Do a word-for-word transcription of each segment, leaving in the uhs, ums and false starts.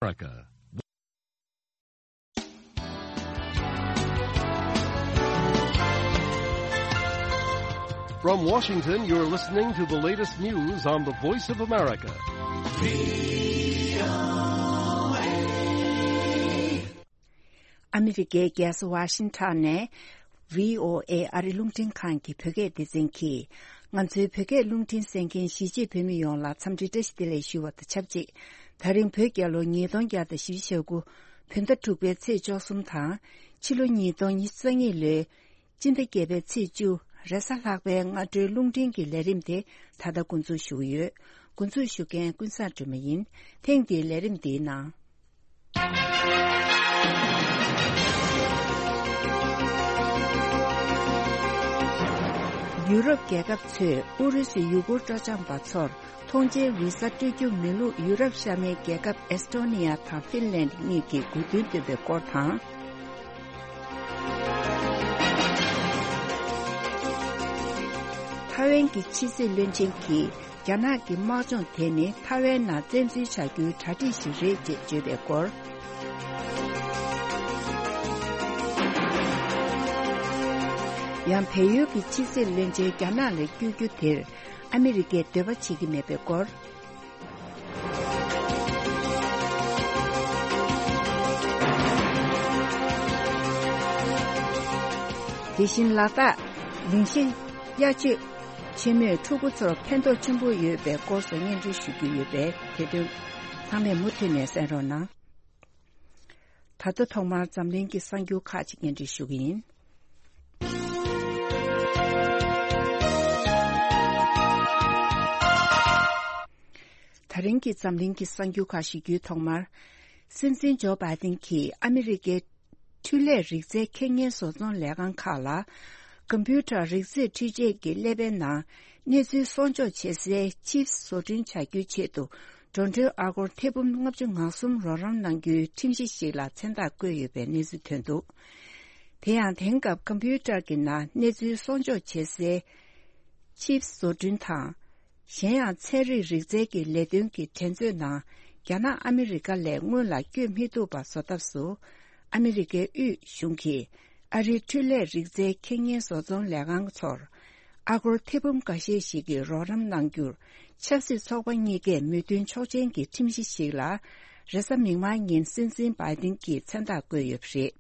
America. From Washington, you're listening to the latest news on the Voice of America. ཨ་མི་རི་ཀའི་རྒྱལ་ས་ཝ་ཤིང་ཊོན་ནས། བྷི་ཨོ་ཨེ་ཨ་རི་རླུང་འཕྲིན་ཁང་གི་བོད་སྐད་སྡེ་ཚན་གྱིས། ང་ཚོའི་བོད་སྐད་རླུང་འཕྲིན་གསན་མཁན་གཞིས་བྱེས་བོད་མི་ཡོངས་ལ་འཚམས་འདྲི་བཀྲ་ཤིས་བདེ་ལེགས་ཞུ་བ་དང་ཆབས་ཅིག་དེ་རིང་བོད་རྒྱལ་ལོ་ཉིས་སྟོང་བརྒྱ་དང་བཞི་བཅུ་ཞེ་དགུ། བོད་ཟླ་དྲུག་པའི་ཚེས་བཅུ་གསུམ་དང་། ཕྱི་ལོ་ཉིས་སྟོང་ཉི་ཤུ་རྩ་གཉིས་ལོའི་སྤྱི་ཟླ་བརྒྱད་པའི་ཚེས་བཅུ། རེས་གཟའ་ལྷག་པའི་སྔ་དྲོའི་རླུང་འཕྲིན་གྱི་ལས་རིམ་དེ་ད་ལྟ་འགོ་འཛུགས་ཞུ་གི་ཡོད། འགོ་འཛུགས་ཞུ་མཁན་ཀུན་བཟང་སྒྲོལ་མ་ཡིན། ཐེངས་འདིའི་ལས་རིམ་འདིའི་ནང་། ཡུ་རོབ་རྒྱལ་ཁབ་ཚོས་ཨུ་རུ་སུའི་ཡུ་གུར་སྤྲོ་འཆམ་པ་ཚོར་ཐོངས་མཆན་བི་ཟ་སྤྲོད་རྒྱུ་མིན་ལུགས་ཡུ་རོབ་ཤར་མའི་རྒྱལ་ཁབ་ཨེས་ཊོ་ནི་ཡ་དང་ཧྥིན་ལན་གཉིས་ཀྱིས་དགོས་འདུན་བཏོན་པའི་སྐོར་དང་། ཐའེ་ཝན་གྱི་ཕྱི་སྲིད་བློན་ཆེན་གྱིས། རྒྱ་ནག་གི་དམག་སྦྱོང་དེ་ནི་ཐའེ་ཝན་ནང་བཙན་འཛུལ་བྱ་རྒྱུའི་གྲ་སྒྲིག་ཞིག་རེད་ཅེས་བརྗོད་པའི་སྐོར། ཡང་བལ་ཡུལ་གྱི་ཕྱི་སྲིད་བློན་ཆེན་རྒྱ་ནག་ལ་བསྐྱོད་རྒྱུ་དེར་ཨ་མི་རི་ཀས་འདོད་པ་བྱེད་ཀྱི་མེད་པའི་སྐོར། དེ་བཞིན་ལ་དྭགས་ལིང་ཤེ་གཡག་མཆོད་ཆེན་མོས་ཕྲུ་གུ་ཚོར་ཕན་ཐོགས་ཆེན་པོ་ཡོད་པའི་སྐོར་སོགས་སྙན་སྒྲོན་ཞུ་རྒྱུ་ཡོད་པས། དེ་དོན་ཚང་མས་མུ་མཐུད་ནས་གསན་རོགས་གནང་། ད་ལྟ་ཐོག་མར་འཛམ་གླིང་གི་གསར་འགྱུར་ཁག་ཅིག་སྙན་སྒྲོན་ཞུ་གི་ཡིན། ད་རིང་གི་འཛམ་གླིང་གི་གསར་འགྱུར་ཁག་ཞུ་རྒྱུའི་ཐོག་མར། སྲིད་འཛིན་ཇོ་བྷའི་ཏིན་གྱིས་ཨ་མི་རི་ཀའི་འཕྲུལ་ལས་རིག་རྩལ་ཁེ་ཉེན་བཟོ་ཚོང་ལས་ཁང་ཁག་ལ། ཀམ་པུ་ཊར་རིག་རྩེད་འཕྲུལ་ཆས་ཀྱི་ཀླད་པའི་ནང་གནས་ཚུལ་སྲུང་སྐྱོབ་བྱེད་སའི་ཆིབ་བཟོ་སྐྲུན་བྱ་རྒྱུའི་ཆེད་དུ། འགྲོ་གྲོན་ཨ་སྒོར་ཐེར་འབུམ་ལྔ་བཅུ་ང་གསུམ་རོགས་རམ་གནང་རྒྱུའི་ཁྲིམས་གཞི་ཞིག་ལ་མཚན་རྟགས་བཀོད་ཡོད་པའི་གནས་ཚུལ་ཐོན་འདུག་དེ་ཡང་དེང་སྐབས་ཀམ་པུ་ཊར་གྱི་ནང་གནས་ཚུལ་སྲུང་སྐྱོབ་བྱེད་སའི་ཆིབ་བཟོ་སྐྲུན་དང་། གཞན་ཡང་ཚན་རིག་རིག་རྩལ་གྱི་ལས་དོན་གྱི་འགྲན་རྩོད་ནང་རྒྱ་ནག་ཨ་མི་རི་ཀ་ལས་སྔོན་ལ་བསྐྱོད་མི་ཐུབ་པ་བཟོ་ཐབས་སུ། ཨ་མི་རི་ཀའི་དབུས་གཞུང་གིས་ཨ་རིའི་འཕྲུལ་ལས་རིག་རྩལ་ཁེ་ཉེན་བཟོ་ཚོང་ལས་ཁང་ཚོར་ཨ་སྒོར་ཐེར་འབུམ་འགའ་ཤས་ཤིག་གི་རོགས་རམ་གནང་རྒྱུར་ཆབ་སྲིད་ཚོགས་པ་གཉིས་ཀས་མོས་མཐུན་ཆོག་མཆན་གྱི་ཁྲིམས་གཞི་ཞིག་ལ་རེས་གཟའ་མིག་དམར་ཉིན་སྲིད་འཛིན་བྷའི་ཏིན་གྱིས་མཚན་རྟགས་བཀོད་ཡོད་པ་རེད།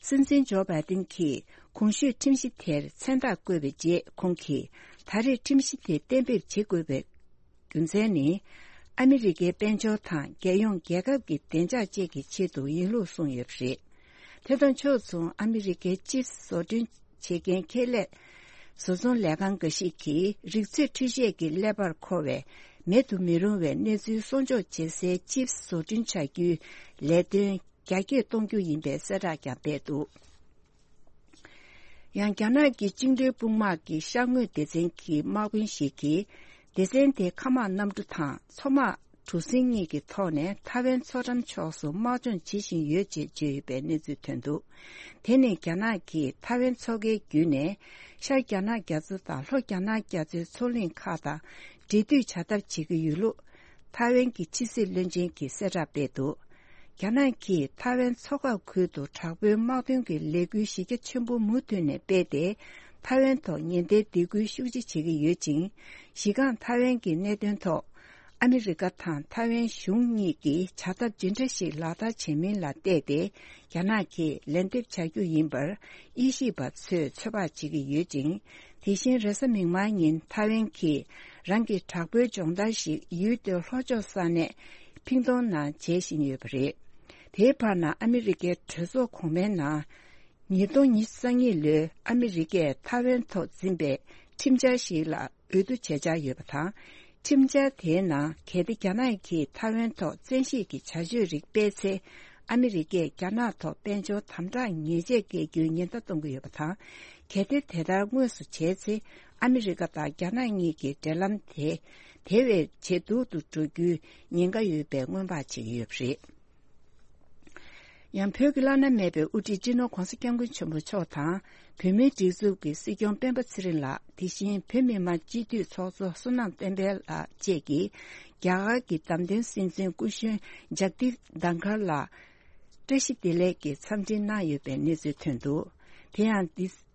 སྲིད་འཛིན་ཇོ་བྷའི་ཏིན་གྱིས་གོང་ཞུས་ཁྲིམས་གཞི་དེར་མཚན་རྟགས་བཀོད་པའི་རྗེས། ཁོང་གིས་ད་རེས་ཁྲིམས་གཞི་དེ་གཏན་འབེབས་བྱེད་དགོས་པའི་རྒྱུ་མཚན་ནི། ཨ་མི་རི་ཀའི་དཔལ་འབྱོར་དང་རྒྱལ་ཡོངས་རྒྱལ་ཁབ་ཀྱི་བདེ་འཇགས་བཅས་ཀྱི་ཆེད་དུ་ཡིན་ལུགས་གསུངས་ཡོད་པ་རེད། དེ་དང་ཕྱོགས་མཚུངས། ཨ་མི་རི་ཀའི་ཆིབས་བཟོ་སྐྲུན་བྱེད་མཁན་ཁེ་ལས་བཟོ་ཚོང་ལས་ཁང་འགའ་ཞིག་གིས་རིག་རྩེད་འཕྲུལ་ཆས་ཀྱི་ཀླད་པར་མཁོ་བའི་མེད་དུ་མི་རུང་བའི་གནས་ཚུལ་སྲུང་སྐྱོབ་བྱེད་སའི་ཆིབས་བཟོ་སྐྲུན་བྱ་རྒྱུའི་ལས་དོན་རྒྱ་སྐྱེད་གཏོང་རྒྱུ་ཡིན་པའི་གསལ་བསྒྲགས་ཀྱང་སྤེལ་འདུག་ཡང་རྒྱ་ནག་གི་བཅིངས་འགྲོལ་དཔུང་དམག་གི་ཤར་ངོས་སྡེ་ཚན་གྱི་དམག་དཔོན་ཞིག་གིས། སྡེ་ཚན་དེའི་མཁའ་དམག་གནམ་གྲུ་དང་མཚོ་དམག་གྲུ་གཟིངས་གཉིས་ཀྱི་ཐོག་ནས་ཐའེ་ཝན་མཚོ་འགྲམ་ཕྱོགས་སུ་དམག་སྦྱོང་བྱེད་བཞིན་ཡོད་ཅེས་བརྗོད་ཡོད་པའི་གནས་ཚུལ་ཐོན་འདུག་དེ་ནི་རྒྱ་ནག་གིས་ཐའེ་ཝན་མཚོ་ཁའི་བརྒྱུད་ནས་ཤར་རྒྱ་ནག་རྒྱ་མཚོ་དང་ལྷོ་རྒྱ་ནག་རྒྱ་མཚོའི་མཚོ་གླིང་ཁག་དང་འབྲེལ་མཐུད་བྱ་ཐབས་བྱེད་ཀྱི་ཡོད་ལུགས། ཐའེ་ཝན་གྱི་ཕྱི་སྲིད་བློན་ཆེན་གྱིས་གསལ་བསྒྲགས་སྤེལ་འདུག་རྒྱ་ནག་གིས་ཐའེ་ཝན་མཚོ་འགག་ཁུལ་དུ་དྲག་པོའི་དམག་དོན་གྱི་ལས་འགུལ་གཞི་རྒྱ་ཆེན་པོ་མུ་མཐུད་ནས་སྤེལ་ཏེ། ཐའེ་ཝན་ཐོག་ཉེན་བརྡའི་སྡིགས་སྐུལ་ཤུགས་ཆེ་བྱེད་ཀྱི་ཡོད་ཅིང་། གཞི་རྐང་ཐའེ་ཝན་གྱི་གནད་དོན་ཐོག་ཨ་མི་རི་ཀ་དང་ཐའེ་ཝན་གཞུང་གཉིས་ཀྱིས་བྱ་ཐབས་ཇི་འདྲ་ཞིག་ལག་བསྟར་བྱེད་མིན་ལ་བལྟས་ཏེ། རྒྱ་ནག་གིས་ལན་འདེབས་བྱ་རྒྱུ་ཡིན་པར་དབྱེ་ཞིབ་པ་ཚོས་ཚོད་དཔག་བྱེད་ཀྱི་ཡོད་ཅིང་། དེ་བཞིན་རེས་གཟའ་མིག་དམར་ཉིན་ཐའེ་ཝན་གྱིས་རང་གི་དྲག་པོའི་སྦྱོང་བརྡར་ཞིག་ཡུལ་དེའི་ལྷོ་ཕྱོགས་ས་གནས་ཕིང་ཏོང་ནང་བྱེད་བཞིན་ཡོད་པ་རེད། དེའི་བར་ན་ཨ་མི་རི་ཀའི་གྲོས་ཚོགས་གོང་མའི་ནང་། ཉིས་སྟོང་ཉི་ཤུ་རྩ་གཉིས་ལོའི་ཨ་མི་རི་ཀས་ཐའེ་ཝན་ཐོག་འཛིན་པའི་ཁྲིམས་འཆར་ཞིག་ལ་འོས་བསྡུ་བྱེད་འཆར་ཡོད་པ་དང་། ཁྲིམས་འཆར་དེའི་ནང་། གལ་ཏེ་རྒྱ་ནག་གིས་ཐའེ་ཝན་ཐོག་བཙན་ཤེད་ཀྱི་བྱ་སྤྱོད་རིགས་སྤེལ་ཚེ། ཨ་མི་རི་ཀས་རྒྱ་ནག་ཐོག་དཔལ་འབྱོར་དམ་དྲག་ཉེས་ཆད་འགེལ་རྒྱུའི་ཉེན་བརྡ་གཏོང་གི་ཡོད་པ་དང་། གལ་ཏེ་དེ་ལྟར་དངོས་སུ་བྱས་ཚེ། ཨ་མི་རི་ཀ་དང་རྒྱ་ནག་གཉིས་ཀྱི་འབྲེལ་ལམ་དེ་དེ་བས་ཇེ་སྡུག་ཏུ་འགྲོ་རྒྱུའི་ཉེན་ཁ་ཡོད་པའི་སྔོན་དཔག་བྱེད་ཀྱི་ཡོད་པ་རེད། ཡང་བོད་ཀྱི་བླ་ན་མེད་པའི་དབུ་ཁྲིད་སྤྱི་ནོར་༧གོང་ས་༧སྐྱབས་མགོན་ཆེན་པོ་མཆོག་དང་། བོད་མིའི་སྒྲིག་འཛུགས་ཀྱི་སྲིད་སྐྱོང་སྤེན་པ་ཚེ་རིང་ལགས། དེ་བཞིན་བོད་མི་མང་སྤྱི་འཐུས་ཚོགས་གཙོ་བསོད་ནམས་བསྟན་འཕེལ་ལགས་བཅས་ཀྱིས། རྒྱ་གར་གྱི་བདམས་ཐོན་སྲིད་འཛིན་སྐུ་གཞོན་ཇག་དིབ་དྷན་ཁར་ལགས་བཀྲ་ཤིས་བདེ་ལེགས་ཀྱི་འཚམས་འདྲི་གནང་ཡོད་པའི་གནས་ཚུལ་ཐོན་འདུག་དེ་ཡང་འདི། ཕྱི་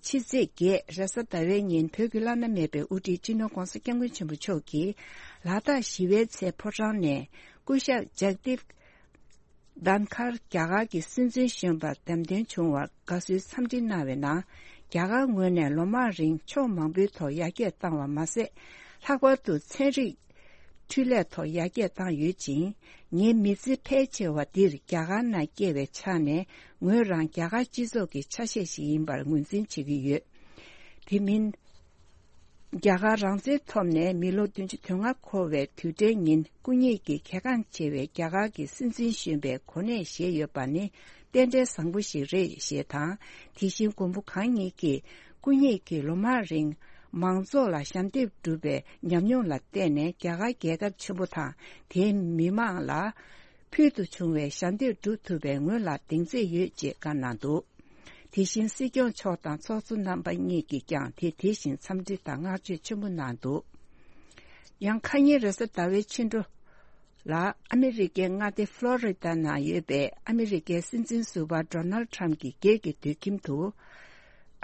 ཚེས་བརྒྱད་རེས་གཟའ་ཟླ་བའི་ཉིན་བོད་ཀྱི་བླ་ན་མེད་པའི་དབུ་ཁྲིད་སྤྱི་ནོར་༧གོང་ས་༧སྐྱབས་མགོན་ཆེན་པོ་མཆོག་གིས་ལ་དྭགས་ཞི་བའི་ཚལ་ཕོ་བྲང་ནས་སྐུ་ཞབས་ཇག་དིབ་དྷན་ཁར་རྒྱ་གར་གྱི་སྲིད་འཛིན་གཞོན་པར་བདམས་ཐོན་བྱུང་བར་དགའ་བསུའི་འཚམས་འདྲི་གནང་བའི་ནང་། རྒྱ་གར་ངོས་ནས་ལོ་མང་རིང་ཕྱོགས་མང་པོའི་ཐོག་ཡར་རྒྱས་བཏང་བ་མ་ཟད། ལྷག་པར་དུ་ཚན་རིག་འཕྲུལ་ལས་ཐོག་ཡར་རྒྱས་བཏང་ཡོད་ཅིང་། ངའི་མི་ཚེ་ཕལ་ཆེ་བ་འདིར་རྒྱ་གར་ནང་སྐྱེལ་བའི་ཆ་ནས། ངོས་རང་རྒྱ་གར་སྤྱི་ཚོགས་ཀྱི་ཆ་ཤས་ཤིག་ཡིན་པར་ངོས་འཛིན་བྱེད་ཀྱི་ཡོད། དེ་མིན། རྒྱ་གར་རང་བཙན་ཐོབ་ནས་མི་ལོ་བདུན་ཅུ་དོན་ལྔ་འཁོར་བའི་དུས་དྲན་ཉིན། སྐུ་ཉིད་ཀྱིས་གལ་འགངས་ཆེ་བའི་རྒྱ་གར་གྱི་སྲིད་འཛིན་གཞོན་པའི་གོ་གནས་བཞེས་ཡོད་པ་ནི་རྟེན་འབྲེལ་བཟང་པོ་ཞིག་རེད་ཞེས་དང་། དེ་བཞིན་མགོན་པོ་གང་ཉིད་ཀྱིས། སྐུ་ཉིད་ཀྱིས་ལོ་མང་རིང་མང་ཚོགས་ལ་ཞབས་འདེགས་བསྒྲུབས་པའི་ཉམས་མྱོང་ལ་བརྟེན་ནས། རྒྱ་གར་རྒྱལ་ཁབ་ཆེན་པོ་དང་དེའི་མི་མང་ལ་ཕུལ་དུ་བྱུང་བའི་ཞབས་འདེགས་བསྒྲུབ་ཐུབ་པའི་ངོས་ལ་གདེང་ཚོད་ཡོད་ཅེས་བཀའ་གནང་འདུག་དེ་བཞིན་སྲིད་སྐྱོང་མཆོག་དང་ཚོགས་གཙོ་རྣམ་པ་གཉིས་ཀྱིས་ཀྱང་དེ་དེ་བཞིན་འཚམས་འདྲི་དང་བསྔགས་བརྗོད་ཆེན་པོ་གནང་འདུག་ཡང་ཁ་ཉིན་རེས་གཟའ་ཟླ་བའི་ཕྱི་དྲོ། ལ། ཨ་མི་རི་ཀའི་མངའ་སྡེ་ཕློ་རི་ཌ་ནང་ཡོད་པའི་ཨ་མི་རི་ཀའི་སྲིད་འཛིན་ཟུར་པ་ཌོ་ནལ་ཌི་ཊརམ་གྱི་སྒེར་གྱི་སྡོད་ཁྱིམ་དུ།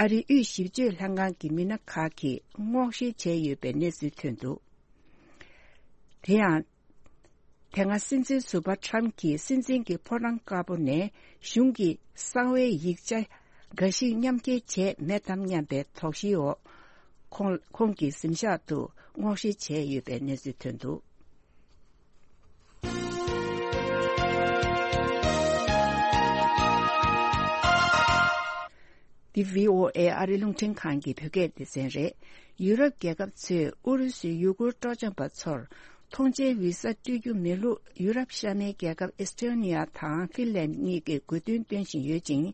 ཨ་རིའི་དབུས་ཞིབ་དཔྱོད་ལྷན་ཁང་གི་མི་སྣ་ཁག་གིས་སྔོག་བཤེར་བྱས་ཡོད་པའི་གནས་ཚུལ་ཐོན་འདུག་དེ་ཡང་། དེ་སྔ་སྲིད་འཛིན་ཟུར་པ་ཊརམ་གྱིས་སྲིད་འཛིན་གྱི་ཕོ་བྲང་དཀར་པོ་ནས་གཞུང་གི་གསང་བའི་ཡིག་ཆ་འགའ་ཞིག་མཉམ་འཁྱེར་བྱས་མེད་དམ་སྙམ་པའི་དོགས་གཞིའི་འོག་ཁོང་ཁོང་གི་གཟིམ་ཤག་ཏུ་སྔོག་བཤེར་བྱས་ཡོད་པའི་གནས་ཚུལ་ཐོན་འདུག་འདི་བྷི་ཨོ་ཨེ་ཨ་རི་རླུང་འཕྲིན་ཁང་གི་བོད་སྐད་སྡེ་ཚན་རེད། ཡུ་རོབ་རྒྱལ་ཁབ་ཚོས་ཨུ་རུ་སུའི་ཡུ་གུར་སྤྲོ་འཆམ་པ་ཚོར་ཐོངས་མཆན་བི་ཟ་སྤྲོད་རྒྱུ་མེད་ལུགས་ཡུ་རོབ་ཤར་མའི་རྒྱལ་ཁབ་ཨེས་ཏོ་ནི་ཡ་དང་ཧྥིན་ལན་གཉིས་ཀྱིས་དགོས་འདུན་བཏོན་བཞིན་ཡོད་ཅིང་།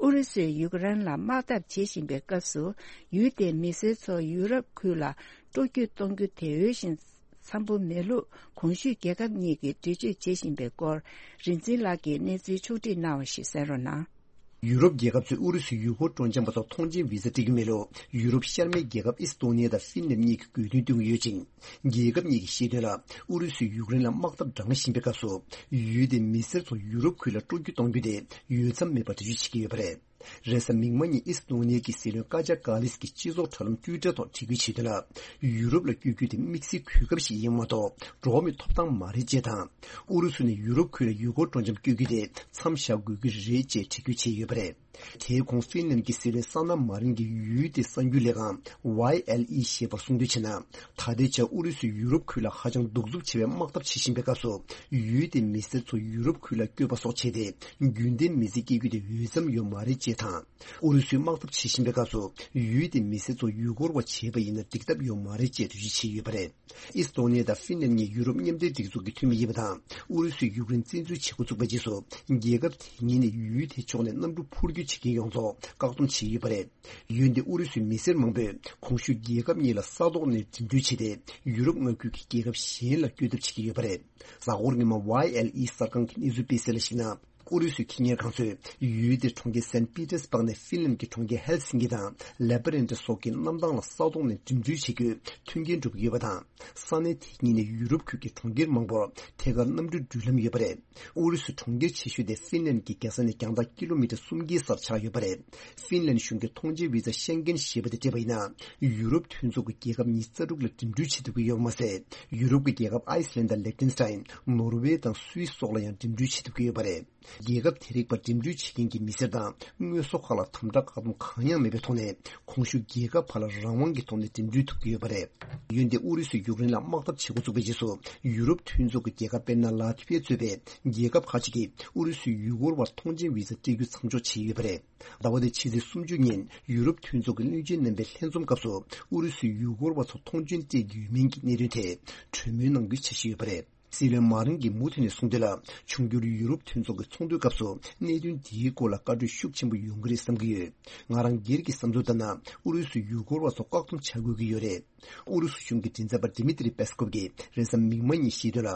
ཨུ་རུ་སུས་ཡུཀ་རེན་ལ་དམག་འཐབ་བྱེད་བཞིན་པའི་སྐབས་སུ། ཡུལ་དེའི་མི་སེར་ཚོ་ཡུ་རོབ་ཁུལ་ལ་སྤྲོ་སྐྱོད་གཏོང་རྒྱུ་དེ་འོས་ཤིང་འཚམ་པོ་མེད་ལུགས་གོང་ཞུས་རྒྱལ་ཁབ་གཉིས་ཀྱིས་འགྲེལ་བརྗོད་བྱེད་བཞིན་པའི་སྐོར། རིག་འཛིན་ལགས་ཀྱིས་གནས་ཚུལ་ཕྱོགས་བསྒྲིགས་གནང་བ་ཞིག་གསན་རོགས་གནང་། ཡུ་རོབ་རྒྱལ་ཁབ་ཚོས་ཨུ་རུ་སུའི་ཡུལ་སྐོར་སྤྲོ་འཆམ་པ་ཚོར་ཐོངས་མཆན་བི་ཟ་སྤྲད་རྒྱུ་མེད་ལུགས་ཡུ་རོབ་ཤར་མའི་རྒྱལ་ཁབ་ཨིས་ཏོ་ནི་ཡ་དང་ཧྥིན་ལན་གཉིས་ཀྱིས་དགོས་འདུན་བཏོན་གྱི་ཡོད་ཅིང་། རྒྱལ་ཁབ་གཉིས་ཀྱི་བཤད་དོན་ལ། ཨུ་རུ་སུས་ཡུཀ་རེན་ལ་དམག་འཐབ་འདྲ་མཉམ་བཞིན་པའི་སྐབས་སུ། ཡུལ་དེའི་མི་སེར་ཚོ་ཡུ་རོབ་ཁུལ་ལ་སྤྲོ་སྐྱོད་གཏོང་རྒྱུ་དེ་འོས་འཚམ་མེད་པར་འགྲེལ་བརྗོད་བྱེད་ཀྱི་ཡོད་པ་རེད། རེས་གཟའ་མིག་དམར་ཉིན་ཨིས་ཏོ་ནི་ཡ་གི་སྲིད་བློན་ཀ་ཇ་ཀ་ལིས་ཀྱིས་སྤྱི་ཚོགས་དྲ་ལམ་ཊུའི་ཊར་ཐོག་བྲིས་སྐུལ་བྱས་དོན་ལ། ཡུ་རོབ་ལ་བསྐྱོད་རྒྱུ་དེ་དམིགས་བསལ་གོ་སྐབས་ཤིག་ཡིན་མ་གཏོགས་འགྲོ་བ་མིའི་ཐོབ་ཐང་མ་རེད་ཅེས་དང་། ཨུ་རུ་སུ་ནས་ཡུ་རོབ་ཁུལ་ལ་ཡུལ་སྐོར་སྤྲོ་འཆམ་བསྐྱོད་རྒྱུ་དེ་མཚམས་བཞག་དགོས་ཀྱི་རེད་ཅེས་འགྲེལ་བརྗོད་བྱས་ཡོད་པ་རེད། དེའི་གོང་ཧྥིན་ལན་གྱི་སྲིད་བློན་སཱ་ན་མཱ་རིན་གྱིས་ཡུལ་དེའི་གསར་འགྱུར་ལས་ཁང་ཝའི་ཨེལ་ཨི་ཞེས་པར་གསུངས་དོན་བྱས་ན། ད་ལྟའི་ཆར་ཨུ་རུ་སུས་ཡུ་རོབ་ཁུལ་ལ་ཧ་ཅང་གདུག་རྩུབ་ཆེ་བའི་དམག་འཐབ་བྱེད་བཞིན་པའི་སྐབས་སུ། ཡུལ་དེའི་མི་སེར་ཚོ་ཡུ་རོབ་ཁུལ་ལ་བསྐྱོད་པ་སོགས་བྱས་ཏེ། རྒྱུན་ལྡན་མི་ཚེ་སྐྱེལ་རྒྱུ་དེ་འོས་འཚམ་ཡོད་མ་རེད་ཅེས་དང་། ཨུ་རུ་སུས་དམག་འཐབ་བྱེད་བཞིན་པའི་སྐབས་སུ། ཡུལ་དེའི་མི་སེར་ཚོ་ཡུལ་སྐོར་བ་བྱས་པ་ཡིན་ན་འགྲིག་ཐབས་ཡོད་མ་རེད་ཅེས་འགྲེལ་བརྗོད་བྱས་ཡོད་པ་རེད། ཨིས་ཏོ་ནི་ཡ་དང་ཧྥིན་ལན་གཉིས་ཡུ་རོབ་མཉམ་འབྲེལ་སྒྲིག་འཛུགས་ཀྱི་འཐུས་མི་ཡིན་པ་དང་། ཨུ་རུ་སུས་ཡུཀ་རེན་བཙན་འཛུལ་བྱེད་འགོ་བཙུགས་པའི་རྗེས་སུ། རྒྱལ་ཁབ་དེ་གཉིས་ནས་ཡུལ་དེའི་ཕྱོགས་ནས་གནམ་གྲུ་འཕུར་སྐྱོད་བྱེད་མཁན་ཡོངས་རྫོགས་བཀག་སྡོམ་བྱས་ཡོད་པ་རེད། ཡུལ་འདིའི་ཨུ་རུ་སུའི་མི་སེར་མང་པོས་གོང་ཞུས་རྒྱལ་ཁབ་གཉིས་ལ་ས་ཐོག་ནས་འགྲིམ་འགྲུལ་བྱས་ཏེ། ཡུ་རོབ་མངའ་ཁུལ་གྱི་རྒྱལ་ཁབ་གཞན་ལ་བསྐྱོད་ཐབས་བྱེད་ཀྱི་ཡོད་པ་རེད། གཟའ་འཁོར་སྔོན་མ་ཝའི་ཨེལ་ཨི་གསར་ཁང་གི་གནས་ཚུལ་སྤེལ་གསལ་ལ་གཞིགས་ན། ཨུ་རུ་སུའི་ཁེ་གཉེར་ཁང་ཚོས་ཡུལ་དེའི་གྲོང་ཁྱེར་སན་པི་ཏེར་སྦག་ནས་ཧྥིན་ལན་གྱི་གྲོང་ཁྱེར་ཧེལ་སིན་ཀི་དང་ལེ་པ་རན་ཏི་སོགས་ཀྱི་གནམ་ཐང་ལ་ས་ཐོག་ནས་འགྲིམ་འགྲུལ་བྱེད་རྒྱུའི་མཐུན་རྐྱེན་སྒྲུབ་ཀྱི་ཡོད་པ་དང་། ས་གནས་དེ་གཉིས་ནས་ཡུ་རོབ་ཁུལ་གྱི་གྲོང་ཁྱེར་མང་པོར་ཐད་ཀར་གནམ་གྲུའི་འགྲུལ་ལམ་ཡོད་པ་རེད། ཨུ་རུ་སུའི་གྲོང་ཁྱེར་ཆེ་ཤོས་དེ་ཧྥིན་ལན་གྱི་རྒྱལ་ས་ནས་རྒྱང་ཐག་ཀི་ལོ་མི་ཊར་སུམ་བརྒྱའི་སར་ཆགས་ཡོད་པ་རེད། ཧྥིན་ལན་གཞུང་གིས་ཐོངས་མཆན་བི་ཛ་ཤེང་གེན་ཞེས་པ་དེ་སྤྲད་པ་ཡིན་ན། ཡུ་རོབ་མཐུན་ཚོགས་ཀྱི་རྒྱལ་ཁབ་ཉི་ཤུ་རྩ་དྲུག་ལ་འགྲིམ་འགྲུལ་བྱེད་ཐུབ་ཀྱི་ཡོད་པ་མ་ཟད། ཡུ་རོབ་ཀྱི་རྒྱལ་ཁབ་ཨའི་སི་ལན་དང་ལེག་ཏེན་སི་ཏན། ནོར་ཝེ་དང་སུད་སི་སོགས་ལ་ཡང་འགྲིམ་འགྲུལ་བྱེད་ཐུབ་ཀྱི་ཡོད་པ་རེད། རྒྱལ་ཁབ་དེ་རིགས་པར་འགྲིམ་འགྲུལ་བྱེད་མཁན་གྱི་མི་སེར་དང་དངོས་ཟོག་ཁག་ལ་དམ་དྲག་བཀག་སྡོམ་གང་ཡང་མེད་པའི་ཐོག་ནས། གོང་ཞུས་རྒྱལ་ཁབ་བར་ལ་རང་དབང་གི་ཐོག་ནས་འགྲིམ་འགྲུལ་ཐུབ་ཀྱི་ཡོད་པ་རེད། འོན་ཏེ་ཨུ་རུ་སུས་ཡུཀ་རེན་ལ་དམག་འཐབ་བྱེད་འགོ་བཙུགས་པའི་རྗེས་སུ། ཡུ་རོབ་མཐུན་ཚོགས་ཀྱི་རྒྱལ་ཁབ་དཔེར་ན་ལ་ཐི་བྷི་ཡ་གཙོས་པའི་རྒྱལ་ཁབ་ཁག་ཅིག་གིས་ཨུ་རུ་སུས་ཡུལ་སྐོར་བར་ཐོངས་མཆན་བི་ཛ་སྤྲད་རྒྱུ་མཚམས་འཇོག་བྱས་ཡོད་པ་རེད། ཟླ་བ་འདིའི་ཕྱི་ཚེས་སུམ་ཅུ་ཉིན་ཡུ་རོབ་མཐུན་ཚོགས་ཀྱི་བློན་ཆེན་རྣམ་པའི་ལྷན་འཛོམས་སྐབས་སུ། ཨུ་རུ་སུས་ཡུལ་སྐོར་བ་ཚོར་ཐོངས་མཆན་སྤྲད་ཀྱི་ཡོད་མིན་གྱི་གནད་དོན་ཐད་གྲོས་མོལ་གནང་རྒྱུའི་འཆར་གཞི་ཡོད་པ་རེད། སྲིད་བློན་མཱ་རིན་གྱིས་མུ་མཐུད་ནས་གསུངས་དོན་ལ། འབྱུང་འགྱུར་ཡུ་རོབ་མཐུན་ཚོགས་ཀྱི་ཚོགས་འདུའི་སྐབས་སུ་གནད་དོན་འདིའི་སྐོར་ལ་བཀའ་གྲོས་ཤུགས་ཆེན་པོ་ཡོང་གི་རེད་བསམ་གྱི་ཡོད། ང་རང་སྒེར་གྱི་བསམ་ཚུལ་ལྟར་ན། ཨུ་རུ་སུས་ཡུལ་སྐོར་བ་ཚོ་བཀག་སྡོམ་བྱ་དགོས་ཀྱི་ཡོད་རེད། ཨུ་རུ་སུ་གཞུང་གི་མགྲིན་ཚབ་པ་ཌི་མི་ཏྲི་པེ་སྐོབ་ཀྱིས་རེས་གཟའ་མིག་དམར་ཉིན་བཤད་དོན་ལ།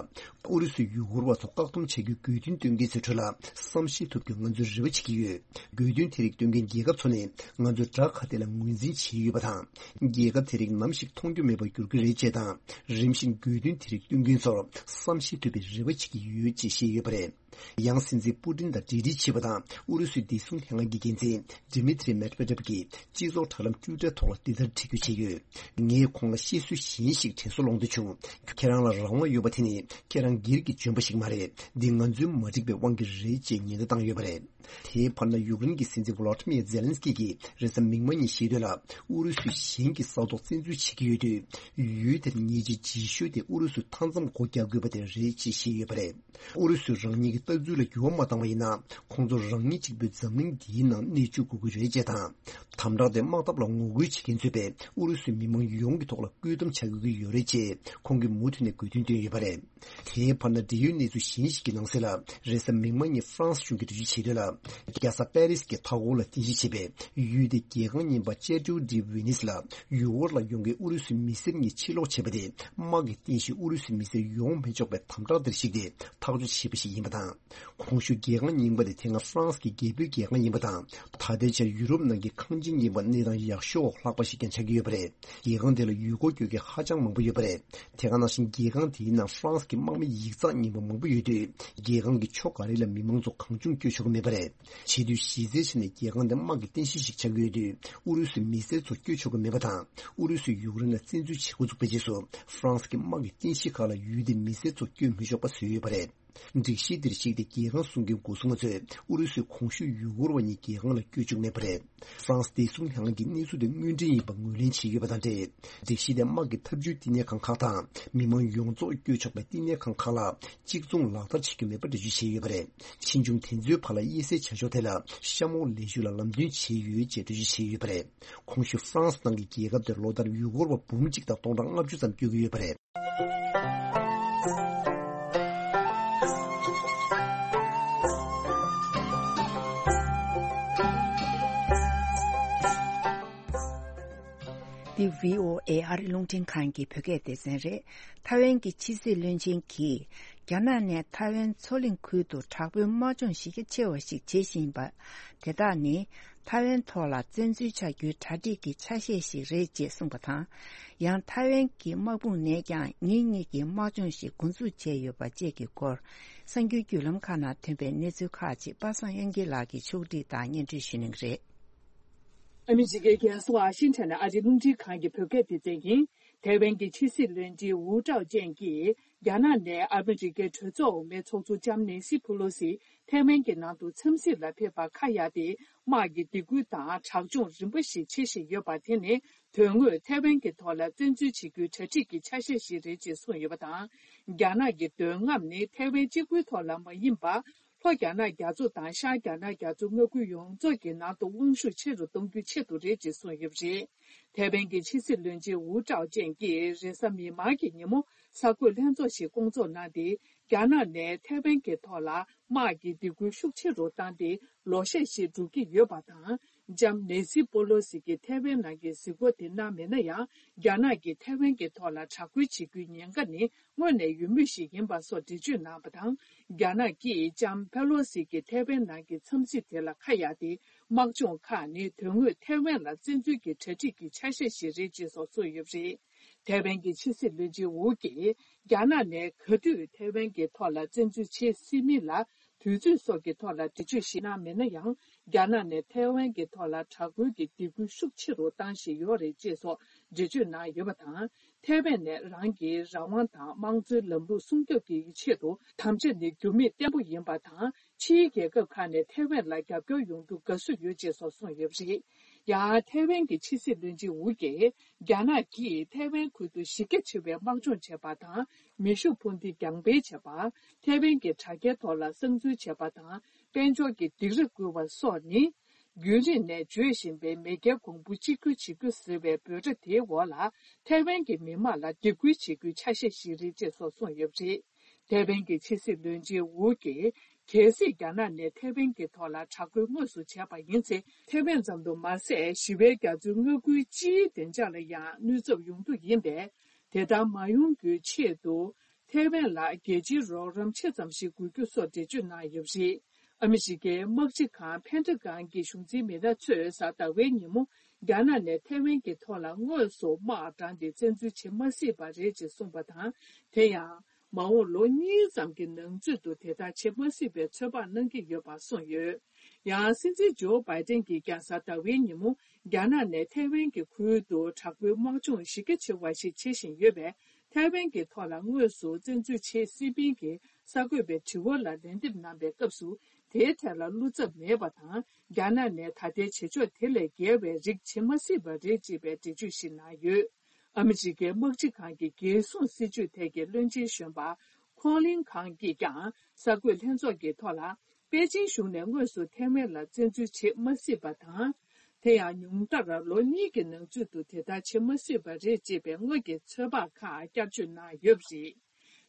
ཨུ་རུ་སུའི་ཡུ་གུར་བ་ཚོ་བཀག་སྡོམ་བྱ་རྒྱུའི་དགོས་འདུན་བཏོན་མཁན་ཚོའི་ཁྲོད་ལ་བསམ་ཤེས་ཐུབ་རྒྱུ་ང་ཚོས་རེ་བ་བྱེད་ཀྱི་ཡོད། དགོས་འདུན་དེ་རིགས་བཏོན་མཁན་རྒྱལ་ཁབ་ཚོ་ནས་ང་ཚོའི་དགྲ་ཁ་གཏད་ལ་ངོས་འཛིན་བྱས་ཡོད་པ་དང་། རྒྱལ་ཁབ་དེ་རིགས་ནམ་ཞིག་མཐོང་རྒྱུ་མེད་པར་འགྱུར་གྱི་རེད་ཅེས་དང་། རིམ་བཞིན་དགོས་འདུན་དེ་རིགས་བཏོན་མཁན་ཚོར་བསམ་ཤེས་ཐུབ་པའི་རེ་བ་བྱེད་ཀྱི་ཡོད་ཅེས་བཤད་ཡོད་པ་རེད། ཡང་སྲིད་འཛིན་པུ་ཏིན་དང་གྲོས་བསྡུར་བྱས་པ་དང་། ཨུ་རུ་སུའི་བདེ་སྲུང་ལྷན་ཁང་གི་འགན་འཛིན་ཌི་མི་ཏྲི་མེད་ཝེ་ཏེབ་ཀྱིས་སྤྱི་ཚོགས་དྲ་ལམ་ཊུའི་ཊར་ཐོག་ལ་འདི་ལྟར་བྲིས་བརྗོད་བྱས་ཡོད། ངས་ཁོང་ལ་བཤད་སྲོལ་གཞན་ཞིག་དྲན་གསོ་སློང་འདོད་བྱུང་། ཁྱེད་རང་ལ་རང་དབང་ཡོད་པ་དེ་ནི་ཁྱེད་རང་སྒེར་གྱིས་འཇོན་པ་ཞིག་མ་རེད། འདི་ང་ཚོའི་མ་འགྲིག་པའི་དབང་གིས་རེད་ཅེས་ཉེན་བརྡ་བཏང་ཡོད་པ་རེད། དེའི་བར་ན་ཡུཀ་རེན་གྱི་སྲིད་འཛིན་ཝོ་ལོ་ཏི་མིར་ཛེ་ལན་སི་ཀི་གིས་རེས་གཟའ་མིག་དམར་ཉིན་བཤད་དོན་ལ། ཨུ་རུ་སུས་གཞན་གྱི་ས་ཐོག་བཙན་འཛུལ་བྱེད་ཀྱི་ཡོད་དུས། ཡུལ་དེར་ཉེས་ཆད་ལྗིད་ཤོས་དེ་ཨུ་རུ་སུས་མཐའ་མཚམས་སྒོ་རྒྱག་དགོས་པ་དེ་རེད་ཅེས་བཤད་ཡོད་པ་རེད། ཨུ་རུ་སུས་རང་ཉིད་ཀྱི་ལྟ་ཚུལ་ལ་འགྱུར་བ་མ་བཏང་བ་ཡིན་ན། ཁོང་ཚོ་རང་ཉིད་གཅིག་པུས་འཛམ་གླིང་འདིའི་ནང་གནས་བཅུག་དགོས་ཀྱི་རེད་ཅེས་དང་། དམ་དྲག་དེ་དམག་འཐབ་ལ་ངོ་རྒོལ་བྱེད་མཁན་ཚོས་པས་ཨུ་རུ་སུའི་མི་མང་ཡོངས་ཀྱི་ཐོག་ལ་བཀོད་འདོམས་བྱ་དགོས་ཀྱི་ཡོད་རེད་ཅེས་ཁོང་གིས་མུ་མཐུད་ནས་དགོས་འདུན་བཏོན་ཡོད་པ་རེད། དེའི་བར་ན། འབྲེལ་ཡོད་གནས་ཚུལ་གཞན་ཞིག་གི་ནང་གསལ་ལ། རེས་གཟའ་མིག་དམར་ཉིན་ཧྥ་རན་སི་གཞུང་གིས་འགྲེལ་བརྗོད་བྱས་དོན་ལ། རྒྱལ་ས་པེ་རིས་ཀྱི་མཐའ་འཁོར་ལ་རྟེན་གཞི་བྱས་པའི་ཡུལ་དེའི་རྒྱལ་ཁང་རྙིང་པ་ཅེ་ཏུ་ཌི་ཝི་ནིས་ལ་ཡུལ་སྐོར་ལ་ཡོང་མཁན་ཨུ་རུ་སུའི་མི་སེར་གཉིས་ཕྱིར་ལོག་བྱས་པ་དེ། དམག་གིས་རྟེན་གཞི་ཨུ་རུ་སུའི་མི་སེར་ཡོང་མི་ཆོག་པའི་དམ་དྲག་བསྡུར་ཞིག་དེ་ཐག་གཅོད་བྱས་པ་ཞིག་ཡིན་པ་དང་། གོང་ཞུས་རྒྱལ་ཁང་རྙིང་པ་དེ་དེ་སྔ་ཧྥ་རན་སི་གི་རྒྱལ་པོའི་རྒྱལ་ཁང་ཡིན་པ་དང་། ད་ལྟའི་ཆར་ཡུ་རོབ་ནང་གི་ཁང་ཆེན་རྙིང་པ་གནས་སྟངས་ཡག་ཤོས་འོག་ལྷག་པ་ཞིག་ཀྱང་ཆགས་ཀྱི་ཡོད་པ་རེད། རྒྱལ་ཁང་དེ་ལ་ཡུལ་སྐོར་སྐྱོད་མཁན་ཧ་ཅང་མང་པོ་ཡོད་པ་རེད། དེ་ག་ནང་བཞིན་རྒྱལ་ཁང་དེའི་ནང་ཧྥ་རན་སི་གི་དམག་མི་ཡིག་ཚགས་རྙིང་པ་མང་པོ་ཡོད་དུས། རྒྱལ་ཁང་གི་ཕྱོགས་ག་རེ་ལ་མི་མང་ཚོ་གང་བྱུང་སྐྱོད་ཆོག་གི་མེད་པ་རེད། བྱེད་དུས་གཞི་རྩའི་ཆ་ནས་རྒྱལ་ཁང་དེ་དམག་གི་རྟེན་གཞི་ཞིག་ཆགས་ཀྱི་ཡོད་དུས། ཨུ་རུ་སུའི་མི་སེར་ཚོ་སྐྱོད་ཆོག་གི་མེད་པ་དང་། ཨུ་རུ་སུས་ཡུཀ་རེན་ལ་བཙན་འཛུལ་བྱེད་འགོ་བཙུགས་པའི་རྗེས་སུ། ཧྥ་རན་སི་གི་དམག་གི་རྟེན་གཞི་ཁག་ལ་ཡུལ་དེའི་མི་སེར་ཚོ་སྐྱོད་མི་ཆོག་པ་བཟོས་ཡོད་པ་རེད། སྒྲིག་གཞི་འདིར་གཞིགས་ཏེ་རྒྱལ་ཁང་སྲུང་མཁན་སྒོ་སྲུང་པ་ཚོས་ཨུ་རུ་སུའི་གོང་ཞུས་ཡུལ་སྐོར་བ་གཉིས་རྒྱལ་ཁང་ལ་བསྐྱོད་བཅུག་མེད་པ་རེད། ཧྥ་རན་སི་བདེ་སྲུང་ལྷན་ཁང་གིས་གནས་ཚུལ་དེ་དངོས་འབྲེལ་ཡིན་པ་ངོས་ལེན་བྱས་ཡོད་པ་དང་འབྲེལ། སྒྲིག་གཞི་དེ་དམག་གི་ཐབས་ཇུས་བསྟི་གནས་ཁང་ཁག་དང་མི་མང་ཡོངས་རྫོགས་བསྐྱོད་ཆོག་པའི་བསྟི་གནས་ཁང་ཁག་ལ་གཅིག་མཚུངས་ལག་བསྟར་བྱེད་རྒྱུ་མེད་པ་འགྲེལ་བརྗོད་བྱས་ཡོད་པ་རེད། ཕྱིས་འབྱུང་དེ་ཚོའི་བར་ལ་དབྱེ་གསལ་བྱ་ཕྱོགས་དེ་ལ་གཤམ་འོག་ལས་ཞུགས་ལ་ལམ་སྟོན་བྱས་ཡོད་ཅེས་འགྲེལ་བརྗོད་བྱས་ཡོད་པ་རེད། གོང་ཞུས་ཧྥ་རན་སི་ནང་གི་རྒྱལ་ཁབ་དེར་ལོ་ལྟར་ཡུལ་སྐོར་བ་འབུམ་གཅིག་དང་སྟོང་ཕྲག་ལྔ་བཅུ་ཙམ་བསྐྱོད་ཀྱི་ཡོད་པ་རེད། འདི་བྷི་ཨོ་ཨེ་ཨ་རི་རླུང་འཕྲིན་ཁང་གི་བོད་སྐད་སྡེ་ཚན་རེད། ཐའེ་ཝན་གྱི་ཕྱི་སྲིད་བློན་ཆེན་གྱིས། རྒྱ་ནག་ནས་ཐའེ་ཝན་མཚོ་གླིང་ཁུལ་དུ་དྲག་པོའི་དམག་སྦྱོང་གཞི་རྒྱ་ཆེ་བ་ཞིག་བྱེད་བཞིན་པ། དེ་དག་ནི། ཐའེ་ཝན་ཐོག་ལ་བཙན་འཛུལ་བྱ་རྒྱུའི་གྲ་སྒྲིག་གི་ཆ་ཤས་ཤིག་རེད་ཅེས་གསུངས་པ་དང་། ཡང་ཐའེ་ཝན་གྱི་དམག་དཔུང་ནས་ཀྱང་ཉིན་གཉིས་ཀྱི་དམག་སྦྱོང་ཞིག་འགོ་འཛུགས་བྱས་ཡོད་པ་བཅས་ཀྱི་སྐོར། གསར་འགྱུར་བརྒྱུད་ལམ་ཁག་ནང་ཐོན་པའི་གནས་ཚུལ་ཁག་ཅིག་པ་སངས་དབྱངས་སྐྱིད་ལགས་ཀྱིས་ཕྱོགས་སྒྲིག་དང་སྙན་སྒྲོན་ཞུ་གནང་གི་རེད། ཨ་མི་རི་ཀའི་རྒྱལ་ས་ཝ་ཤིང་ཊོན་ནས་ཨ་རིའི་རླུང་འཕྲིན་ཁང་གི་བོད་སྐད་སྡེ་ཚན་ཡིན། ཐའེ་ཝན་གྱི་ཕྱི་སྲིད་བློན་ཆེན་ཝུའུ་ཀྲའོ་ཅན་གྱིས། རྒྱ་ནག་ནས་ཨ་མི་རི་ཀའི་གྲོས་ཚོགས་འོག་མའི་ཚོགས་གཙོ་ལྕམ་ནེ་སི་ཕུ་ལོ་སི་ཐའེ་ཝན་གྱི་ནང་དུ་འཚམས་གཟིགས་ལ་ཕེབས་པར་ཁ་གཡར་ཏེ། དམག་གི་སྡིགས་སྐུལ་དང་དྲག་སྦྱོང་རིམ་པ་ཞིག་བྱེད་བཞིན་ཡོད་པ་དེ་ནི། དོན་དངོས་ཐའེ་ཝན་གྱི་ཐོག་ལ་བཙན་འཛུལ་བྱེད་རྒྱུའི་གྲ་སྒྲིག་གི་ཆ་ཤས་ཤིག་རེད་ཅེས་གསུངས་ཡོད་པ་དང་། རྒྱ་ནག་གི་འདོད་རྔམ་ནི་ཐའེ་ཝན་གཅིག་པུའི་ཐོག་ལ་མ་ཡིན་པར། ལྷོ་རྒྱ་ནག་རྒྱ་མཚོ་དང་ཤར་རྒྱ་ནག་རྒྱ་མཚོ་མངའ་ཁུལ་ཡོངས་རྫོགས་ཀྱི་ནང་དུ་དབང་ཤུགས་ཆེ་རུ་གཏོང་རྒྱུའི་ཆེད་དུ་རེད་ཅེས་གསུངས་ཡོད་པ་རེད། ཐའེ་ཝན་གྱི་ཕྱི་སྲིད་བློན་ཆེན་ཝུའུ་ཀྲའོ་ཅན་གྱིས་རེས་གཟའ་མིག་དམར་གྱི་ཉིན་མོ་གསར་འགོད་ལྷན་ཚོགས་ཤིག་བསྐོང་ཚོགས་གནང་སྟེ། རྒྱ་ནག་ནས་ཐའེ་ཝན་གྱི་ཐོག་ལ་དམག་གི་སྡིགས་སྐུལ་ཤུགས་ཆེ་རུ་བཏང་སྟེ། ལོ་ཤས་ཤིག་འགྲོ་གི་ཡོད་པ་དང་། ལྕམ་ནེ་སི་པོ་ལོ་སི་གིས་ཐའེ་ཝན་ནང་གི་གཟིགས་སྐོར་དེ་གནང་མེད་ན་ཡང་། རྒྱ་ནག་གིས་ཐའེ་ཝན་གྱི་ཐོག་ལ་དྲག་རྒོལ་བྱེད་རྒྱུའི་ཉེན་ཁ་ནི་སྔོན་ནས་ཡོད་མུས་ཤིག་ཡིན་པ་སོགས་འགྲེལ་བརྗོད་གནང་བ་དང་། རྒྱ་ནག་གིས་ལྕམ་པེ་ལོ་སི་གི་ཐའེ་ཝན་ནང་གི་འཚམས་གཟིགས་དེ་ལ་ཁ་གཡར་ཏེ། དམག་སྦྱོང་ཁག་ནི་དོན་དངོས་ཐའེ་ཝན་ལ་བཙན་འཛུལ་གྱི་གྲ་སྒྲིག་གི་ཆ་ཤས་ཤིག་རེད་ཅེས་སོགས་གསུངས་ཡོད་པ་རེད། ཐའེ་ཝན་གྱི་ཕྱི་སྲིད་བློན་ཆེན་ཝུ་གིས། རྒྱ་ནག་ནས་ག་དུས་ཐའེ་ཝན་གྱི་ཐོག་ལ་བཙན་འཛུལ་བྱེད་སྲིད་མིན་ལ། དུས་ཚོད་སོགས་ཀྱི་ཐོག་ལ་འགྲེལ་བརྗོད་ཞིག་གནང་མེད་ན་ཡང་། རྒྱ་ནག་ནས་ཐའེ་ཝན་གྱི་ཐོག་ལ་དྲག་རྒོལ་གྱི་སྡིགས་སྐུལ་ཤུགས་ཆེ་རུ་བཏང་བཞིན་ཡོད་རེད་ཅེས་སོགས་འགྲེལ་བརྗོད་གནང་ཡོད་པ་དང་། ཐའེ་ཝན་ནས་རང་གི་རང་དབང་དང་དམངས་གཙོའི་ལམ་ལུགས་སྲུང་སྐྱོབ་ཀྱི་ཆེད་དུ་དམ་བཅའ་ནི་འགྱུར་མེད་བརྟན་པོ་ཡིན་པ་དང་། ཕྱིའི་རྒྱལ་ཁབ་ཁག་ནས་ཐའེ་ཝན་ལ་རྒྱབ་སྐྱོར་ཡོང་རྒྱུ་དགའ་བསུ་ཡོད་ཅེས་སོགས་གསུངས་ཡོད་པ་རེད། ཡང་ཐའེ་ཝན་གྱི་ཕྱི་སྲིད་བློན་ཆེན་ཝུ་གིས། རྒྱ་ནག་གིས་ཐའེ་ཝན་ཁུལ་དུ་གཞི་རྒྱ་ཆེ་བའི་དམག་སྦྱོང་བྱས་པ་དང་། མེ་ཤུགས་འཕུར་མདེལ་རྒྱང་འཕེན་བྱས་པ། ཐའེ་ཝན་གྱི་དྲ་རྒྱའི་ཐོག་ལ་གསང་འཛུལ་བྱས་པ་དང་། དཔལ་འབྱོར་གྱི་སྡིགས་ར་བསྐུལ་བ་སོགས་ནི། རྒྱུན་རིང་ནས་བརྗོད་བཞིན་པའི་མེས་རྒྱལ་གོང་བུ་གཅིག་གྱུར་བྱེད་རྒྱུ་ཟེར་བའི་འབོད་སྒྲ་དེའི་འོག་ལ། ཐའེ་ཝན་གྱི་མི་དམངས་ལ་སྡིགས་སྐུལ་བྱེད་རྒྱུའི་ཆ་ཤས་ཤིག་རེད་ཅེས་སོགས་གསུངས་ཡོད་པ་རེད། ཐའེ་ཝན་གྱི་ཕྱི་སྲིད་བློན་ཆེན་ཝུ་གིས། གལ་སྲིད་རྒྱ་ནག་ནས་ཐའེ་ཝན་གྱི་ཐོག་ལ་དྲག་རྒོལ་དངོས་སུ་བྱས་པ་ཡིན་ཚེ། ཐའེ་ཝན་ཙམ་དུ་མ་ཟད། ཞི་བའི་རྒྱ་མཚོའི་མངའ་ཁུལ་སྤྱིའི་བདེ་འཇགས་ལ་ཡང་གནོད་ཚབས་ཡོང་རྒྱུ་ཡིན་པས། དེ་ལྟར་མ་ཡོང་རྒྱུའི་ཆེད་དུ། ཐའེ་ཝན་ལ་རྒྱལ་སྤྱིའི་རོགས་རམ་ཆེ་ཙམ་ཞིག་དགོས་རྒྱུ་སོགས་འགྲེལ་བརྗོད་གནང་ཡོད་པ་རེད། ཨ་མི་རི་ཀའི་དམག་སྤྱི་ཁང་ཕན་ཁྲ་གྷན་གྱི་གཞུང་འཛིན་མི་སྣ་ཚོས་གཟའ་ཟླ་བའི་ཉིན་མོ། རྒྱ་ནག་ནས་ཐའེ་ཝན་གྱི་ཐོག་ལ་དངོས་སུ་དམག་དྲངས་ཏེ་བཙན་འཛུལ་བྱེད་མ་སྲིད་པ་རེད་ཅེས་གསུངས་པ་དང་། དེ་ཡང་། མ་འོངས་ལོ་གཉིས་ཙམ་གྱི་ནང་ཚུད་དུ་དེ་ལྟར་བྱེད་མ་སྲིད་པའི་ཚོད་དཔག་གནང་གི་ཡོད་པ་གསུངས་ཡོད། ཡང་སྲིད་འཛིན་ཇོ་བྷའི་ཏན་གྱིས་ཀྱང་གཟའ་ཟླ་བའི་ཉིན་མོ། རྒྱ་ནག་ནས་ཐའེ་ཝན་གྱི་ཁུལ་དུ་དྲག་པོའི་དམག་སྦྱོང་གཞི་རྒྱ་ཆེ་བ་ཞིག་བྱེད་བཞིན་ཡོད་པས། ཐའེ་ཝན་གྱི་ཐོག་ལ་དངོས་སུ་བཙན་འཛུལ་བྱེད་སྲིད་པིན་གྱི་གསར་འགོད་པའི་དྲི་བ་ལ་ལན་འདེབས་གནང་པའི་སྐབས་སུ། དེའི་ཐད་ལ་བློ་འཚབ་མེད་པ་དང་། རྒྱ་ནག་ནས་ད་ལྟའི་བྱེད་ཕྱོགས་དེ་ལས་བརྒལ་བའི་རིགས་བྱེད་མ་སྲིད་པ་རེད་ཅེས་པའི་འགྲེལ་བརྗོད་ཞིག་གནང་ཡོད། ཨ་མི་རི་ཀའི་དམག་སྤྱི་ཁང་གི་རྒྱལ་སྲུང་སྲིད་ཇུས་ཐད་ཀྱི་བློན་ཆེན་གཞོན་པ་ཁོང་ལིན་ཁང་གིས་ཀྱང་གསར་འགོད་ལྷན་ཚོགས་ཀྱི་ཐོག་ལ། པེ་ཅིང་གཞུང་ནས་དངོས་སུ་ཐའེ་ཝན་ལ་བཙན་འཛུལ་བྱེད་མ་སྲིད་པ་དང་། དེ་ཡང་ཉུང་མཐར་ལོ་གཉིས་ཀྱི་ནང་ཚུད་དུ་དེ་ལྟར་བྱེད་མ་སྲིད་པ་རེད་ཅེས་པའི་སྔོན་གྱི་ཚོད་དཔག་ཁག་བསྐྱར་བཅོས་གནང་ཡོད་པ་རེད།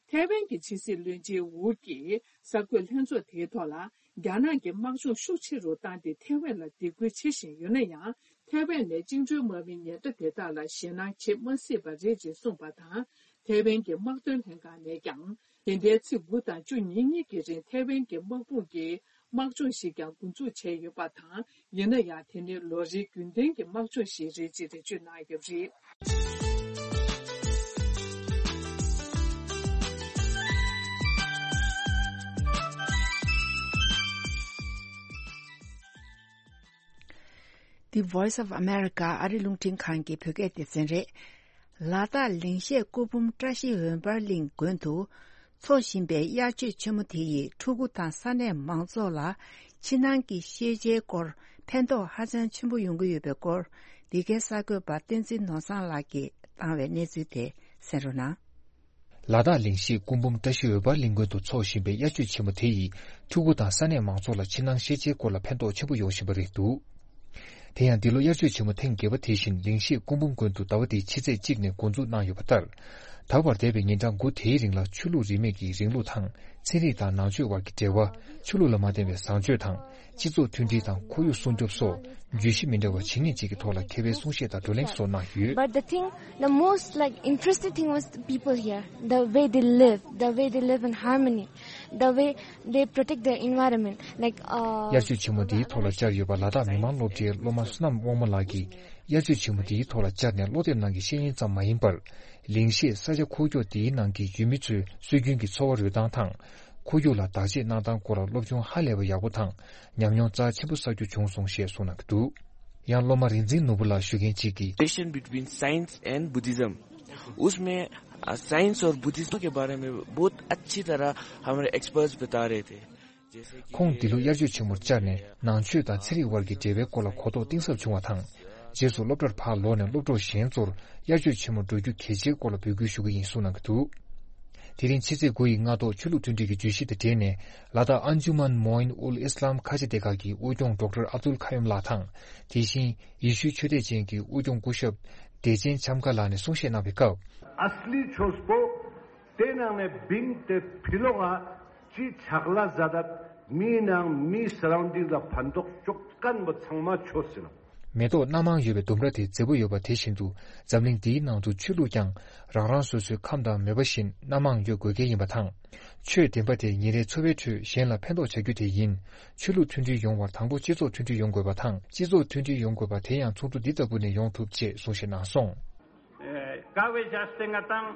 ཐའེ་ཝན་གྱི་ཕྱི་སྲིད་བློན་ཆེན་ཝུ་གིས་གསར་འགོད་ལྷན་ཚོགས་དེའི་ཐོག་ལ། རྒྱ་ནག་གིས་དམག་སྦྱོང་ཤུགས་ཆེ་རུ་བཏང་སྟེ་ཐའེ་ཝན་ལ་སྡིགས་སྐུལ་བྱེད་བཞིན་ཡོད་ན་ཡང་། ཐའེ་ཝན་ནས་བཅིངས་འགྲོལ་དམག་མིའི་ཉེན་བརྡ་དེ་དག་ལ་ཞེད་སྣང་བྱེད་མ་སྲིད་པ་རེད་ཅེས་གསུངས་པ་དང་། ཐའེ་ཝན་གྱི་དམག་དོན་ལྷན་ཁང་ནས་ཀྱང་། དེ་འདྲའི་ཚེས་དགུ་དང་བཅུ་གཉིས་གཉིས་ཀྱི་རིང་ཐའེ་ཝན་གྱི་དམག་དཔུང་གིས་དམག་སྦྱོང་ཞིག་ཀྱང་འགོ་འཛུགས་བྱས་ཡོད་པ་དང་། ཡིན་ན་ཡང་དེ་ནི་ལོ་རེའི་རྒྱུན་ལྡན་གྱི་དམག་སྦྱོང་ཞིག་རེད་ཅེས་འགྲེལ་བརྗོད་གནང་ཡོད་པ་རེད། The Voice of America ཨ་རི་རླུང་འཕྲིན་ཁང་གི་བོད་སྐད་སྡེ་ཚན་རེད། ལ་དྭགས་ལིང་ཤེད་སྐུ་འབུམ་བཀྲ་ཤིས་འོད་འབར་གླིང་དགོན་དུ་འཚོགས་བཞིན་པའི་དབྱར་ཆོས་ཆེན་མོ་དེ་ཡིས་ཕྲུ་གུ་དང་ས་གནས་མང་ཚོགས་ལ་ཕྱི་ནང་གི་ཤེས་བྱའི་སྐོར་ཕན་ཐོགས་ཧ་ཅང་ཆེན་པོ་ཡོང་གི་ཡོད་པའི་སྐོར། འདི་གའི་གསར་འགོད་པ་བསྟན་འཛིན་ནོར་བཟང་ལགས་ཀྱིས་བཏང་བའི་གནས་ཚུལ་དེ་གསན་རོགས་གནང་། ལ་དྭགས་ལིང་ཤེད་སྐུ་འབུམ་བཀྲ་ཤིས་འོད་འབར་གླིང་དགོན་དུ་འཚོགས་བཞིན་པའི་དབྱར་ཆོས་ཆེན་མོ་དེ་ཡིས་ཕྲུ་གུ་དང་ས་གནས་མང་ཚོགས་ལ་ཕྱི་ནང་ཤེས་བྱའི་སྐོར་ལ་ཕན་ཐོགས་ཆེན་པོ་ཡོང་བཞིན་པ་རེད་འདུག། དེ་ཡང་འདི་ལོ་དབྱར་ཆོས་ཆེན་མོ་ཐེངས་བརྒྱད་པ་དེ་བཞིན་ལིང་ཤེད་སྐུ་འབུམ་དགོན་དུ་ཟླ་བ་འདིའི་ཕྱི་ཚེས་གཅིག་ནས་འགོ་འཛུགས་གནང་ཡོད་པ་ལྟར། ད་བར་འདས་པའི་ཉིན་གྲངས་དགུ་དེའི་རིང་ལ་ཆོས་ལུགས་རིས་མེད་ཀྱི་རིང་ལུགས་དང་ཚན་རིག་དང་ནང་ཆོས་དབར་གྱི་འབྲེལ་བ། ཆོས་ལུགས་ལ་མ་བརྟེན་པའི་བཟང་སྤྱོད་དང་། སྤྱི་ཚོགས་མཐུན་སྒྲིལ་དང་ཁོར་ཡུག་སྲུང་སྐྱོབ་སོགས་བརྗོད་གཞི་མི་འདྲ་བ་ཇི་སྙེད་ཅིག་གི་ཐོག་ལ་མཁས་པའི་གསུང་བཤད་དང་བགྲོ་གླེང་སོགས་གནང་ཡོད། But the thing, the most, like, interesting thing was the people here, the way they live, the way they live in harmony, the way they protect their environment, like, uh, དབྱར་ཆོས་ཆེན་མོ་འདིའི་ཐོག་ལ་བཅར་ཡོད་པ་ལ་དྭགས་མི་དམངས་སློབ་གྲྭའི་སློབ་མ་བསོད་ནམས་དབང་མོ་ལགས་ཀྱིས། དབྱར་ཆོས་ཆེན་མོ་འདིའི་ཐོག་ལ་བཅར་ནས་སློབ་དེབ་ནང་གི་བཤེས་གཉེན་ཙམ་མ་ཡིན་པར། ལིང་ཤེད་ས་ཆ་འཁོར་ཕྱོགས་འདིའི་ནང་གི་ཡུལ་མི་ཚོའི་སྲོལ་རྒྱུན་གྱི་འཚོ་བ་རོལ་སྟངས་དང་། ཁོར་ཡུག་ལ་བདག་གཅེས་གནང་སྟངས་སྐོར་ལ་སློབ་སྦྱོང་ཧ་ལས་པ་ཡག་པོ་དང་། ཉམས་མྱོང་རྩ་ཆེན་པོ་བསགས་རྒྱུ་བྱུང་སོང་ཞེས་གསུངས་གནང་གི་འདུག། ཡང་སློབ་མ་རིག་འཛིན་ནོར་བུ་ལགས་ཞུ་མཁན་གཅིག་གིས། Relation between science and Buddhism, उसमें, अ, साइंस और बुद्धिज्म के बारे में बहुत अच्छी तरह हमारे एक्सपर्ट्स बता रहे थे। ཁོང་འདི་ལོ་དབྱར་ཆོས་ཆེན་མོར་བཅར་ནས་ནང་ཆོས་དང་ཚན་རིག་དབར་གྱི་འབྲེལ་བའི་སྐོར་ལ་གོ་རྟོགས་གཏིང་ཟབ་བྱུང་བ་དང་། རྗེས་སུ་སློབ་གྲྭར་ཕར་ལོག་ནས་སློབ་གྲོགས་གཞན་ཚོར་དབྱར་ཆོས་ཆེན་མོར་འགྲོ་རྒྱུ་གལ་ཆེའི་སྐོར་ལ་འབོད་སྐུལ་ཞུ་གི་ཡིན་གསུངས་གནང་གི་འདུག། དེ་རིང་ཕྱི་ཚེས་དགུ་ཡི་སྔ་ཐོག་ཆོས་ལུགས་མཐུན་སྒྲིལ་གྱི་བརྗོད་གཞི་དང་འབྲེལ་ནས་ལ་དྭགས་ཨན་ཇུ་མན་མོ་ཨིན་ཨུལ་ཨིས་ལམ་ཁ་ཆེ་སྡེ་ཁག་གི་དབུས་སྐྱོང་ཌོག་ཊར་ཨབ་དུལ་ཁ་ཡུམ་ལགས་དང་། དེ་བཞིན་ཡེ་ཤུའི་ཆོས་དད་ཅན་གྱི་དབུས་སྐྱོང་སྐུ་ཞབས་བདེ་ཆེན་འཆམ་ཁ་ལགས་ནས་གསུང་བཤད་གནང་བའི་སྐབས། असली ཆོས་པོ། དེ་ནང་ནས་བིང་དེ་ཕི་ལོག་ག་ཅི་ཆག་ལ་ཟ་ད་མི་ནང་མི་སརའུན་ཌིང་ལ་ཕན་ཐོགས་ཅོག་ཀན་པོ་ཚང་མ་ཆོས་ཟིན། མེ་ཏོག་སྣ་མང་ཡོད་པའི་ལྡུམ་ར་དེ་མཛེས་པོ་ཡོད་པ་དེ་བཞིན་དུ། འཛམ་གླིང་འདིའི་ནང་དུ་ཆོས་ལུགས་ཀྱང་རང་རང་སོ་སོའི་ཁམས་དང་མོས་པ་བཞིན་སྣ་མང་ཡོད་དགོས་གལ་ཡིན་པ་དང་། ཆོས་བདེན་པ་དེ་ཉིན་རེའི་འཚོ་བའི་ཁྲོད་གཞན་ལ་ཕན་ཐོགས་བྱ་རྒྱུ་དེ་ཡིན། ཆོས་ལུགས་མཐུན་སྒྲིལ་ཡོང་བར་དང་པོ་སྤྱི་ཚོགས་མཐུན་སྒྲིལ་ཡོང་དགོས་པ་དང་། སྤྱི་ཚོགས་མཐུན་སྒྲིལ་ཡོང་དགོས་པ་དེ་ཡང་ཚོགས་འདུ་འདི་ལྟ་བུ་ནས་ཡོང་ཐུབ་ཅེས་གསུང་བཤད་གནང་སོང་། དཀའ་བའི་བྱ་སྟེ་ང་དང་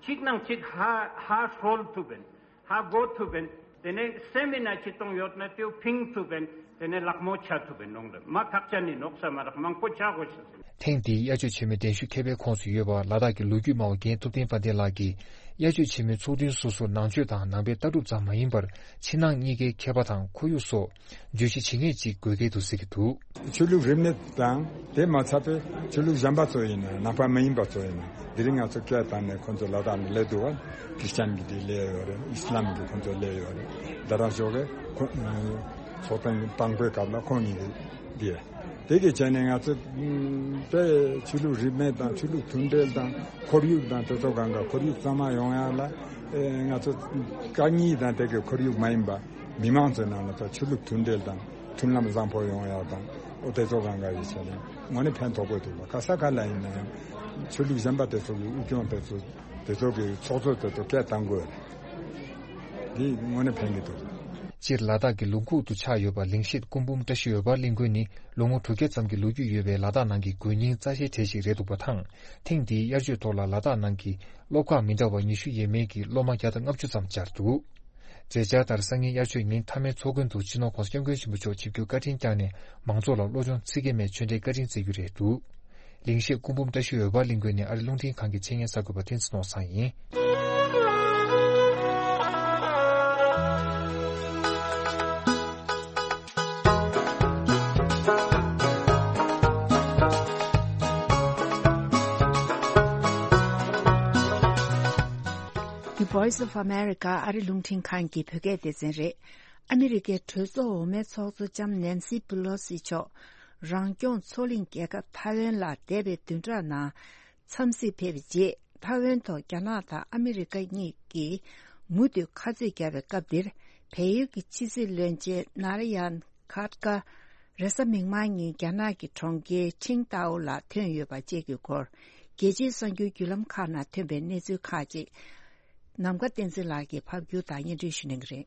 གཅིག་ནང་གཅིག་ཧ་ཧ་ཧྲོལ་ཐུབ་པིན། ཧ་གོ་ཐུབ་པིན། དེ་ནས་སེམས་མི་ན་ཅི་གཏོང་ཡོད་ན་དེའུ་ཕིང་ཐུབ་པིན། དེ་ནས་ལག་མོ་ཆ་ཐུབ་པིན་ནོང་རེད། མ་ཐག་ཆ་ནི་ནོག་ས་མ་རག་མང་པོ་ཆ་གོ་ཤི། ཐེངས་འདིའི་དབྱར་ཆོས་ཆེན་མོའི་གདན་ཞུ་མཁས་པའི་ཁོངས་སུ་ཡོད་པ་ལ་དྭགས་ཀྱི་ལོ་རྒྱུས་སྨྲ་བ་རྒན་ཐུབ་བསྟན་དཔལ་ལྡན་ལགས་ཀྱིས། དབྱར་ཆོས་ཆེན་མོའི་ཚོགས་ཐུན་སོ་སོར་ནང་ཆོས་དང་ནང་པའི་ལྟ་གྲུབ་ཙམ་མ་ཡིན་པར་ཕྱི་ནང་གཉིས་ཀའི་མཁས་པ་དང་ཁོར་ཡུག་སོགས་བརྗོད་གཞི་ཇི་སྙེད་ཅིག་དགོས་གལ་འདུག་ཟེར་གྱི་འདུག། ཆོས་ལུགས་རིས་མེད་དང་དེ་མ་ཚད་པའི་ཆོས་ལུགས་གཞན་པ་ཚོ་ཡིན་ན་ནང་པ་མ་ཡིན་པ་ཚོ་ཡིན་ན་དེ་རིང་ང་ཚོ་སྐད་བཏང་ནས་ཁོང་ཚོ་ལ་དྭགས་ནས་སླེབས་འདུག་བ། ཁྲི་སྤྱན་གྱི་དེ་སླེབས་ཡོད་རེད། ཨི་སི་ལམ་གྱི་ཁོང་ཚོ་སླེབས་ཡོད་རེད། ད་རང་ཞོགས་ཀས་ཁོ་ཚོགས་ཐེངས་དང་པོའི་སྐབས་ལ་ཁོང་གཉིས་ཀྱི་དེ་དེ་གི་བྱས་ནས་ང་ཚོ་དེ་ཆོས་ལུགས་རིས་མེད་དང་ཆོས་ལུགས་མཐུན་སྒྲིལ་དང་ཁོར་ཡུག་དང་དེ་ཚོ་གང་ག་ཁོར་ཡུག་གཙང་མ་ཡོང་ཡ་ལ་ང་ཚོ་དཀའ་ངལ་དང་དེ་གི་ཁོར་ཡུག་མ་ཡིན་པ། མི་མང་ཚོའི་ནང་ལ་ད་ཆོས་ལུགས་མཐུན་སྒྲིལ་དང་མཐུན་ལམ་བཟང་པོ་ཡོང་ཡག་དང་། ཨོ་དེ་ཚོ་གང་ག་ཡི་ཆ་ནས་དངོས་གནས་ཕན་ཐོགས་པོ་འདུག་ལ། ག་ས་ག་ལ་ཡིན་ན་ཡང་ཆོས་ལུགས་གཞན་པ་དེ་ཚོ་གི་དབུས་སྐྱོང་དེ་ཚོ་དེ་ཚོ་གི་ཚོགས་གཙོ་དེ་ཚོ་སྐད་བཏང་དགོས་རེད། འདི་དངོས་གནས་ཕན་གྱི་འདུག། སྤྱིར་ལ་དྭགས་ཀྱི་ལུང་ཁུག་ཏུ་ཆགས་ཡོད་པ་ལིང་ཤེད་སྐུ་འབུམ་བཀྲ་ཤིས་འོད་འབར་གླིང་དགོན་ནི་ལོ་ངོ་དྲུག་བརྒྱ་ཙམ་གྱི་ལོ་རྒྱུས་ཡོད་པའི་ལ་དྭགས་ནང་གི་དགོན་རྙིང་རྩ་ཆེའི་གྲས་ཤིག་རེད་འདུག་པ་དང་། ཐེངས་འདིའི་དབྱར་ཆོས་ཐོག་ལ་ལ་དྭགས་ནང་གི་སློབ་ཁག་མི་འདྲ་བ་ཉི་ཤུ་ཡས་མས་ཀྱི་སློབ་མ་བརྒྱ་དང་ལྔ་བཅུ་ཙམ་བཅར་འདུག། མཛད་འཆར་ལྟར་སང་ཉིན་དབྱར་ཆོས་ཉིན་མཐའ་མའི་ཚོགས་མགོན་དུ་སྤྱི་ནོར་༸གོང་ས་༸སྐྱབས་མགོན་ཆེན་པོ་མཆོག་ཆིབས་བསྒྱུར་བཀའ་དྲིན་བསྐྱངས་ནས་མང་ཚོགས་ལ་བློ་སྦྱོང་ཚིག་བརྒྱད་མའི་ཆོས་འབྲེལ་བཀའ་དྲིན་སྩལ་རྒྱུ་རེད་འདུག། ལིང་ཤེད་སྐུ་འབུམ་བཀྲ་ཤིས་འོད་འབར་གླིང་དགོན་ནས་ཨ་རི་རླུང་འཕྲིན་ཁང་གི་ཆེད་གཉེར་གསར་འགོད་པ་བསྟན་འཛིན་ནོར་བཟང་ཡིན། The Voice of America ཨ་རི་རླུང་འཕྲིན་ཁང་གི་བོད་སྐད་སྡེ་ཚན་རེད། ཨ་མི་རི་ཀའི་གྲོས་ཚོགས་འོག་མའི་ཚོགས་གཙོ་ལྕམ་ནན་སི་པི་ལོ་སི་མཆོག་རང་སྐྱོང་མཚོ་གླིང་རྒྱལ་ཁབ་ཐའེ་ཝན་ལ་འདས་པའི་བདུན་ཕྲག་ནང་འཚམས་གཟིགས་ཕེབས་པའི་རྗེས། ཐའེ་ཝན་ཐོག་རྒྱ་ནག་དང་ཨ་མི་རི་ཀ་གཉིས་ཀྱིས་མུ་མཐུད་ཁ་རྩོད་བརྒྱབ་པའི་སྐབས་འདིར། བལ་ཡུལ་གྱི་ཕྱི་སྲིད་བློན་ཆེན་ནཱ་ར་ཡན་ཁཱ་ཏ་ཀ་རེས་གཟའ་མིག་དམར་ཉིན་རྒྱ་ནག་གི་གྲོང་ཁྱེར་ཆིང་ཏའོ་ལ་ཐོན་ཡོད་པ་བཅས་ཀྱི་སྐོར། རྒྱལ་སྤྱིའི་གསར་འགྱུར་བརྒྱུད་ལམ་ཁག་ནང་ཐོན་པའི་གནས་ཚུལ་ཁག་ཅིག་ནམ་མཁའ་བསྟན་འཛིན་ལགས་ཀྱིས་ཕབ་སྒྱུར་དང་སྙན་སྒྲོན་ཞུ་གནང་གི་རེད།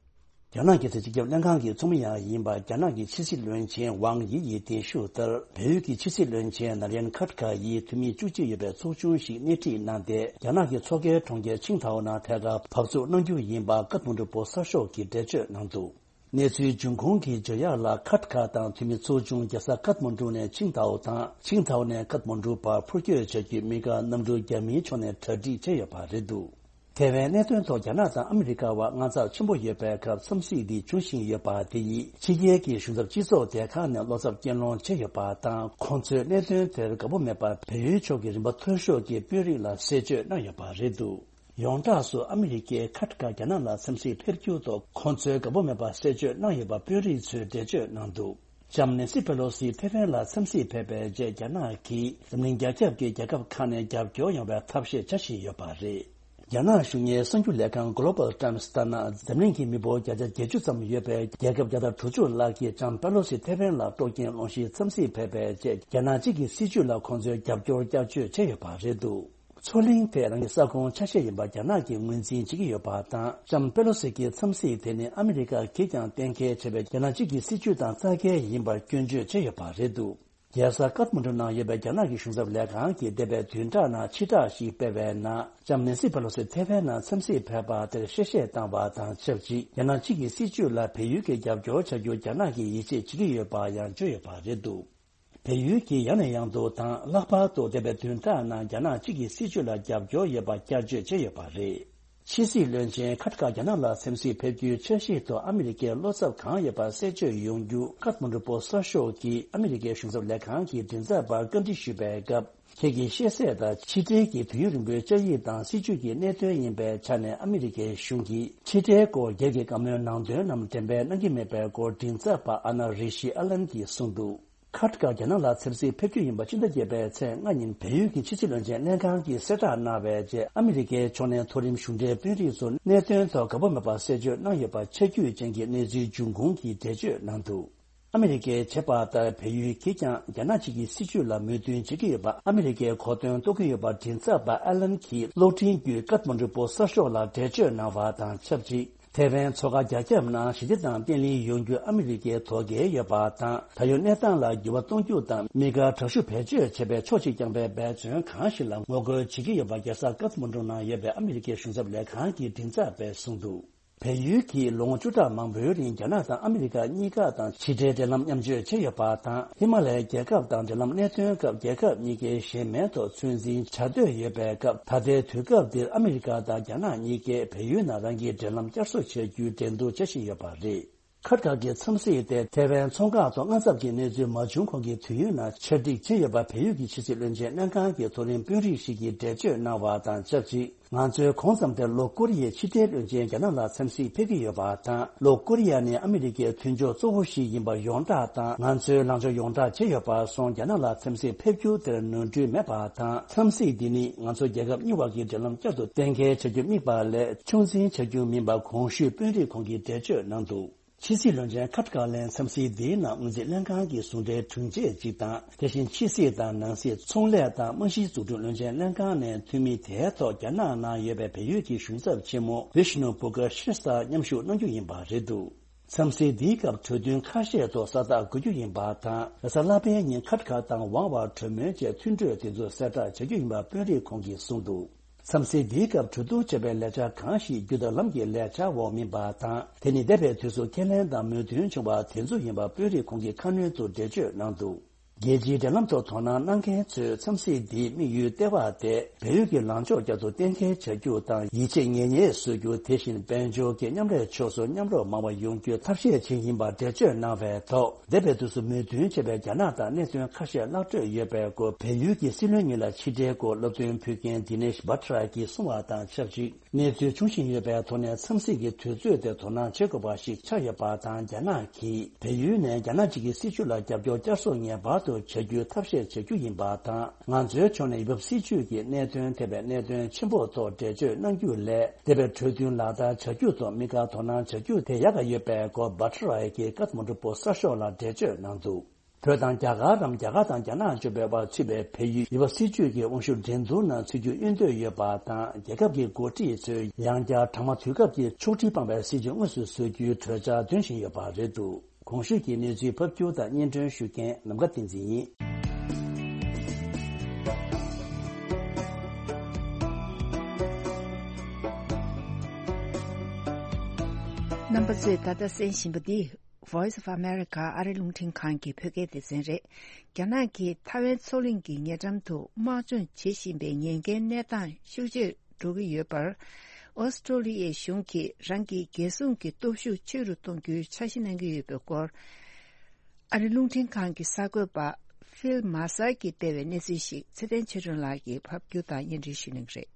རྒྱ་ནག་གི་སྲིད་སྤྱི་ཁྱབ་ལྷན་ཁང་གི་ཚོགས་མི་ཡང་ཡིན་པ་རྒྱ་ནག་གི་ཕྱི་སྲིད་བློན་ཆེན་ཝང་དབྱི་ཡིས་གདན་ཞུ་ལྟར། བལ་ཡུལ་གྱི་ཕྱི་སྲིད་བློན་ཆེན་ནཱ་ལེན་ཁཱ་ཏ་ཀ་ཡིས་འཐུས་མི་བཅུ་གཅིག་ཡོད་པའི་ཚོགས་ཆུང་ཞིག་སྣེ་ཁྲིད་གནང་སྟེ། རྒྱ་ནག་གི་མཚོ་ཁའི་གྲོང་ཁྱེར་ཆིང་ཐའོ་ནང་ཐད་ཀར་བག་བཙུགས་གནང་རྒྱུ་ཡིན་པ་ཀཐ་མན་ཌུ་བོད་གསར་ཤོག་གིས་འགྲེལ་བརྗོད་གནང་འདུག། གནས་ཚུལ་འབྱུང་ཁུངས་ཀྱིས་བརྗོད་ཡག་ལ། ཁཱ་ཏ་ཀ་དང་འཐུས་མི་ཚོགས་ཆུང་རྒྱལ་ས་ཀཐ་མན་ཌུ་ནས་ཆིང་ཐའོ་དང་། ཆིང་ཐའོ་ནས་ཀཐ་མན་ཌུ་བར་འཕུར་སྐྱོད་བྱ་རྒྱུའི་དམིགས་བཀར་གནམ་གྲུ་རྒྱ་མིའི་ཕྱོགས་ནས་གྲ་སྒྲིག་བྱས་ཡོད་པ་རེད་འདུག། ཐའེ་ཝན་གནད་དོན་ཐོག་རྒྱ་ནག་དང་ཨ་མི་རི་ཀ་བར་དངངས་འཚབ་ཆེན་པོ་ཡོད་པའི་སྐབས། འཚམས་གཟིགས་འདི་འབྱུང་བཞིན་ཡོད་པ་དེ་ཡིས་ཕྱི་རྒྱལ་གྱི་གཞུང་ཚབ་སྤྱི་ཚོགས་སྡེ་ཁག་ནས་བློ་འཚབ་སྐྱེད་སློང་བྱས་ཡོད་པ་དང་། ཁོང་ཚོས་གནད་དོན་དེར་དགའ་པོ་མེད་པར་བལ་ཡུལ་ཕྱོགས་ཀྱི་རིམ་པ་མཐོ་ཤོས་ཀྱི་དཔོན་རིགས་ལ་གསལ་བརྗོད་གནང་ཡོད་པ་རེད་འདུག། ཡོངས་གྲགས་སུ་ཨ་མི་རི་ཀས་ཁ་ཏ་ཀ་རྒྱ་ནག་ལ་འཚམས་གཟིགས་ཕེབས་རྒྱུ་ཐོག་ཁོང་ཚོས་དགའ་པོ་མེད་པ་གསལ་བརྗོད་གནང་ཡོད་པ་དཔོན་རིགས་ཚོས་འགྲེལ་བརྗོད་གནང་འདུག། ལྕམ་ནེན་སི་པེ་ལོ་སི་ཐེ་ཝན་ལ་འཚམས་གཟིགས་ཕེབས་པའི་རྗེས། རྒྱ་ནག་གིས་འཛམ་གླིང་རྒྱ་ཁྱབ་ཀྱི་རྒྱལ་ཁབ་ཁག་ནས་རྒྱབ་སྐྱོར་ཡོང་བའི་ཐབས་ཤེས་བྱ་བཞིན་ཡོད་པ་རེད། རྒྱ་ནག་གཞུང་གཉེར་གསར་འགྱུར་ལས་ཁང་Global Times་ལྟར་ན། འཛམ་གླིང་གི་མི་འབོར་བརྒྱ་ཆ་བརྒྱད་ཅུ་ཙམ་ཡོད་པའི་རྒྱལ་ཁབ་བརྒྱ་དང་དྲུག་ཅུ་ལྷག་གིས་ལྕམ་པེ་ལོ་སི་ཐེ་ཝན་ལ་སྤྲོ་སྐྱིད་སློང་གཞིའི་འཚམས་གཟིགས་ཕེབས་པའི་རྗེས། རྒྱ་ནག་གཅིག་གི་སྲིད་བྱུས་ལ་ཁོང་ཚོས་རྒྱབ་སྐྱོར་བསྐྱར་བཅོས་བྱས་ཡོད་པ་རེད་འདུག། མཚོ་གླིང་དེ་རང་གི་ས་ཁོངས་ཆ་ཤས་ཡིན་པ་རྒྱ་ནག་གིས་ངོས་འཛིན་བྱེད་ཀྱི་ཡོད་པ་དང་། ལྕམ་པེ་ལོ་སི་གི་འཚམས་གཟིགས་དེ་ནི་ཨ་མི་རི་ཀ་གིས་ཀྱང་གཏན་འཁེལ་བྱས་པའི་རྒྱ་ནག་གཅིག་གི་སྲིད་བྱུས་དང་རྩ་འགལ་ཡིན་པར་སྐྱོན་བརྗོད་བྱས་ཡོད་པ་རེད་འདུག། རྒྱལ་ས་ཀཐ་མན་ཌུ་ནང་ཡོད་པའི་རྒྱ་ནག་གི་གཞུང་ཚབ་ལས་ཁང་གིས་འདས་པའི་བདུན་ཕྲག་ནང་ཕྱིར་བསྒྲགས་ཤིག་སྤེལ་བའི་ནང་། ལྕམ་ནེན་སི་པེ་ལོ་སི་ཐེ་ཝན་ནང་འཚམས་གཟིགས་ཕེབས་པ་དེར་བཤད་བཤད་བཏང་བ་དང་ཆབས་ཅིག་རྒྱ་ནག་གཅིག་གི་སྲིད་བྱུས་ལ་བལ་ཡུལ་གྱིས་རྒྱབ་སྐྱོར་བྱ་རྒྱུར་རྒྱ་ནག་གིས་ཡིད་ཆེས་བྱེད་ཀྱི་ཡོད་པ་ཡང་བརྗོད་ཡོད་པ་རེད་འདུག། བལ་ཡུལ་གྱིས་ཡང་ནས་ཡང་དུ་དང་། ལྷག་པར་དུ་འདས་པའི་བདུན་ཕྲག་ནང་རྒྱ་ནག་གཅིག་གི་སྲིད་བྱུས་ལ་རྒྱབ་སྐྱོར་ཡོད་པ་བསྐྱར་བརྗོད་བྱས་ཡོད་པ་རེད། ཕྱི་སྲིད་བློན་ཆེན་ཁ་ཏ་ཀ་རྒྱ་ནག་ལ་འཚམས་གཟིགས་ཕེབས་རྒྱུའི་འཆར་གཞིའི་ཐོག་ཨ་མི་རི་ཀའི་བློ་འཚབ་གང་ཡོད་པ་གསལ་བརྗོད་ཡོང་རྒྱུ། ཀཐ་མན་ཌུ་བོད་གསར་ཤོག་གིས་ཨ་མི་རི་ཀའི་གཞུང་ཚབ་ལས་ཁང་གི་མགྲིན་ཚབ་པར་བཀའ་འདྲི་ཞུས་པའི་སྐབས། ཁྱེད་ཀྱིས་ཤེས་གསལ་ལྟར། ཕྱི་འབྲེལ་གྱི་དུས་ཡུན་རིང་པོའི་བཅའ་ཡིག་དང་སྲིད་བྱུས་ཀྱི་གནད་དོན་ཡིན་པའི་ཆ་ནས། ཨ་མི་རི་ཀའི་གཞུང་གིས་ཕྱི་འབྲེལ་སྐོར་སྒེར་གྱི་བཀའ་མོལ་ནང་དོན་རྣམས་འགྲེམས་སྤེལ་གནང་གི་མེད་པའི་སྐོར། མགྲིན་ཚབ་པ་ཨ་ན་རི་ཤི་ཨ་ལན་གྱིས་གསུངས་འདུག། ཁ་ཏ་ཀ་རྒྱ་ནག་ལ་འཚམས་གཟིགས་ཕེབས་རྒྱུ་ཡིན་པ་ཕྱི་ཟླ་བརྒྱད་པའི་ཚེས་ལྔ་ཉིན་བལ་ཡུལ་གྱི་ཕྱི་སྲིད་བློན་ཆེན་ལྷན་ཁང་གིས་གསལ་བསྒྲགས་གནང་བའི་རྗེས། ཨ་མི་རི་ཀའི་ཕྱོགས་ནས་མཐོ་རིམ་གཞུང་འབྲེལ་དཔོན་རིགས་ཚོ་གནད་དོན་ཐོག་དགའ་པོ་མེད་པ་གསལ་བརྗོད་གནང་ཡོད་པ་ཆ་རྒྱུས་ཅན་གྱི་གནས་ཚུལ་འབྱུང་ཁུངས་ཀྱིས་འགྲེལ་བརྗོད་གནང་འདུག། ཨ་མི་རི་ཀས་བྱས་པ་ལྟར། བལ་ཡུལ་གྱིས་ཀྱང་རྒྱ་ནག་གཅིག་གི་སྲིད་བྱུས་ལ་མོས་མཐུན་བྱེད་ཀྱི་ཡོད་པ་ཨ་མི་རི་ཀས་གོ་དོན་རྟོགས་ཀྱི་ཡོད་པ། མགྲིན་ཚབ་པ་ཨ་ལན་གྱིས་གློག་འཕྲིན་བརྒྱུད་ཀཐ་མན་ཌུ་བོད་གསར་ཤོག་ལ་འགྲེལ་བརྗོད་གནང་བ་དང་ཆབས་ཅིག་ཐེ་ཝན་མཚོ་ཁ་རྒྱ་ཁྱབ་ནང་ཞི་བདེ་དང་བརྟན་ལྷིང་ཡོང་རྒྱུ་ཨ་མི་རི་ཀས་དོ་གལ་ཡོད་པ་དང་། ད་ཡོད་གནས་སྟངས་ལ་འགྱུར་བ་གཏོང་རྒྱུ་དང་། དམིགས་བཀར་དྲག་ཤུགས་བེད་སྤྱོད་བྱེད་པའི་ཕྱོགས་གཅིག་རྐྱང་པའི་འབད་བརྩོན་གང་ཞིག་ལ་ངོ་རྒོལ་བྱེད་ཀྱི་ཡོད་པ། རྒྱལ་ས་ཀཐ་མན་ཌུ་ནང་ཡོད་པའི་ཨ་མི་རི་ཀའི་གཞུང་ཚབ་ལས་ཁང་གི་མགྲིན་ཚབ་པས་གསུངས་འདུག། བལ་ཡུལ་གྱིས་ལོ་ངོ་བཅུ་ཕྲག་མང་པོའི་རིང་རྒྱ་ནག་དང་ཨ་མི་རི་ཀ་གཉིས་ཀ་དང་ཕྱི་འབྲེལ་འབྲེལ་ལམ་མཉམ་སྤྱོད་བྱས་ཡོད་པ་དང་། ཧི་མ་ལ་ཡའི་རྒྱལ་ཁབ་དང་འབྲེལ་ལམ་གནད་དོན་སྐབས་རྒྱལ་ཁབ་གཉིས་ཀའི་གཞན་མིའི་ཐོག་ཚོད་འཛིན་བྱ་འདོད་ཡོད་པའི་སྐབས། ད་ལྟའི་དུས་སྐབས་འདིར་ཨ་མི་རི་ཀ་དང་རྒྱ་ནག་གཉིས་ཀས་བལ་ཡུལ་ནང་རང་གི་འབྲེལ་ལམ་བསྐྱར་གསོ་བྱ་རྒྱུའི་འགྲན་བསྡུར་བྱ་བཞིན་ཡོད་པ་རེད། ཁ་ཏ་ཀ་གི་འཚམས་གཟིགས་དེ་ཐེ་ཝན་མཚོ་འགག་ཐོག་དངངས་འཚབ་ཀྱི་གནས་ཚུལ་མ་བྱུང་གོང་གི་དུས་ཡུན་ནང་ཆ་སྒྲིག་བྱས་ཡོད་པ་བལ་ཡུལ་གྱི་ཕྱི་སྲིད་བློན་ཆེན་ལྷན་ཁང་གི་མཐོ་རིམ་དཔོན་རིགས་ཤིག་གིས་འགྲེལ་བརྗོད་གནང་བ་དང་ཆབས་ཅིག་ང་ཚོས་གོང་ཙམ་དུ་ལྷོ་ཀོ་རི་ཡའི་ཕྱི་འབྲེལ་བློན་ཆེན་རྒྱ་ནག་ལ་འཚམས་གཟིགས་ཕེབས་ཀྱི་ཡོད་པ་དང་། ལྷོ་ཀོ་རི་ཡ་ནི་ཨ་མི་རི་ཀའི་མཐུན་ཕྱོགས་གཙོ་བོ་ཞིག་ཡིན་པ་ཡོངས་གྲགས་དང་། ང་ཚོས་ལངས་ཕྱོགས་ཡོངས་གྲགས་བྱས་ཡོད་པར་སོང་རྒྱ་ནག་ལ་འཚམས་གཟིགས་ཕེབས་རྒྱུ་དེར་ནོར་འཁྲུལ་མེད་པ་དང་། འཚམས་གཟིགས་འདི་ནི་ང་ཚོ་རྒྱལ་ཁབ་གཉིས་བར་གྱི་འབྲེལ་ལམ་བསྐྱར་དུ་གཏན་འཁེལ་བྱ་རྒྱུ་དམིགས་པ་ལས་ཆུང་འཛིན་བྱ་རྒྱུ་མིན་པ་གོང་ཞུས་དཔོན་རིགས་ཁོང་གིས་འགྲེལ་བརྗོད་གནང་འདུག། ཕྱི་སྲིད་བློན་ཆེན་ཁ་ཏ་ཀ་ལན་འཚམས་གཟིགས་འདིའི་ནང་སྔོན་རྩིས་ལྷན་ཁང་གི་ཟུང་འབྲེལ་དྲུང་ཆེ་གཅིག་དང་། དེ་བཞིན་ཕྱི་སྲིད་དང་ནང་སྲིད། ཚོང་ལས་དང་རྨང་གཞིའི་འཛུགས་སྐྲུན་བློན་ཆེན་ལྷན་ཁང་ནས་འཐུས་མི་དེའི་ཐོག་རྒྱ་ནག་ནང་ཡོད་པའི་བལ་ཡུལ་གྱི་གཞུང་ཚབ་ཆེན་མོ་བི་ཤ་ནུ་པུ་ཀ་ཤིན་ས་མཉམ་ཞུགས་གནང་རྒྱུ་ཡིན་པ་རེད་འདུག་འཚམས་གཟིགས་འདིའི་སྐབས་གྲོས་མཐུན་ཁ་ཤས་ཐོག་ས་རྟགས་འགོད་རྒྱུ་ཡིན་པ་དང་། རེས་གཟའ་ལྷག་པའི་ཉིན་ཁ་ཏ་ཀ་དང་ཝང་བར་གྲོས་མོལ་བཅས་མཐུན་གྲོས་དེ་ཚོ་གསལ་བསྒྲགས་བྱ་རྒྱུ་ཡིན་པ་དཔོན་རིགས་ཁོང་གིས་གསུངས་འདུག་འཚམས་གཟིགས་འདིའི་སྐབས་གྲོས་བསྡུར་བྱས་པའི་ལས་འཆར་གང་ཞིག་རྒྱུ་དང་ལམ་གྱི་ལས་འཆར་འོག་མིན་པ་དང་། དེ་ནི་འདས་པའི་དུས་སུ་ཁས་ལེན་དང་མོས་མཐུན་བྱུང་བ་དེ་ཚོ་ཡིན་པ་དཔོན་རིགས་ཁོང་གིས་ཁ་སྣོན་དུ་འགྲེལ་བརྗོད་གནང་འདུག་རྒྱལ་སྤྱིའི་འབྲེལ་ལམ་ཐོག་དོ་སྣང་གནང་མཁན་ཚོས་འཚམས་གཟིགས་འདིའི་དམིགས་ཡུལ་ལྟེ་བ་དེ་བལ་ཡུལ་གྱི་ལངས་ཕྱོགས་བསྐྱར་དུ་གཏན་འཁེལ་བྱ་རྒྱུ་དང་། ཡིད་ཆེས་ངེས་གཉིས་བཟོ་རྒྱུ། དེ་བཞིན་དཔལ་འབྱོར་གྱི་མཉམ་ལས་ཕྱོགས་སུ་མཉམ་རུབ་མང་བ་ཡོང་རྒྱུའི་ཐབས་ཤེས་བྱེད་ཀྱི་ཡིན་པ་འགྲེལ་བརྗོད་གནང་བའི་ཐོག་འདས་པའི་དུས་སུ་མོས་མཐུན་བྱས་པའི་རྒྱ་ནག་དང་གནད་དོན་ཁ་ཤས་གླག་འཕྲོད་ཡོད་པའི་སྐོར་བལ་ཡུལ་གྱི་སྲིད་བློན་གཉིས་ལ་ཕྱི་འབྲེལ་སྐོར་སློབ་སྟོན་ཕུལ་མཁན་དི་ནེཤ་བྷ་ཏྲ་གིས་གསུངས་པ་དང་ཆབས་ཅིག་གནས་ཚུལ་འབྱུང་བཞིན་ཡོད་པའི་ཐོག་ནས་འཚམས་གཟིགས་ཀྱི་དུས་ཚོད་དེ་དོ་སྣང་བྱེད་དགོས་པ་ཞིག་ཆགས་ཡོད་པ་དང་། རྒྱ་ནག་གིས་བལ་ཡུལ་ནས་རྒྱ་ནག་གཅིག་གི་སྲིད་བྱུས་ལ་རྒྱབ་སྐྱོར་བསྐྱར་གསོ་ངེས་པར་དུ་བྱ་རྒྱུའི་ཐབས་ཤེས་བྱ་རྒྱུ་ཡིན་པ་དང་། ང་ཚོའི་ཕྱོགས་ནས་ཡུལ་བབ་སྲིད་བྱུས་ཀྱི་གནད་དོན་ཐེ་བའི་གནད་དོན་ཆེན་པོ་ཐོག་འགྲེལ་བརྗོད་གནང་རྒྱུ་ལས། འདས་པའི་གྲོས་མཐུན་ལག་བསྟར་བྱ་རྒྱུ་ཐོག་དམིགས་བཀར་དོ་སྣང་བྱ་རྒྱུ་དེ་ཡག་ག་ཡོད་པའི་སྐོར་བྷ་ཏྲ་ཡ་གིས་ཀ་ཐ་མན་ཌུ་པོ་སི་གསར་ཤོག་ལ་འགྲེལ་བརྗོད་གནང་འདུག་བོད་དང་རྒྱ་གར་རམ། རྒྱ་གར་དང་རྒྱ་ནག་བཅས་པའི་བར་ཚུད་པའི་བལ་ཡུལ་ཡུལ་བབ་སྲིད་བྱུས་ཀྱི་དབང་ཤུགས་འགྲན་བསྡུར་ནང་ཚུད་རྒྱུ་གཡོལ་འདོད་ཡོད་པ་དང་། རྒྱལ་ཁབ་ཀྱི་འགོ་ཁྲིད་ཚོས་ཡང་བསྐྱར་གྲང་མོ་དུས་སྐབས་ཀྱི་ཕྱོགས་སྒྲིག་སྤངས་པའི་སྲིད་བྱུས་དངོས་སུ་བཟོ་རྒྱུའི་གྲོས་འཆར་འདོན་བཞིན་ཡོད་པ་རེད་འདུག་གོང་ཞུས་ཀྱི་གནས་ཚུལ་ཕབ་སྒྱུར་དང་སྙན་སྒྲོན་ཞུ་མཁན་ནམ་མཁའ་བསྟན་འཛིན་ཡིན། རྣམ་པ་ཚོས་ད་ལྟ་གསན་བཞིན་པ་འདི། Voice of America ཨ་རི་རླུང་འཕྲིན་ཁང་གི་བོད་སྐད་སྡེ་ཚན་རེད། རྒྱ་ནག་གིས་ཐའེ་ཝན་མཚོ་གླིང་གི་ཉེ་འགྲམ་དུ་དམག་སྦྱོང་བྱེད་བཞིན་པའི་ཉེན་ཁའི་གནས་སྟངས་ཤུགས་ཆེར་འགྲོ་གི་ཡོད་པར། ཨོ་སི་ཀྲོ་ལི་ཡའི་གཞུང་གིས་རང་གི་རྒྱལ་སྲུང་གི་སྟོབས་ཤུགས་ཆེ་རུ་གཏོང་རྒྱུའི་འཆར་གཞི་གནང་གི་ཡོད་པའི་སྐོར། ཨ་རི་རླུང་འཕྲིན་ཁང་གི་གསར་འགོད་པ་ཕིལ་མཱ་སར་གྱིས་སྤེལ་བའི་གནས་ཚུལ་ཞིག་ཚེ་བརྟན་ཆོས་སྒྲོན་ལགས་ཀྱིས་ཕབ་སྒྱུར་དང་སྙན་སྒྲོན་ཞུ་གནང་གི་རེད།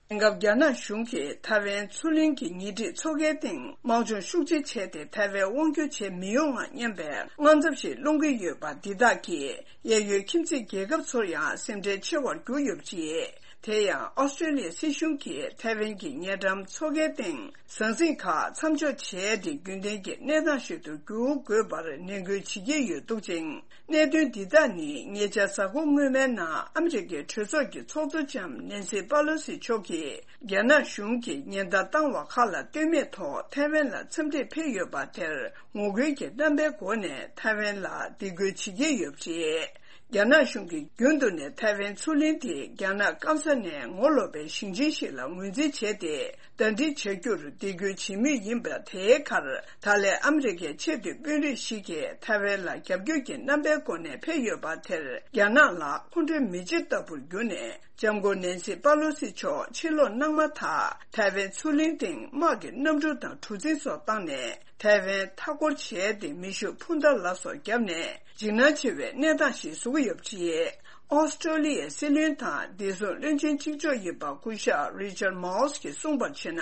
དེང་སྐབས་རྒྱ་ནག་གཞུང་གིས་ཐའེ་ཝན་མཚོ་གླིང་གི་ཉེ་འཁྲིས་མཚོ་ཁའི་སྟེང་དམག་སྦྱོང་ཤུགས་ཆེ་བྱས་ཏེ། ཐའེ་ཝན་དབང་བསྒྱུར་བྱེད་མི་ཡོང་བ་སྙམ་པའི་དངངས་འཚབ་ཞིག་སློང་གི་ཡོད་པ་འདི་དག་གིས་གཡས་གཡོན་ཁྱིམ་མཚེས་རྒྱལ་ཁབ་ཚོར་ཡང་སེམས་ཁྲལ་ཆེ་བར་གྱུར་ཡོད་པ་རེད། དེ་ཡང་ཨོ་སི་ཀྲོ་ལི་ཡའི་སྲིད་གཞུང་གིས་ཐའེ་ཝན་གྱི་ཉེ་འགྲམ་མཚོ་ཁའི་སྟེང་ཟང་ཟིང་ཁག་མཚམས་འཇོག་བྱས་ཏེ། རྒྱུན་ལྡན་གྱི་གནས་སྟངས་ཤིག་ཏུ་འགྱུར་དགོས་པར་ནན་སྐུལ་བྱེད་ཀྱི་ཡོད་འདུག་ཅིང་། གནད་དོན་འདི་དག་ནི་ཉེ་ཆར་གཟའ་འཁོར་སྔོན་མའི་ནང་ཨ་མི་རི་ཀའི་གྲོས་ཚོགས་ཀྱི་ཚོགས་གཙོ་ལྕམ་ནན་སི་པ་ལོ་སི་མཆོག་གིས་རྒྱ་ནག་གཞུང་གིས་ཉེན་བརྡ་བཏང་བ་ཁག་ལ་ལྟོས་མེད་ཐོག་ཐའེ་ཝན་ལ་འཚམས་འདྲིར་ཕེབས་ཡོད་པ་དེར་ངོ་རྒོལ་གྱི་རྣམ་པའི་སྒོ་ནས་ཐའེ་ཝན་ལ་སྡིགས་སྐུལ་བྱེད་ཀྱི་ཡོད་པ་རེད། རྒྱ་ནག་གཞུང་གིས་རྒྱུན་དུ་ནས་ཐའེ་ཝན་མཚོ་གླིང་དེ་རྒྱ་ནག་སྐམ་ས་ནས་ངོ་ལོག་པའི་ཞིང་ཆེན་ཞིག་ལ་ངོས་འཛིན་བྱས་ཏེ། ཟླ་སྒྲིལ་བྱ་རྒྱུར་འདེད་སྐུལ་བྱེད་མུས་ཡིན་པ། དེའི་ཁར་ད་ལན་ཨ་མི་རི་ཀའི་ཆེས་མཐོའི་དཔོན་རིགས་ཤིག་གིས་ཐའེ་ཝན་ལ་རྒྱབ་སྐྱོར་གྱི་རྣམ་པའི་སྒོ་ནས་ཕེབས་ཡོད་པ་དེར། རྒྱ་ནག་ལ་ཁོང་ཁྲོའི་མེ་ལྕེ་ལྟ་བུར་གྱུར་ནས། ལྕམ་སྐུ་ནན་སི་པ་ལོ་སི་མཆོག་ཕྱིར་ལོག་གནང་མ་ཐག་ཐའེ་ཝན་མཚོ་གླིང་སྟེང་དམག་གི་གནམ་གྲུ་དང་གྲུ་གཟིངས་སོགས་བཏང་ནས། ཐའེ་ཝན་མཐའ་སྐོར་བྱས་ཏེ། མེ་ཤུགས་འཕུར་མདའ་ལ་སོགས་བརྒྱབ་ནས། འཇིགས་སྣང་ཆེ་བའི་གནས་སྟངས་ཤིག་བཟོ་གི་ཡོད་པ་རེད། ཨོ་སི་ཀྲོ་ལི་ཡའི་སྲིད་བློན་དང་བདེ་སྲུང་བློན་ཆེན་གཅིག་ལྕོགས་ཡིན་པ་སྐུ་ཞབས་རི་ཅར་མའོ་སི་གིས་གསུངས་པར་བྱས་ན།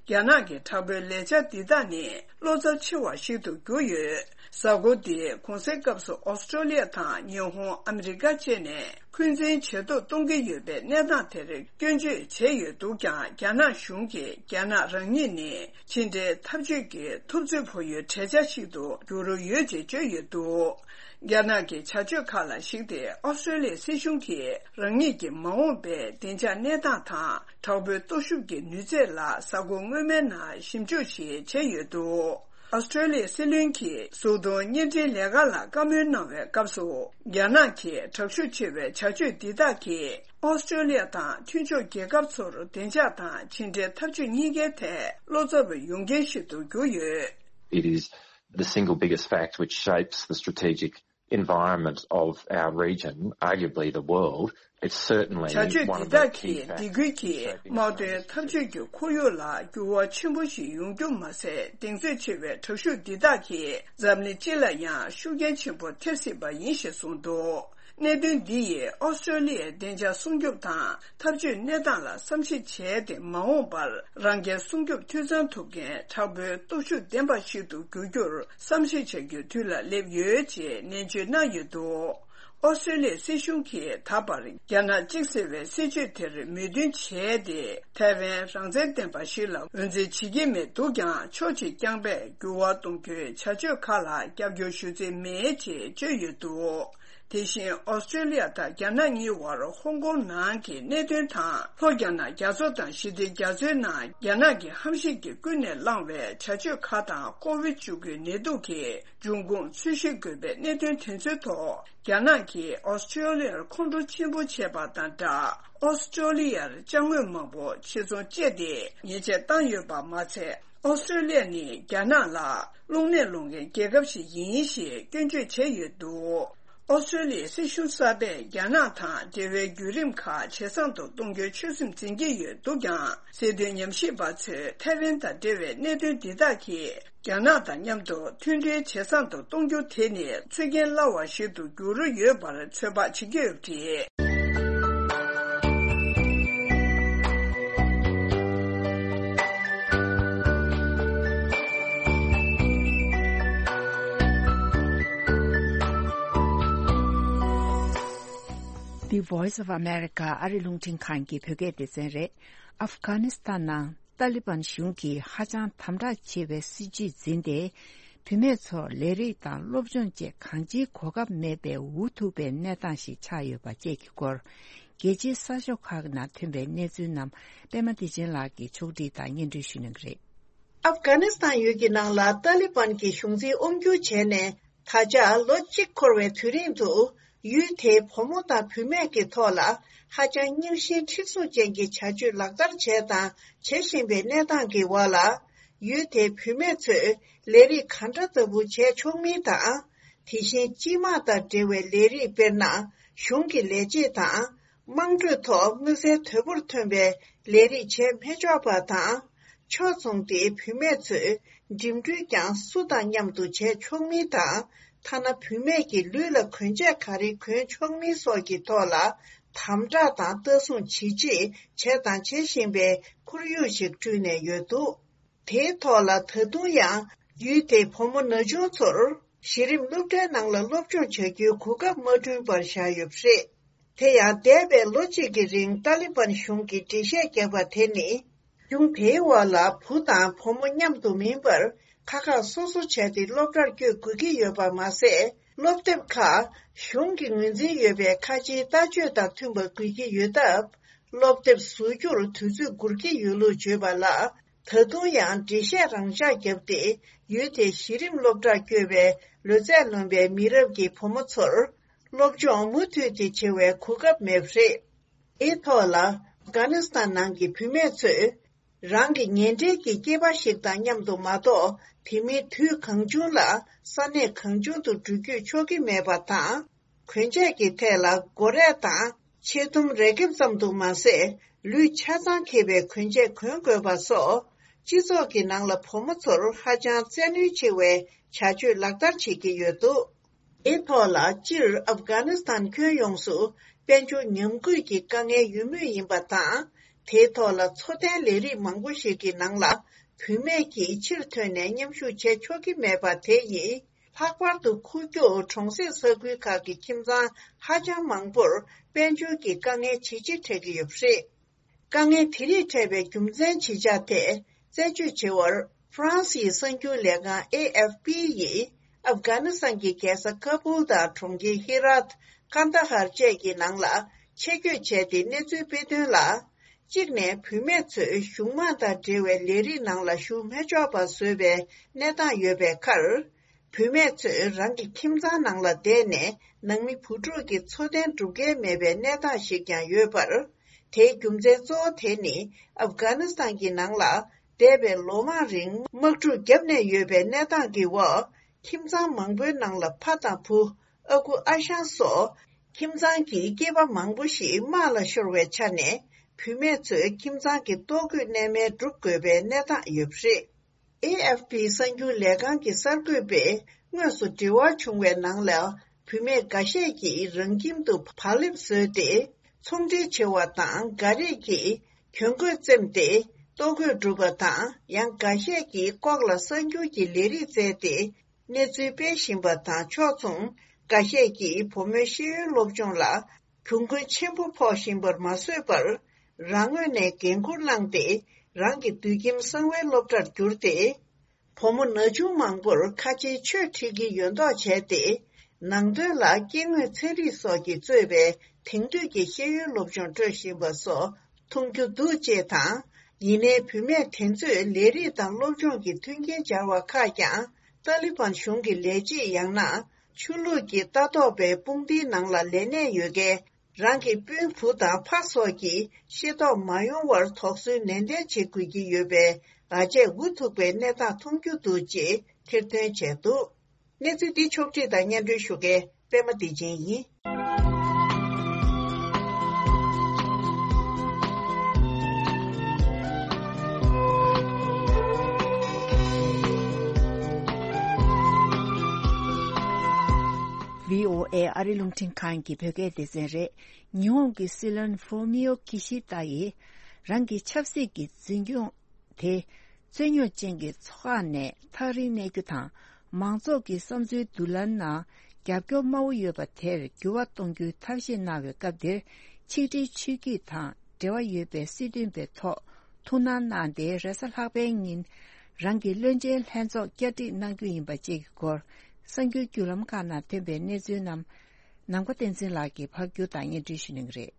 རྒྱ་ནག་གི་དྲག་པོའི་ལས་འཆར་འདི་དག་ནི་བློ་འཚབ་ཆེ་བ་ཞིག་ཏུ་གྱུར་ཡོད། གཟའ་འཁོར་འདིའི་གུང་སེང་སྐབས་སུ་ཨོ་སི་ཀྲོ་ལི་ཡ་དང་ཉི་ཧོང་། ཨ་མི་རི་ཀ་བཅས་ནས་འཁོན་འཛིན་ཇེ་སྡུག་གཏོང་གི་ཡོད་པའི་གནས་སྟངས་དེར་སྐྱོན་བརྗོད་བྱས་ཡོད་འདུག་ཀྱང་། རྒྱ་ནག་གཞུང་གིས་རྒྱ་ནག་རང་ཉིད་ནི་ཕྱི་འབྲེལ་འཐབ་ཇུས་ཀྱི་ཐུབ་ཚོད་ཕོག་ཡུལ་གྲལ་ཆ་ཞིག་ཏུ་འགྱུར་རོ་ཡོད་ཅེས་བརྗོད་ཡོད་འདུག་རྒྱ་ནག་གི་བྱ་སྤྱོད་ཁག་ལ་གཞིགས་ཏེ། ཨོ་སི་ཀྲོ་ལི་ཡའི་སྲིད་གཞུང་གིས་རང་ཉིད་ཀྱི་མ་འོངས་པའི་བདེ་འཇགས་གནས་སྟངས་དང་། དྲག་པོའི་སྟོབས་ཤུགས་ཀྱི་ནུས་ཚད་ལ་གཟའ་འཁོར་སྔོན་མའི་ནང་ཞིབ་འཇུག་ཞིག་བྱས་ཡོད་འདུག་ཨོ་སི་ཀྲོ་ལི་ཡའི་སྲིད་བློན་གྱིས་གཟུགས་མཐོང་བརྙན་འཕྲིན་ལས་ཁང་ལ་བཀའ་མོལ་གནང་བའི་སྐབས་སུ། རྒྱ་ནག་གི་དྲག་ཤུགས་ཆེ་བའི་བྱ་སྤྱོད་འདི་དག་གིས་ཨོ་སི་ཀྲོ་ལི་ཡ་དང་མཐུན་ཕྱོགས་རྒྱལ་ཁབ་ཚོར་བདེ་འཇགས་དང་ཕྱི་འབྲེལ་འཐབ་ཇུས་གཉིས་ཀའི་ཐད་བློ་འཚབ་ཡོང་རྐྱེན་ཞིག་ཏུ་གྱུར་ཡོད། It is the single biggest fact which shapes the strategic environment of our region, arguably the world. It's certainly བྱ་སྤྱོད་one འདི་of the དག་key གིས་factors སྡིགས་སྐུལ་གྱིས་shaping དམག་དོན་འཐབ་ཇུས་ཀྱི་ཁོར་ཡུག་ལ་འགྱུར་བ་ཆེན་པོ་ཞིག་ཡོང་རྒྱུ་མ་ཟད། གདེང་ཚོད་ཆེ་བའི་དྲག་ཤུགས་འདི་དག་གིས་འཛམ་གླིང་སྤྱི་ལ་ཡང་ཤུགས་རྐྱེན་ཆེན་པོ་ཐེབས་སྲིད་པ་ཡིན་ཞེས་གསུངས་འདུག་གནད་དོན་འདི་ཡིས་ཨོ་སི་ཀྲོ་ལི་ཡའི་བདེ་འཇགས་སྲུང་སྐྱོབ་དང་འཐབ་ཇུས་གནས་སྟངས་ལ་བསམ་གཞིག་བྱས་ཏེ། མ་འོངས་པར་རང་རྒྱལ་སྲུང་སྐྱོབ་འཐུས་ཚང་ཐུབ་མཁན་དྲག་པོའི་སྟོབས་ཤུགས་ལྡན་པ་ཞིག་ཏུ་འགྱུར་རྒྱུར་བསམ་གཞིག་བྱ་རྒྱུའི་དུས་ལ་སླེབས་ཡོད་ཅེས་ནན་བརྗོད་གནང་ཡོད་འདུག་ཨོ་སི་ཀྲོ་ལི་ཡའི་སྲིད་གཞུང་གིས་ད་བར་རྒྱ་ནག་གཅིག་ཟེར་བའི་སྲིད་བྱུས་དེར་མོས་མཐུན་བྱས་ཏེ། ཐའེ་ཝན་རང་བཙན་ལྡན་པ་ཞིག་ལ་འོས་འཛིན་བྱེད་ཀྱི་མེད་འདུག་ཀྱང་། ཕྱོགས་གཅིག་རྐྱང་པས་འགྱུར་བ་གཏོང་རྒྱུའི་བྱ་སྤྱོད་ཁག་ལ་རྒྱབ་སྐྱོར་ཞུ་རྩིས་མེད་ཅེས་བརྗོད་ཡོད་འདུག་དེ་བཞིན་ཨོ་སི་ཀྲོ་ལི་ཡ་དང་རྒྱ་ནག་གཉིས་བར་ཧོང་ཀོང་ནང་གི་གནད་དོན་དང་། ལྷོ་རྒྱ་ནག་རྒྱ་མཚོ་དང་ཞི་བདེ་རྒྱ་མཚོའི་ནང་རྒྱ་ནག་གི་ཧམ་བཤད་ཀྱིས་ཀུན་ནས་བསླངས་པའི་བྱ་སྤྱོད་ཁག་དང་། ཀོ་བིད་བཅུ་དགུའི་ནད་དུག་གིས་འབྱུང་ཁུངས་འཚོལ་ཞིབ་དགོས་པའི་གནད་དོན་དེ་ཚོའི་ཐོག་རྒྱ་ནག་གིས་ཨོ་སི་ཀྲོ་ལི་ཡར་ཁོང་ཁྲོ་ཆེན་པོ་བྱས་པ་དང་སྦྲགས། ཨོ་སི་ཀྲོ་ལི་ཡར་ཅ་དངོས་མང་པོ་ཕྱིར་ཚོང་བྱས་ཏེ་ཉེས་ཆད་བཏང་ཡོད་པ་མ་ཚད། ཨོ་སི་ཀྲོ་ལི་ཡ་ནི་རྒྱ་ནག་ལ་རླུང་ནད་སློང་མཁན་རྒྱལ་ཁབ་ཞིག་ཡིན་ཞེས་སྐྱོན་བརྗོད་བྱས་ཡོད་འདུག་ཨོ་སི་ཀྲོ་ལི་ཡའི་སྲིད་གཞུང་གསར་པས་རྒྱ་ནག་དང་འབྲེལ་བའི་བརྒྱུད་རིམ་ཁག་ཇེ་བཟང་དུ་གཏོང་རྒྱུའི་ཆོད་སེམས་འཛིན་གྱི་ཡོད་འདུག་ཀྱང་། སྲིད་དོན་ཉམས་ཞིབ་པ་ཚོས་ཐའེ་ཝན་དང་འབྲེལ་བའི་གནད་དོན་འདི་དག་གིས་རྒྱ་ནག་དང་མཉམ་དུ་མཐུན་འབྲེལ་ཇེ་བཟང་དུ་གཏོང་རྒྱུ་དེ་ནི་ཚུལ་རྐྱེན་སླ་བ་ཞིག་ཏུ་འགྱུར་ཡོད་པར་ཚོད་དཔག་བྱེད་ཀྱི་ཡོད་པ་རེད། The Voice of America ཨ་རི་རླུང་འཕྲིན་ཁང་གི་བོད་སྐད་སྡེ་ཚན་རེད། ཨབ་གྷ་ནི་སི་ཐན་ནང་ཏཱ་ལི་བན་གཞུང་གིས་ཧ་ཅང་དམ་དྲག་ཆེ་བའི་སྲིད་བྱུས་འཛིན་ཏེ། བུད་མེད་ཚོར་ལས་རིགས་དང་སློབ་སྦྱོང་བཅས་གང་ཅིའི་གོ་སྐབས་མེད་པའི་འུ་ཐུག་པའི་གནས་སྟངས་ཤིག་ཆགས་ཡོད་པ་བཅས་ཀྱི་སྐོར། རྒྱལ་སྤྱིའི་གསར་ཤོག་ཁག་ནང་ཐོན་པའི་གནས་ཚུལ་རྣམས་པད་མ་བདེ་ཆེན་ལགས་ཀྱིས་ཕྱོགས་སྒྲིག་དང་སྙན་སྒྲོན་ཞུ་གནང་གི་རེད། ཨབ་གྷ་ནི་སི་ཐན་ཡུལ་གྱི་ནང་ལ་ཏཱ་ལི་བན་གྱི་གཞུང་འཛིན་དབང་བསྒྱུར་བྱས་ནས། ད་ཆ་ལོ་གཅིག་འཁོར་བའི་དུས་རིང་དུ། ཡུལ་དེའི་བུ་མོ་དང་བུད་མེད་ཀྱི་ཐོག་ལ་ཧ་ཅང་རྙིང་ཞེན་མཁྲེགས་བཟུང་ཅན་གྱི་བྱ་སྤྱོད་ལག་བསྟར་བྱས་དང་བྱེད་བཞིན་པའི་གནས་སྟངས་ཀྱི་འོག་ལ། ཡུལ་དེའི་བུད་མེད་ཚོས་ལས་རིགས་ག་འདྲ་ལྟ་བུ་བྱས་ཆོག་མིན་དང་། དེ་བཞིན་སྤྱི་དམངས་དང་འབྲེལ་བའི་ལས་རིགས། དཔེར་ན། གཞུང་གི་ལས་བྱེད་དང་། དམངས་ཁྲོད་ཐོག་མངོན་གསལ་དོད་པོར་ཐོན་པའི་ལས་རིགས་བྱས་མི་ཆོག་པ་དང་། ཕྱོགས་མཚུངས་ཏེ་བུད་མེད་ཚོས་འགྲིམ་འགྲུལ་ཀྱང་སུ་དང་མཉམ་དུ་བྱས་ཆོག་མིན་དང་། ཐ་ན་བུད་མེད་ཀྱི་ལུས་ལ་གོན་ཆས་ག་རེ་གོན་ཆོག་མིན་སོགས་ཀྱི་ཐོག་ལ་དམ་དྲག་དང་ལྟ་སྲུང་ཇི་ཆེ་བྱས་དང་བྱེད་བཞིན་པའི་ཁོར་ཡུག་ཞིག་བསྐྲུན་ནས་ཡོད་འདུག་དེའི་ཐོག་ལ་ད་དུང་ཡང་ཡུལ་དེའི་བུ་མོ་ན་ཆུང་ཚོར་གཞི་རིམ་སློབ་གྲྭའི་ནང་ལ་སློབ་སྦྱོང་བྱ་རྒྱུའི་གོ་སྐབས་མ་བསྐྲུན་པར་བཞག་ཡོད་པ་རེད། དེ་ཡང་འདས་པའི་ལོ་གཅིག་གི་རིང་ཏཱ་ལི་བན་གཞུང་གིས་འགྲེལ་བཤད་བརྒྱབ་པ་དེ་ནི། གཞུང་དེའི་འོག་ལ་བུ་དང་བུ་མོ་མཉམ་དུ་མིན་པར་ཁག་ཁག་སོ་སོ་བྱས་ཏེ་སློབ་གྲྭར་བསྐྱོད་དགོས་ཀྱི་ཡོད་པ་མ་ཟད། སློབ་དེབ་ཁག་གཞུང་གི་ངོས་འཛིན་ཡོད་པའི་ཁ་ཆེའི་ལྟ་སྤྱོད་དང་མཐུན་པ་དགོས་ཀྱི་ཡོད་སྟབས། སློབ་དེབ་བཟོ་རྒྱུར་དུས་ཚོད་འགོར་གྱི་ཡོད་ལུགས་བརྗོད་པ་ལ། ད་དུང་ཡང་འགྲེལ་བཤད་རང་འཇགས་བརྒྱབ་སྟེ། ཡུལ་དེའི་གཞི་རིམ་སློབ་གྲྭར་བསྐྱོད་པའི་ལོ་ཚད་ལོན་པའི་མི་རབས་ཀྱི་བུ་མོ་ཚོར། སློབ་སྦྱོང་མུ་མཐུད་དེ་བྱེད་པའི་གོ་སྐབས་མེད་པ་རེད། དེའི་ཐོག་ལ། ཨབ་གྷ་ནི་སི་ཐན་ནང་གི་བུད་མེད་ཚོས། རང་གི་ཉེ་འབྲེལ་གྱི་སྐྱེས་པ་ཞིག་དང་མཉམ་དུ་མ་གཏོགས། དེ་མིན་དུས་གང་བྱུང་ལ་ས་གནས་གང་བྱུང་དུ་འགྲུལ་སྐྱོད་ཆོག་གི་མེད་པ་དང་། གོན་ཆས་ཀྱི་ཐད་ལ་སྒོ་རས་དང་ཆེ་དུམ་རས་ཁེབས་ཙམ་དུ་མ་ཟད། ལུས་ཆ་ཚང་འཁེལ་བའི་གོན་ཆས་གོན་དགོས་པ་སོགས། སྤྱི་ཚོགས་ཀྱི་ནང་ལ་བུ་མོ་ཚོར་ཧ་ཅང་བཙན་གནོན་ཆེ་བའི་བྱ་སྤྱོད་ལག་བསྟར་བྱེད་ཀྱི་ཡོད་འདུག་དེའི་ཐོག་ལ། སྤྱིར་ཨབ་གྷ་ནི་སི་ཐན་ཁྱོན་ཡོངས་སུ་དཔལ་འབྱོར་ཉམས་རྒུད་ཀྱི་དཀའ་ངལ་ཡོད་མུས་ཡིན་པ་དང་། དེའི་ཐོག་ལ་འཚོ་རྟེན་ལས་རིགས་མང་པོ་ཞིག་གི་ནང་ལ་བུད་མེད་ཀྱིས་ཕྱིར་ཐོན་ནས་མཉམ་ཞུགས་བྱེད་ཆོག་གི་མེད་པ་དེ་ཡིས། ལྷག་པར་དུ་ཁུག་ཀྱོག་གྲོང་གསེབ་ས་ཁུལ་ཁག་གི་ཁྱིམ་ཚང་ཧ་ཅང་མང་པོར་དཔལ་འབྱོར་གྱི་དཀའ་ངལ་ཇེ་ཆེ་འཕྲད་ཀྱི་ཡོད་པ་རེད། དཀའ་ངལ་དེ་རིགས་འཕྲད་པའི་རྒྱུ་མཚན་ཇི་ཆགས་ཐད་རྩད་གཅོད་བྱེད་པར། ཧྥ་རན་སིའི་གསར་འགྱུར་ལས་ཁང་ཨེ་ཨེཕ་པི་ཡིས་ཨབ་གྷ་ནི་སི་ཐན་གྱི་རྒྱལ་ས་ཀ་བུལ་དང་གྲོང་ཁྱེར་ཧི་རཱད། ཀན་ད་ཧར་བཅས་ཀྱི་ནང་ལ་ཆེད་བསྐྱོད་བྱས་ཏེ་གནས་ཚུལ་སྤེལ་དོན་ལ། གཅིག་ནས་བུད་མེད་ཚོས་གཞུང་མང་དང་འབྲེལ་བའི་ལས་རིགས་ནང་ལ་ཞུགས་མི་ཆོག་པ་བཟོས་པའི་གནས་སྟངས་ཡོད་པའི་ཁར། བུད་མེད་ཚོས་རང་གི་ཁྱིམ་ཚང་ནང་ལ་བསྡད་ནས་ནང་མི་བུ་ཕྲུག་གི་འཚོ་རྟེན་སྒྲུབ་མཁན་མེད་པའི་གནས་སྟངས་ཤིག་ཀྱང་ཡོད་པར། དེའི་རྒྱུ་མཚན་གཙོ་བོ་དེ་ནི་ཨབ་གྷ་ནི་སི་ཐན་གྱི་ནང་ལ་འདས་པའི་ལོ་མང་རིང་དམག་འཁྲུག་བརྒྱབ་ནས་ཡོད་པའི་གནས་སྟངས་ཀྱི་འོག་ཁྱིམ་ཚང་མང་པོའི་ནང་ལ་ཕ་དང་བུ། ཨ་ཁུ་ཨ་ཞང་སོགས་ཁྱིམ་ཚང་གི་སྐྱེས་པ་མང་པོ་ཞིག་དམག་ལ་ཤོར་བའི་ཆ་ནས། བུད་མེད་ཚོས་ཁྱིམ་ཚང་གི་ལྟོ་གོས་གནས་མལ་སྒྲུབ་དགོས་པའི་གནས་སྟངས་ཡོད་པ་རེད། ཨེ་ཨེཕ་པི་གསར་འགྱུར་ལས་ཁང་གི་གསར་འགོད་པས་དངོས་སུ་འབྲེལ་བ་བྱུང་བའི་ནང་ལ། བུད་མེད་འགའ་ཤས་ཀྱིས་རང་ཁྱིམ་དུ་བག་ལེབ་བཟོས་ཏེ་ཚོང་འབྲེལ་བྱེད་པ་དང་། འགའ་རེས་ཀྱིས་གྱོན་གོས་བཙེམས་ཏེ་ལྟོ་གོས་སྒྲུབ་པ་དང་། ཡང་འགའ་ཤས་ཀྱིས་ལྐོག་ལ་གསར་འགྱུར་གྱི་ལས་རིགས་བཙལ་ཏེ་གནས་ཚུལ་སྤེལ་བཞིན་པ་དང་། ཕྱོགས་མཚུངས་ འགའ་ཤས་ཀྱིས་བུ་མོའི་ཤེས་ཡོན་སློབ་སྦྱོང་ལ་གྱོང་གུན་ཆེན་པོ་ཕོག་བཞིན་པར་མ་བཟོད་པར། རང་ངོས་ནས་འགན་འཁུར་བླངས་ཏེ། རང་གི་དུད་ཁྱིམ་གསང་བའི་སློབ་གྲྭར་བསྒྱུར་ཏེ། བུ་མོ་ན་ཆུང་མང་པོར་ཁ་ཆེའི་ཆོས་ཁྲིད་ཀྱི་ཡོད་མདོག་བྱས་ཏེ། ནང་དོན་ལ་སྐྱེ་དངོས་ཚན་རིག་སོགས་ཀྱིས་གཙོས་པའི་དེང་དུས་ཀྱི་ཤེས་ཡོན་སློབ་སྦྱོང་སྤྲོད་བཞིན་པ་སོགས་མཐོང་རྒྱུ་འདུག་ཅེས་དང་། ཡིན་ནའི་བུད་མེད་དེ་ཚོས་ལས་རིགས་དང་སློབ་སྦྱོང་གི་མཐུན་རྐྱེན་སྦྱར་བ་ཁག་ཀྱང་། ཏཱ་ལི་བན་གཞུང་གི་ལས་བྱེད་ཡང་ན་ཆོས་ལུགས་ཀྱི་ལྟ་རྟོག་པའི་དཔུང་སྡེའི་ནང་ལ་ལས་གནས་ཡོད་མཁན། རང་གི་སྤུན་བུ་དང་ཕ་སོགས་ཀྱིས་ཤེས་རྟོགས་མ་ཡོང་བར་དོགས་ཟོན་ནན་ཏན་བྱེད་དགོས་ཀྱི་ཡོད་པས། ཨ་ཅེ་འུ་ཐུག་པའི་གནས་སྟངས་མཐོང་རྒྱུ་འདུག་ཅེས་ཐེར་འདོན་བྱས་འདུག་གནས་ཚུལ་འདི་ཕྱོགས་བསྒྲིགས་དང་སྙན་སྒྲོན་ཞུ་མཁན་པད་མ་བདེ་ཆེན་ཡིན། བྷི་ཨོ་ཨེ་ཨ་རི་རླུང་འཕྲིན་ཁང་གི་བོད་སྐད་སྡེ་ཚན་རེད། ཉི་ཧོང་གི་སྲིད་བློན་ཧྥུ་མིའོ་ཀི་ཤི་ཏ་ཡིས་རང་གི་ཆབ་སྲིད་ཀྱི་འཛིན་སྐྱོང་དེ་རྩོད་རྙོག་ཅན་གྱི་ཚོགས་ཁག་ནས་ཐག་རིང་གནས་རྒྱུ་དང་། མང་ཚོགས་ཀྱི་བསམ་ཚུལ་བསྡུ་ལེན་ནང་རྒྱབ་སྐྱོར་དམའ་བོ་ཡོད་པ་དེར་འགྱུར་བ་གཏོང་རྒྱུའི་ཐབས་ཤེས་གནང་བའི་སྐབས་འདིར། ཆིག་སྒྲིལ་ཆོས་བརྒྱུད་དང་འབྲེལ་བ་ཡོད་པའི་སྲིད་དོན་པའི་ཐོག་ཐུགས་སྣང་གནང་སྟེ། རེས་གཟའ་ལྷག་པའི་ཉིན་རང་གི་བློན་ཆེན་ལྷན་ཚོགས་བསྐྱར་སྒྲིག་གནང་རྒྱུ་ཡིན་པ་བཅས་ཀྱི་སྐོར། གསར་འགྱུར་བརྒྱུད་ལམ་ཁག་ནང་ཐོན་པའི་གནས་ཚུལ་རྣམས་ནམ་མཁའ་བསྟན་འཛིན་ལགས་ཀྱིས་ཕབ་སྒྱུར་དང་སྙན་སྒྲོན་ཞུ་གནང་གི་རེད།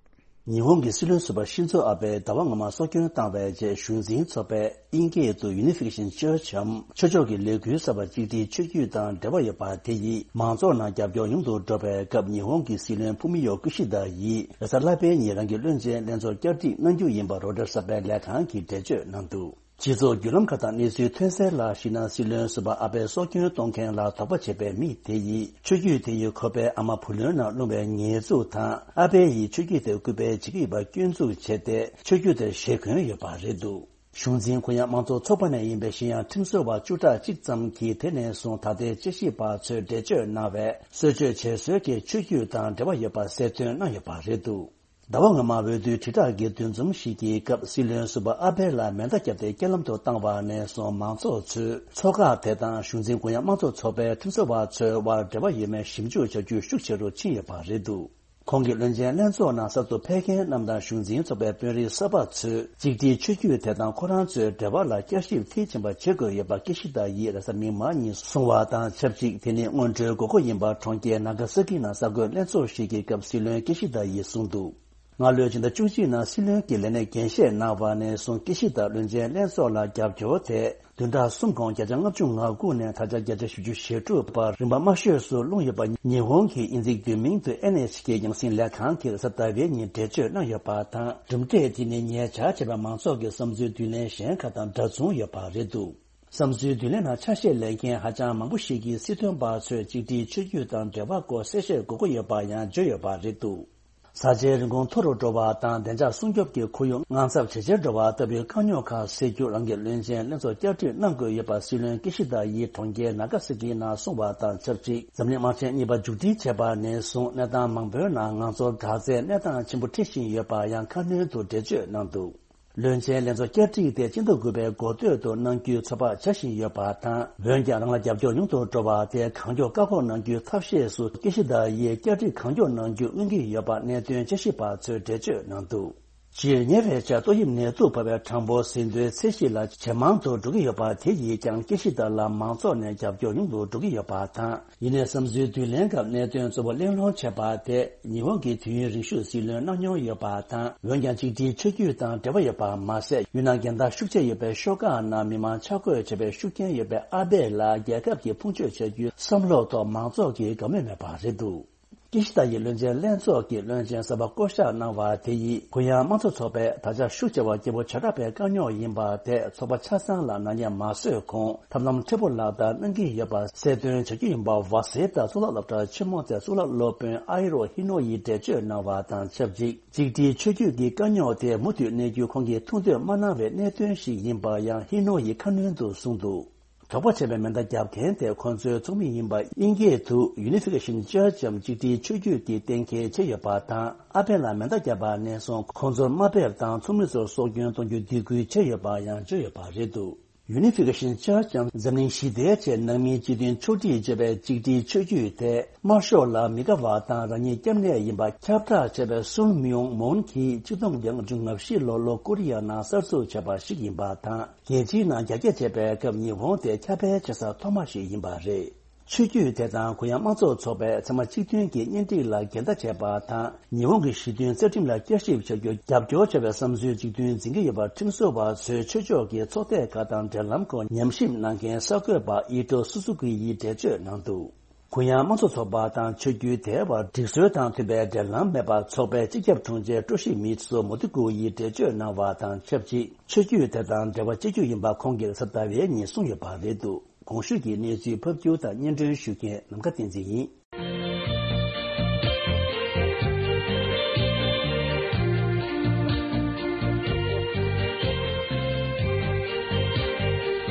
ཉི་ཧོང་གི་སྲིད་བློན་ཟུར་པ་ཤིན་ཛོ་ཨ་བྷེ་ཟླ་བ་སྔོན་མ་སྲོག་སྐྱོན་བཏང་བའི་རྗེས། གཞུང་འཛིན་ཚོགས་པས་དབྱིན་སྐད་དུ་Unification Church འམ་ཆོས་ཕྱོགས་ཀྱི་ལས་འགུལ་གསར་པ་གཅིག་སྒྲིལ་ཆོས་བརྒྱུད་དང་འབྲེལ་བ་ཡོད་པ་དེ་ཡིས་མང་ཚོགས་ནང་རྒྱབ་སྐྱོར་ཉུང་དུ་འགྲོ་བའི་སྐབས། ཉི་ཧོང་གི་སྲིད་བློན་ཕུ་མི་ཡོ་ཀི་ཤི་ད་ཡིས་རེས་གཟའ་ལྷག་པའི་ཉིན་རང་གི་བློན་ཆེན་ལྷན་ཚོགས་བསྐྱར་སྒྲིག་གནང་རྒྱུ་ཡིན་པ་རོའི་ཊར་གསར་པའི་ལས་ཁང་གིས་འགྲེལ་བརྗོད་གནང་འདུག་སྤྱི་ཚོགས་བརྒྱུད་ལམ་ཁག་དང་གནས་ཚུལ་ཐོན་གསལ་ལ་གཞིགས་ན། སྲིད་བློན་ཟུར་པ་ཨ་བྷེ་སྲོག་སྐྱོན་གཏོང་མཁན་ལ་དོགས་པ་བྱེད་པའི་མི་དེ་ཡིས་ཆོས་བརྒྱུད་དེ་ཡིས་ཁོ་པའི་ཨ་མ་བུ་ལོན་ནང་ལྷུང་བའི་ཉེས་འཛུགས་དང་། ཨ་བྷེ་ཡིས་ཆོས་བརྒྱུད་དེ་སྐུར་པའི་བྱེད་ཀྱི་ཡོད་པ་སྐྱོན་འཛུགས་བྱས་ཏེ། ཆོས་བརྒྱུད་དེར་ཞེ་འཁོན་ཡོད་པ་རེད་འདུག་གཞུང་འཛིན་ཁོ་ཡང་དམངས་གཙོ་ཚོགས་པ་ནས་ཡིན་པའི་གཞན་ཡང་ཁྲིམས་བཟོ་བ་བཅུ་ཕྲག་གཅིག་ཙམ་གྱིས་དེ་ནས་བཟུང་ད་ལྟའི་དཔྱད་ཞིབ་པ་ཚོས་འགྲེལ་བརྗོད་གནང་བའི་གསོལ་མཆོད་བྱེད་སྲོལ་གྱི་ཆོས་བརྒྱུད་དང་འབྲེལ་བ་ཡོད་པ་གསལ་སྟོན་གནང་ཡོད་པ་རེད་འདུག་ཟླ་བ་སྔོན་མ་འོས་བསྡུའི་དྲིལ་བསྒྲགས་ཀྱི་འདུ་འཛོམས་ཤིག་གི་སྐབས། སྲིད་བློན་ཟུར་པ་ཨ་བྷེ་ལ་མེ་མདའ་བརྒྱབ་སྟེ་རྐྱེན་ལམ་དུ་བཏང་བ་ནས་བཟུང་། མང་ཚོགས་ཚོས་ཚོགས་ཁག་དེ་དང་གཞུང་འཛིན་ཀུན་དབྱངས་དམངས་གཙོ་ཚོགས་པའི་ཁྲིམས་བཟོ་བ་ཚོའི་དབར་འབྲེལ་བ་ཡོད་མེད་ཞིབ་འཇུག་བྱ་རྒྱུ་ཤུགས་ཆེ་རུ་ཕྱིན་ཡོད་པ་རེད་འདུག་ཁོང་གིས་བློན་ཆེན་ལྷན་ཚོགས་ནང་གསར་དུ་ཕེབས་མཁན་རྣམས་དང་གཞུང་འཛིན་ཚོགས་པའི་དཔོན་རིགས་གསར་པ་ཚོས་གཅིག་སྒྲིལ་ཆོས་བརྒྱུད་དེ་དང་ཁོ་རང་ཚོའི་འབྲེལ་བ་ལ་བསྐྱར་ཞིབ་མཐིལ་ཕྱིན་པ་བྱེད་དགོས་ཡོད་པ་ཀི་ཤི་ད་ཡིས་རེས་གཟའ་མིག་དམར་ཉིན་གསུངས་བ་དང་ཆབས་ཅིག་དེ་ནི་སྔོན་འགྲོའི་དགོས་མཁོ་ཡིན་པ་གྲོང་ཁྱེར་ནཱ་ག་ས་ཀི་ནང་གསར་འགོད་ལྷན་ཚོགས་ཤིག་གི་སྐབས་སྲིད་བློན་ཀི་ཤི་ད་ཡིས་གསུངས་འདུག་སྔ་ལོའི་ཕྱི་ཟླ་བཅུ་གཅིག་ནང་སྲིད་བློན་གྱི་ལས་གནས་འགན་བཞེས་གནང་བ་ནས་བཟུང་ཀི་ཤི་ད་བློན་ཆེན་ལྷན་ཚོགས་ལ་རྒྱབ་སྐྱོར་དེ་བདུན་ཕྲག་གསུམ་གོང་བརྒྱ་ཆ་ལྔ་བཅུ་ང་དགུ་ནས་ད་ཆ་བརྒྱ་ཆ་བཞི་བཅུ་ཞེ་དྲུག་བར་རིམ་པ་དམའ་ཤོས་སུ་ལྷུང་ཡོད་པ། ཉི་ཧོང་གི་དབྱིན་ཇིའི་བསྡུས་མིང་དུ་ཨེན་ཨེཆ་ཀེ་རྒྱང་སྲིང་ལས་ཁང་གིས་རེས་གཟའ་ཟླ་བའི་ཉིན་འགྲེལ་བརྗོད་གནང་ཡོད་པ་དང་། གྲུབ་འབྲས་དེ་ནི་ཉེ་ཆར་བྱས་པའི་མང་ཚོགས་ཀྱི་བསམ་ཚུལ་བསྡུ་ལེན་གཞན་ཁག་དང་འདྲ་མཚུངས་ཡོད་པ་རེད་འདུག་བསམ་ཚུལ་བསྡུ་ལེན་ནང་ཆ་ཤས་ལེན་མཁན་ཧ་ཅང་མང་པོ་ཞིག་གིས་སྲིད་དོན་པ་ཚོས་གཅིག་སྒྲིལ་ཆོས་བརྒྱུད་དང་འབྲེལ་བ་སྐོར་གསལ་བཤད་དགོས་མཁོ་ཡོད་པ་ཡང་བརྗོད་ཡོད་པ་རེད་འདུག་བཟའ་བཅའི་རིན་གོང་མཐོ་རུ་འགྲོ་བ་དང་བདེ་འཇགས་སྲུང་སྐྱོབ་ཀྱི་ཁོར་ཡུག་དངངས་འཚབ་ཇེ་ཆེར་འགྲོ་བ་ལྟ་བུའི་དཀའ་རྙོག་ཁག་སེལ་རྒྱུར་རང་གི་བློན་ཆེན་ལྷན་ཚོགས་བསྐྱར་སྒྲིག་གནང་དགོས་ཡོད་པ་སྲིད་བློན་ཀི་ཤི་ད་ཡིས་གྲོང་ཁྱེར་ནཱ་ག་ས་ཀི་ནང་གསུངས་བ་དང་ཆབས་ཅིག་འཛམ་གླིང་དམག་ཆེན་གཉིས་པ་མཇུག་སྒྲིལ་བྱས་པ་ནས་བཟུང་གནས་སྟངས་མང་པོའི་ནང་ང་ཚོར་དྲག་རྩལ་གནས་སྟངས་ཆེན་པོ་འཁྲི་བཞིན་ཡོད་པ་ཡང་ཁ་སྣོན་དུ་འགྲེལ་བརྗོད་གནང་འདུག་བློན་ཆེན་ལྷན་ཚོགས་བསྐྱར་སྒྲིག་དེ་སྤྱི་ཟླ་དགུ་པའི་འགོ་སྟོད་དུ་གནང་རྒྱུའི་ཚོད་དཔག་བྱ་བཞིན་ཡོད་པ་དང་། འོན་ཀྱང་རང་ལ་རྒྱབ་སྐྱོར་ཉུང་དུ་འགྲོ་བ་དེ་གང་མགྱོགས་བཀག་འགོག་གནང་རྒྱུའི་ཐབས་ཤེས་སུ་ཀི་ཤི་ད་ཡིས་བསྐྱར་སྒྲིག་གང་མགྱོགས་གནང་རྒྱུ་མངོན་གྱི་ཡོད་པ་གནད་དོན་དཔྱད་ཞིབ་པ་ཚོས་འགྲེལ་བརྗོད་གནང་འདུག་སྤྱིར་ཉེ་བའི་ཆར་ཏོག་དབྱིབས་ནད་དུག་ཕོག་པའི་གྲངས་འབོར་ཟིན་ཐོའི་ཚད་གཞི་ལ་ཇེ་མང་དུ་འགྲོ་གི་ཡོད་པ་དེ་ཡིས་ཀྱང་ཀི་ཤི་ད་ལ་མང་ཚོགས་ནས་རྒྱབ་སྐྱོར་ཉུང་དུ་འགྲོ་གི་ཡོད་པ་དང་། ཡིན་ནའི་བསམ་ཚུལ་བསྡུ་ལེན་སྐབས་གནད་དོན་གཙོ་བོ་གླེང་སློང་བྱས་པ་དེ་ཉི་ཧོང་གི་དུས་ཡུན་རིང་ཤོས་སྲིད་བློན་གནང་མྱོང་ཡོད་པ་དང་། འོན་ཀྱང་གཅིག་སྒྲིལ་ཆོས་བརྒྱུད་དང་འབྲེལ་བ་ཡོད་པ་མ་ཟད། ཡུལ་ནང་རྒན་བདག་ཤུགས་ཆེ་ཡོད་པའི་ཤོག་ཁག་ནང་མི་མང་ཆ་བགོས་བྱས་པའི་ཤུགས་རྐྱེན་ཡོད་པའི་ཨ་བྷེ་ལ་རྒྱལ་ཁབ་ཀྱིས་ཕུང་མཆོད་བྱ་རྒྱུའི་བསམ་བློ་ཐོག་མང་ཚོགས་ཀྱིས་དགའ་མོས་མེད་པ་རེད་འདུག་ཀི་ཤི་ད་ཡིས་བློན་ཆེན་ལྷན་ཚོགས་ཀྱི་བློན་ཆེན་གསར་པ་བསྐོ་གཞག་གནང་བ་དེ་ཡིས་གུ་ཡངས་དམངས་གཙོ་ཚོགས་པས་ད་ཆ་ཤུགས་ཆེ་བ་སྐྱེ་བོ་བྱེ་བྲག་པའི་དཀའ་རྙོག་ཡིན་པ་དེ་ཚོགས་པ་ཆ་ཚང་ལ་ནག་ཉེས་མ་བཟོས་གོང་ཐབས་ལམ་མཁྲེགས་པོ་ལག་བསྟར་གནང་གི་ཡོད་པ་གསལ་སྟོན་བྱ་རྒྱུ་ཡིན་པ། ཝ་སེ་ཏཱ་གཙུག་ལག་སློབ་གྲྭ་ཆེན་མོ་དེའི་གཙུག་ལག་སློབ་དཔོན་ཨའི་རོ་ཧི་ནོ་ཡིས་འགྲེལ་བརྗོད་གནང་བ་དང་ཆབས་ཅིག་གཅིག་སྒྲིལ་ཆོས་བརྒྱུད་ཀྱི་དཀའ་རྙོག་དེ་མུ་མཐུད་གནས་རྒྱུ་ཁོང་གིས་ཐུགས་འདོད་མ་གནང་བའི་གནད་དོན་ཞིག་ཡིན་པ་ཡང་ཧི་ནོ་ཡིས་ཁ་སྣོན་དུ་གསུངས་འདུག་དོགས་པ་བྱས་པའི་མེ་མདའ་རྒྱབ་མཁན་དེ་ཁོང་ཚོའི་ཚོགས་མི་ཡིན་པ། དབྱིན་སྐད་དུ་Unification Church འམ་གཅིག་སྒྲིལ་ཆོས་བརྒྱུད་ཀྱི་གཏན་འཁེལ་བྱས་ཡོད་པ་དང་། ཨ་བྷེ་ལ་མེ་མདའ་བརྒྱབ་པ་ནས་བཟུང་ཁོང་ཚོར་དམའ་འབེབས་དང་ཚོགས་མི་ཚོར་སྲོག་སྐྱོན་གཏོང་རྒྱུ་སྡིགས་སྐུལ་བྱས་ཡོད་པ་ཡང་བརྗོད་ཡོད་པ་རེད་འདུག Unification Church འཛམ་གླིང་ཞི་བདེའི་ཆེད་ནང་མིའི་སྤྱི་མཐུན་ཕྱོགས་སྒྲིག་ཅེས་པའི་གཅིག་སྒྲིལ་ཆོས་བརྒྱུད་དེ། དམར་ཤོག་ལ་མི་དགའ་བ་དང་རང་ཉིད་སྐྱབས་གནས་ཡིན་པ་ཁྱབ་བསྒྲགས་བྱས་པའི་སུན་མིང་མོན་གྱིས་ཆིག་སྟོང་དགུ་བརྒྱ་ལྔ་བཅུ་ང་བཞི་ལོར་ལྷོ་ཀོ་རི་ཡ་ནང་གསར་འཛུགས་བྱས་པ་ཞིག་ཡིན་པ་དང་། རྒྱལ་སྤྱིའི་ནང་རྒྱ་སྐྱེད་བྱས་པའི་སྐབས་ཉི་ཧོང་དེ་ཁྱབ་སྤེལ་བྱེད་ས་ཐོག་མ་ཞིག་ཡིན་པ་རེད། ཆོས་བརྒྱུད་དེ་དང་གུ་ཡངས་དམངས་གཙོ་ཚོགས་པས་ཚང་མ་གཅིག་མཐུན་གྱིས་གཉེན་སྒྲིག་ལ་འགལ་ཟླ་བྱས་པ་དང་། ཉི་ཧོང་གི་ཞི་མཐུན་རྩ་ཁྲིམས་ལ་བསྐྱར་ཞིབ་བྱ་རྒྱུར་རྒྱབ་སྐྱོར་བྱ་བའི་བསམ་ཚུལ་གཅིག་མཐུན་འཛིན་གྱི་ཡོད་པ་ཁྲིམས་བཟོ་བ་ཚོས་ཆོས་ཕྱོགས་ཀྱི་ཚོགས་སྡེ་ཁག་དང་འབྲེལ་ལམ་སྐོར་ཉམས་ཞིབ་གནང་མཁན་གསར་འགོད་པ་ཨི་ཏོ་སུ་སུ་ཀི་ཡིས་འགྲེལ་བརྗོད་གནང་འདུག་གུ་ཡངས་དམངས་གཙོ་ཚོགས་པ་དང་ཆོས་བརྒྱུད་དེ་བར་སྒྲིག་སྲོལ་དང་མཐུན་པའི་འབྲེལ་ལམ་མེད་པར་ཚོགས་པའི་སྤྱི་ཁྱབ་དྲུང་ཆེ་ཀྲོ་ཤི་མི་ཚོ་མོ་ཏི་ཀུ་ཡིས་འགྲེལ་བརྗོད་གནང་བ་དང་ཆབས་ཅིག་ཆོས་བརྒྱུད་དེ་དང་འབྲེལ་བ་གཅིག་གྱུར་ཡིན་པ་ཁོང་གིས་གཟའ་ཟླ་བའི་ཉིན་གསུངས་ཡོད་པ་རེད་འདུག་གོང་ཞུས་ཀྱི་གནས་ཚུལ་ཕབ་སྒྱུར་དང་སྙན་སྒྲོན་ཞུ་མཁན་ནམ་མཁའ་བསྟན་འཛིན་ཡིན།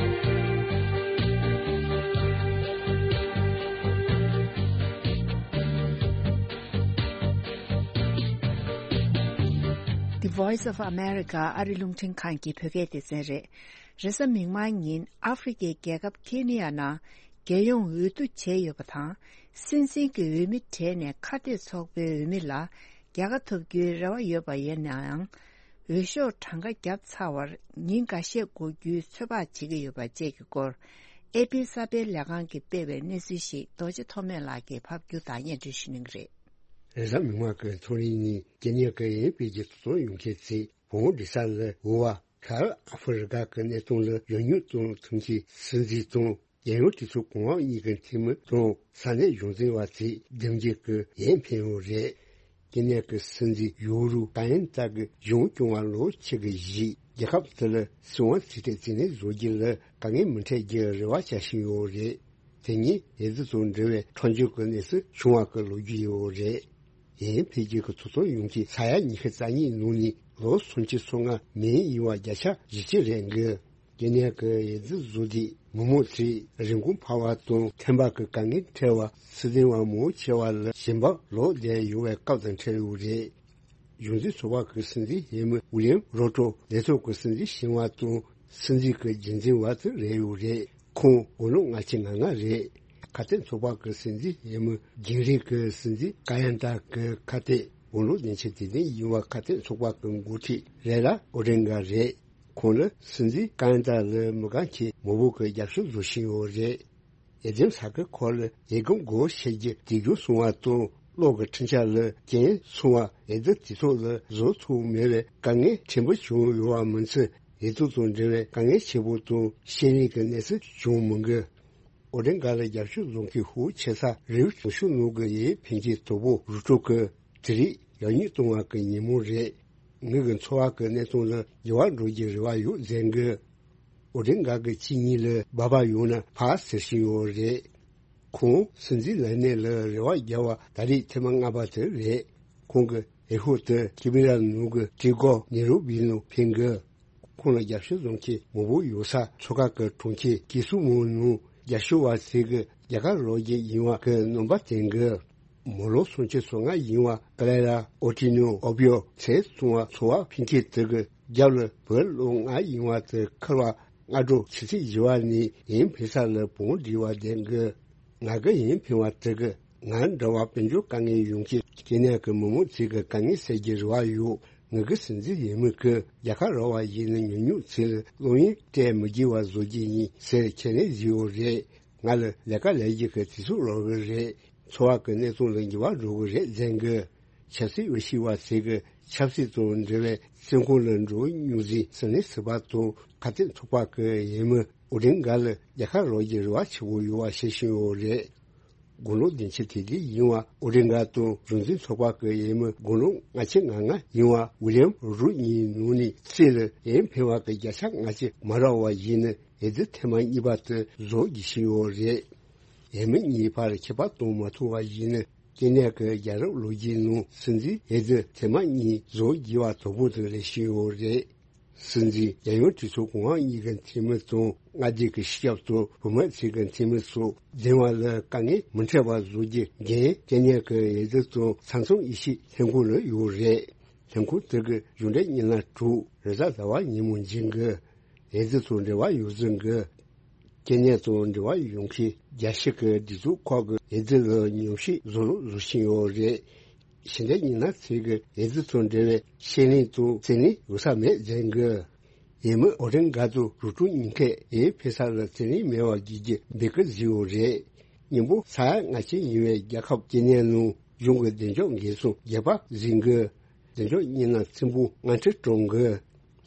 The Voice of America ཨ་རི་རླུང་འཕྲིན་ཁང་གི་བོད་སྐད་སྡེ་ཚན་རེད། རེས་གཟའ་མིག་དམར་ཉིན་ཨ་ཧྥེ་རི་ཁའི་རྒྱལ་ཁབ་ཁེ་ནི་ཡ་ནང་རྒྱལ་ཡོངས་འོས་བསྡུ་བྱས་ཡོད་པ་དང་། སྲིད་འཛིན་གྱི་འོས་མི་གྲས་ནས་ཁ་གཏད་ཚོགས་པའི་འོས་མི་ལ་རྒྱལ་ཁ་ཐོབ་རྒྱུའི་རེ་བ་ཡོད་པ་ཡིན་ནའང་། འོས་ཤོག་གྲངས་ཀ་བརྒྱབ་ཚར་བར་ཉིན་འགའ་ཤས་འགོར་རྒྱུའི་ཚོད་དཔག་བྱེད་ཀྱི་ཡོད་པ་བཅས་ཀྱི་སྐོར། ཨེ་པི་གསར་སྤེལ་ལས་ཁང་གིས་སྤེལ་བའི་གནས་ཚུལ་ཞིག་རྡོ་རྗེ་ཐོགས་མེད་ལགས་ཀྱིས་ཕབ་སྒྱུར་དང་སྙན་སྒྲོན་ཞུ་གནང་གི་རེད། རེས་གཟའ་མིག་དམར་གྱི་ཐོ་རེངས་ཉིན་ཀེ་ནི་ཡ་གི་ཡན་པེ་ཀྱི་ཐོག་ཡོང་མཁན་ཚོས་བོད་འབྲེལ་ས་ལ་འོ་བ། ཤར་ཨ་ཧྥེ་རི་ཁ་གི་གནས་སྟངས་ལ་ཡོང་ཉུང་གཏོང་ཐུབ་མཁན་སྲིད་འཛིན་དང་། རྒྱལ་ཡོངས་གྲོས་ཚོགས་གོང་འོག་གཉིས་ཀྱི་འཐུས་མི་དང་ས་གནས་གཞུང་འཛིན་པ་ཚོས་འདེམས་རྒྱུ་གི་ཡིད་ཕན་ཡོད་རེད། ཀེ་ནི་ཡ་གི་སྲིད་འཛིན་ཡུ་རུ་ཀ་ཡན་ཏ་གི་གཞུང་སྐྱོང་བ་ལོ་ཆིག་གི་རྗེས་རྒྱལ་ཁབ་དེ་ལ་སྲིད་དབང་རྩིས་སྤྲོད་རྩིས་ནས་བཟོ་རྒྱུ་ལ་དཀའ་ངལ་མི་འཕྲད་རྒྱུའི་རེ་བ་བྱ་བཞིན་ཡོད་རེད། དེ་ཉིད་འོས་བསྡུ་དང་འབྲེལ་བའི་འཕྲོག་འཇོག་གི་གནས་ཚུལ་བྱུང་བ་གི་ལོ་རྒྱུས་ཡོད་རེད། ཡིན་ཕལ་ཆེར་གྱི་ཐོ་ཚོགས་ཡོངས་ཀྱི་ས་ཡ་ཉི་ཤུ་རྩ་གཉིས་ནང་ནས་ལོ་སུམ་ཅུ་སོ་ལྔ་མིན་ཡིན་བ་བརྒྱ་ཆ་བཞི་བཅུ་རེད་འགི། ཀེ་ནི་ཡ་གི་འོས་བསྡུ་བཟོ་དུས་མི་མང་ཚོས་རིན་གོང་འཕར་བ་དང་ཐོན་འབབ་ཀྱི་དཀའ་ངལ་འཕྲད་པ། སྲིད་དོན་བ་མང་ཆེ་བ་ལ་ཞེན་པ་ལོག་བསྡད་ཡོང་བའི་སྐབས་དང་འཕྲད་ཡོད་རེད། གཞུང་འཛིན་ཚོགས་པ་གི་སྲིད་འཛིན་ཡས་མི་ཝི་ལི་ཡམ་རོ་ཏྲོ་ལས་ཐོག་གི་སྲིད་འཛིན་ཞིང་བ་དང་སྲིད་འཛིན་གྱི་རྒྱུན་འཛིན་བ་དེ་རེད་ཡོད་རེད། ཁོང་དགུང་ལོ་ལྔ་བཅུ་ང་ལྔ་རེད། ཁ་གཏད་ཚོགས་པ་གི་སྲིད་འཛིན་ཡས་མི་རྒྱུན་རིང་གི་སྲིད་འཛིན་ཀ་ཡན་ཏ་གི་ཁ་གཏད་དགུང་ལོ་བདུན་ཅུ་དེ་ནས་ཡིན་པ་ཁ་གཏད་ཚོགས་པ་གི་འགོ་ཁྲིད་རེ་ལ་ཨོ་ཌིན་ག་རེད། ཁོང་ལ་སྲིད་འཛིན་ཀ་ཡན་ཏ་ལ་མི་དགའ་མཁན་མང་པོ་གི་རྒྱབ་སྐྱོར་བཟོ་བཞིན་ཡོད་རེད། འོས་འདེམས་ས་ཁུལ་ཁག་ལ་འོས་སྒོ་བགོ་བཤའ་རྒྱུ་དུས་རྒྱུན་སོང་བ་དང་གློག་གི་འཕྲིན་ཆ་ལ་རྐྱེན་སོང་བ། འོས་བསྡུ་དུས་ཐོག་ལ་བཟོ་ཐུབ་མེད་པའི་དཀའ་ངལ་ཕྲན་བུ་བྱུང་ཡོད་པ་མིན་ཚེ། འོས་བསྡུ་དང་འབྲེལ་བའི་དཀའ་ངལ་ཆེ་པོ་དང་ཤེས་རིག་གི་གནས་ཚུལ་བྱུང་མི་འགི། ཨོ་ཌིན་ག་ལ་རྒྱབ་སྐྱོར་བཟོ་མཁན་ཤུགས་ཆེ་ས་རེའུ་ཞུ་ནོར་གི་ཡེ་ཕན་གྱི་དོ་པོ་རུ་ཀྲོ་གི་དེ་རིགས་ཡག་ཉེས་གཏོང་བ་གི་ཉིན་མོ་རེད། ངེད་ཀྱི་འཚོ་བ་གི་གནས་སྟངས་ལ་འགྱུར་བ་འགྲོ་རྒྱུའི་རེ་བ་ཡོད་ཟེར་གི། ཨོ་ཌིན་ག་གི་ཁྱི་གཉིས་ལ་སྦག་སྦག་ཡོང་ན་ཕ་ཟེར་བཞིན་ཡོད་རེད། ཁོང་སྲིད་འཛིན་ལས་གནས་ལ་རེ་བ་རྒྱག་པ་ད་རེས་ཐེངས་མ་ལྔ་པ་དེ་རེད། ཁོང་གི་འོས་ཤོག་དེ་ཀི་མི་ར་ནུ་གི་ཀྲི་གོ་ནེ་རུ་བི་ལ་འཕེན་གི། ཁོང་ལ་རྒྱབ་སྐྱོར་བཟོ་མཁན་མང་པོ་ཡོད་ས་མཚོ་ཁ་གི་གྲོང་ཁྱེར་ཀི་སུ་མོ་ནང་རྒྱབ་སྐྱོར་བ་ཞིག་གི་རྒྱལ་ཁ་རོགས་ཀྱི་ཡིན་བ་གི་རྣམ་པ་བསྟན་གི། མི་ལོ་སུམ་ཅུ་སོ་ལྔ་ཡིན་བ་ཀ་ལེ་ར་ཨོ་ཏི་ནོ་ཨོ་པི་ཡོ་ཚེ་སོང་བ་ཚོ་བ་ཕིན་ཁེ་དེ་གི་རྒྱབ་ལ་བོད་ལོ་ལྔ་ཡིན་བ་དེ་ཁར་བ་སྔ་དྲོ་ཆུ་ཚོད་བཞི་བ་ནས་ཡིན་ཕེ་ས་ལ་བོང་འདྲི་བ་ལྡན་གི། ང་གི་ཡིན་ཕེ་བ་དེ་གི་ང་འདྲ་བ་དཔལ་འབྱོར་དཀའ་ངལ་ཡོང་གི་ཀེ་ནེ་གི་མི་མང་ཚིག་གི་དཀའ་ངལ་སེལ་གྱི་རེ་བ་ཡོད། ང་གི་སྲིད་འཛིན་ཡིན་མི་གི་རྒྱལ་ཁ་རོགས་བ་ཡིན་ན་ཉུང་ཉུང་ཚིག་ལ་སློབ་ཡོན་སྤྲད་མི་དགོས་བ་བཟོ་གི་ཡིན་ཟེར་ཁས་ལེན་བཟོས་ཡོད་རེད། ང་ལ་ལས་ཀ་ལས་རྒྱུ་གི་དུས་ཚོད་རག་གི་རེད། འཚོ་བ་གི་གནས་སྟངས་ལ་འགྱུར་བ་འགྲོ་གི་རེད་ཟེར་གི། ཆབ་སྲིད་འོས་ཤིག་བ་ཚོས་གི་ཆབ་སྲིད་དང་འབྲེལ་བའི་སེམས་ཁོང་ལ་འགྲོ་མྱོང་ཟིན་ཟིན་ནས་སྲིད་པ་དང་ཁ་གཏད་ཚོགས་པ་གི་ཡིན་མི་ཨོ་ཌིན་ག་ལ་རྒྱལ་ཁ་རག་རྒྱུ་རེ་བ་ཆེ་བོ་ཡོད་བ་ཤེས་བཞིན་ཡོད་རེད། དགུང་ལོ་བདུན་ཅུ་དེ་དུས་ཡིན་བ་ཨོ་ཌིན་ག་དང་གཞུང་འཛིན་ཚོགས་པ་གི་ཡིན་མི་དགུང་ལོ་ལྔ་བཅུ་ང་ལྔ་ཡིན་བ་ཝི་ལི་ཡམ་རུ་གཉིས་ནང་ནས་སྲིད་ལ་ཡིན་ཕེ་བ་གི་བརྒྱ་ཆ་ལྔ་བཅུ་མ་རག་བ་ཡིན་ན་འོས་བསྡུ་ཐེངས་མ་གཉིས་པ་དེ་བཟོ་རྒྱུ་ཞིག་ཡོད་རེད། ཡིན་མི་གཉིས་བར་ཁྱད་པར་གཏོང་མ་ཐུབ་པ་ཡིན་ན། ཀེ་ནེ་གི་རྒྱལ་རབས་ལོ་རྒྱུས་ནང་སྲིད་འཛིན་འོས་བསྡུ་ཐེངས་མ་གཉིས་བཟོ་རྒྱུ་བ་དོ་པོ་དེ་རེ་བཞིན་ཡོད་རེད། སྲིད་འཛིན་རྒྱལ་ཡོངས་གྲོས་ཚོགས་གོང་འོག་གཉིས་ཀྱི་འཐུས་མི་དང་མངའ་སྡེ་གི་སྤྱི་ཁྱབ་དང་བུད་མེད་ཚོས་ཀྱི་འཐུས་མི་སོགས་འདེམས་པ་ལ་དཀའ་ངལ་མི་འཕྲད་པ་བཟོ་རྒྱུ་འགན་ཀེ་ནེ་གི་འོས་བསྡུ་དང་ས་མཚམས་དབྱེ་ཞིབ་ལྷན་ཁང་ལ་ཡོད་རེད། ལྷན་ཁང་དེ་གི་གཞུང་འབྲེལ་བརྙན་ལམ་དྲུག་རེས་གཟའ་ཟླ་བ་ཉིན་མོ་འབྱིན་གི། ཨེ་ཙི་དང་འབྲེལ་བ་ཡོད་ཚུལ་གྱི། སྐྱེ་གནས་དང་འབྲེལ་བ་ཡོང་མཁན་རྒྱལ་སྤྱི་གི་སྒྲིག་འཛུགས་ཁག་གིས་ཨེ་ཙི་ལ་ཉམས་ཞིབ་བཟོ་རོགས་བཟོ་བཞིན་ཡོད་རེད། ཕྱི་ཟླ་གཉིས་ནང་ཚེ་གི་ཨེ་ཙི་དང་འབྲེལ་བའི་ཤེས་ལེན་དང་རྩིས་ལེན་ཡོད་ས་མེད་ཟེར་གི། ཡས་མས་ཨོ་ཌིན་གྷ་དང་རུ་ཀྲུང་གཉིས་ཀས་ཨེ་ཕེ་ས་ལ་རྩིས་ལེན་མེད་པ་བགྱིས་རྒྱུ་འབོད་སྐུལ་བཟོས་ཡོད་རེད། སྙིང་པོ་ས་ཡ་ལྔ་ཅན་ཡིན་པའི་རྒྱལ་ཁབ་སྐྱེ་གནས་ནང་གཞུང་གི་བདེ་འཇགས་འགན་སྲུང་རྒྱས་པ་ཟིན་གི། བདེ་འཇགས་གཉིས་ན་ཚིམ་པོ་ང་ཁྲི་གྲོང་གི།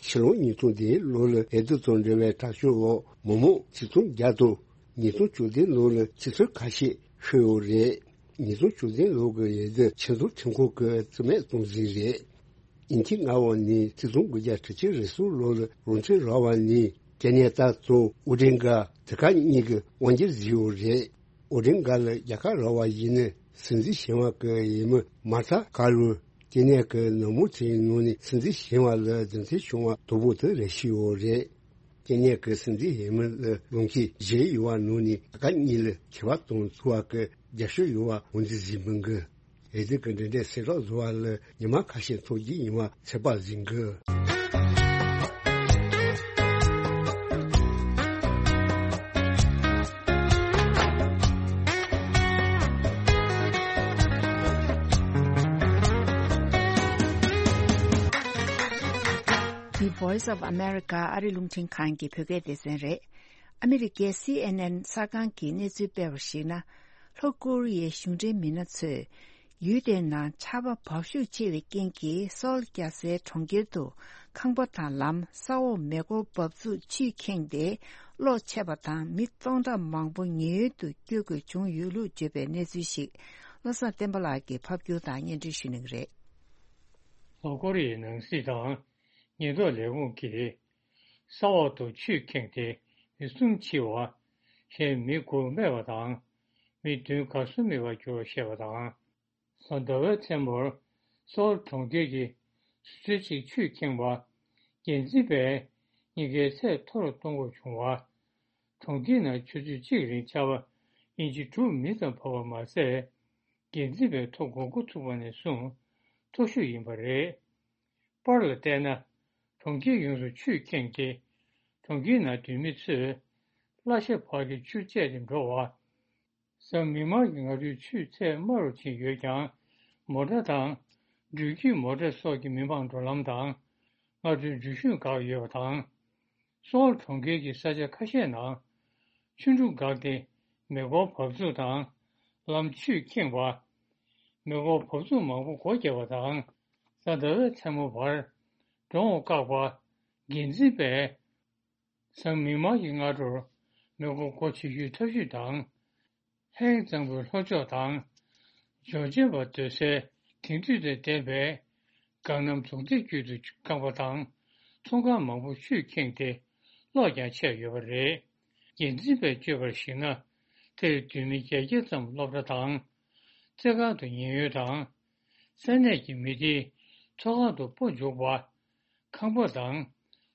ཕྱི་ལོ་ཉིས་སྟོང་བདུན་ལོ་ལ་ཨེ་ཙི་དང་འབྲེལ་བའི་དྲག་སྤྱོད་འོག་མི་མང་ཆིག་སྟོང་བརྒྱ་དང་། ཉིས་སྟོང་བཅུ་བདུན་ལོ་ལ་ཆུ་ཚོད་ཁ་ཤས་ཤི་ཡོད་རེད། ཉིས་སྟོང་བཅུ་བདུན་ལོ་གི་ཨེ་ཙི་ཆེད་འཛུགས་ཁྲིམས་ཁང་གིས་རྩིས་མེད་གཏོང་ཟིན་རེད། ཉིན་གཅིག་སྔ་བ་ནི་ཆིག་སྟོང་དགུ་བརྒྱ་དྲུག་ཅུ་རེ་གསུམ་ལོ་ལ་རོང་ཆེན་ར་བ་ནི་སྐྱེ་གནས་ཏཱ་དང་ཨོ་ཌིན་གྷ་དེ་ག་གཉིས་ཀྱིས་དབང་སྒྱུར་བཟོས་ཡོད་རེད། ཨོ་ཌིན་གྷ་ལ་རྒྱ་གར་ར་བ་ཡིན་ནའི་སྲིད་འཛིན་གཞོན་པ་གི་ཡས་མས་མཱ་ཐ་ཀར་ལུ་སྐྱེ་གནས་ཀྱི་ནང་མི་ཚོའི་ནང་ནས་སྲིད་འཛིན་གཞོན་པ་ལ་གདན་འདྲེན་བྱུང་བ་དང་པོ་དེ་རེད་ཤི་ཡོད་རེད། སྐྱེ་གནས་ཀྱི་སྲིད་འཛིན་ཡས་མས་ལ་ལོངས་སྤྱོད་བཞེས་ཡོད་པ་ནང་ནས་ད་ག་གཉིས་ལ་ཁྱད་པར་དང་ཚུལ་བ་གི་རྒྱབ་སྐྱོར་ཡོད་པ་ངོས་འཛིན་བཟོས་མི་འགི། ཨེ་ཙི་གི་འབྲེལ་འདྲིས་སེལ་རོགས་བཟོ་བ་ལ་ཉི་མ་ཁ་ཤས་འཚོགས་རྒྱུ་ཡིན་པ་ཚོད་དཔག་བཟོས་འགི། འདི་Voice of America ཨ་རི་རླུང་འཕྲིན་ཁང་གི་བོད་སྐད་སྡེ་ཚན་རེད། ཨ་མི་རི་ཀའི་སི་ཨེན་ཨེན་གསར་ཁང་གིས་གནས་ཚུལ་སྤེལ་བར་གཞིགས་ན། ལྷོ་ཀོ་རི་ཡའི་གཞུང་འབྲེལ་མི་སྣ་ཚོས། ཡུལ་དེའི་ནང་ཆར་པ་འབབ་ཤུགས་ཆེ་བའི་རྐྱེན་གྱིས་སོལ་རྒྱལ་སའི་གྲོང་ཁྱེར་དུ་ཁང་པ་དང་ལམ། ས་འོག་མེ་འཁོར་འབབ་ཚུགས་ཆུས་ཁེངས་ཏེ་གློག་ཆད་པ་དང་མི་སྟོང་ཕྲག་མང་པོ་ཉེན་གཡོལ་དུ་བསྐྱོད་དགོས་བྱུང་ཡོད་ལུགས་བརྗོད་པའི་གནས་ཚུལ་ཞིག་བློ་བཟང་བསྟན་པ་ལགས་ཀྱིས་ཕབ་སྒྱུར་དང་སྙན་སྒྲོན་ཞུ་གནང་གི་རེད། ལྷོ་ཀོ་རི་ཡའི་ནང་སྲིད་དང་ཉེན་རྟོག་ལས་ཁུངས་ཀྱིས། ས་འོག་ཏུ་ཆུས་ཁེངས་ཏེ་མི་གསུམ་འཆི་བ། གཞན་མི་དགུ་རྨས་པ་དང་། མི་བདུན་གར་སོང་མེད་པར་གྱུར་བ་བཤད་པ་དང་། གཟའ་ཟླ་བའི་མཚན་མོར་སོལ་གྲོང་ཁྱེར་གྱི་བཟོ་གྲྭ་གཅིག་ཆུས་ཁེངས་པ། འགན་འཛིན་པས་གཉིས་ཀའི་ཚད་མཐོ་རུ་གཏོང་དགོས་བྱུང་བ། གྲོང་ཁྱེར་ནང་ཆུ་ཚོད་གཅིག་རིང་ཆར་པ་ཨིན་ཅི་དྲུག་མི་ཙམ་བབས་པ་མ་ཟད། འགན་འཛིན་པས་ཐོ་འགོད་འགོ་ཚུགས་པ་ནས་བཟུང་མཐོ་ཤོས་ཡིན་པ་རེད། པར་ལ་བལྟས་ན། གྲོང་ཁྱེར་ཡོངས་སུ་ཆུས་ཁེངས་ཏེ། གྲོང་ཁྱེར་ནང་སྡོད་མི་ཚོས་གླ་ཆ་ཕར་གྱི་ཆུར་བཅད་དེ་འགྲོ་བ། གཟའ་མིག་དམར་གྱི་སྔ་དྲོའི་ཆུའི་ཚད་དམའ་རུ་ཕྱིན་ཡོད་ཀྱང་། མོ་ཊ་དང་། འགྲུལ་སྐྱེལ་མོ་ཊ་སོགས་ཀྱི་མི་མང་འགྲོ་ལམ་དང་། སྔ་དྲོའི་འགྲུལ་བཞུད་འགག་ཡོད་པ་དང་། སོལ་གྲོང་ཁྱེར་གྱི་ས་ཆ་ཁ་ཤས་ནང་ཆུ་འབྲུ་འགགས་ཏེ་མེ་འཁོར་འབབ་ཚུགས་དང་ལམ་ཆུས་ཁེངས་པ། མེ་འཁོར་འབབ་ཚུགས་མང་པོ་སྒོ་བརྒྱབ་པ་དང་གཟའ་ཟླ་བའི་མཚན་མོ་བར་འགྲོ་འོང་བཀག་པ། འགན་འཛིན་པས་གཟའ་མིག་དམར་གྱི་སྔ་དྲོར་མེ་འཁོར་སྒོ་ཕྱེ་རྒྱུའི་ཐབས་ཇུས་དང་། ཧེང་གཙང་པོའི་ལྷོ་ཕྱོགས་དང་། འབྱོར་ཆེན་པ་སྡོད་སའི་དེང་དུས་དང་ལྡན་པའི་སྒང་གནམ་རྫོང་སྡེ་བརྒྱུད་དུ་རྐང་པ་དང་ཚོང་ཁང་མང་པོ་ཆུས་ཁེངས་ཏེ་གློག་ཀྱང་ཆད་ཡོད་པ་རེད། འགན་འཛིན་པས་བརྗོད་པར་གཞིགས་ན། དེར་སྡོད་མི་བརྒྱད་བརྒྱ་ཙམ་སློབ་གྲྭ་དང་། རྩེད་ཁང་དུ་ཉེན་གཡོལ་དང་། ས་གནས་ཀྱི་མི་སྡེའི་ཚོགས་ཁང་དུ་སྤོ་འཇུག་པ། ཁང་པ་དང་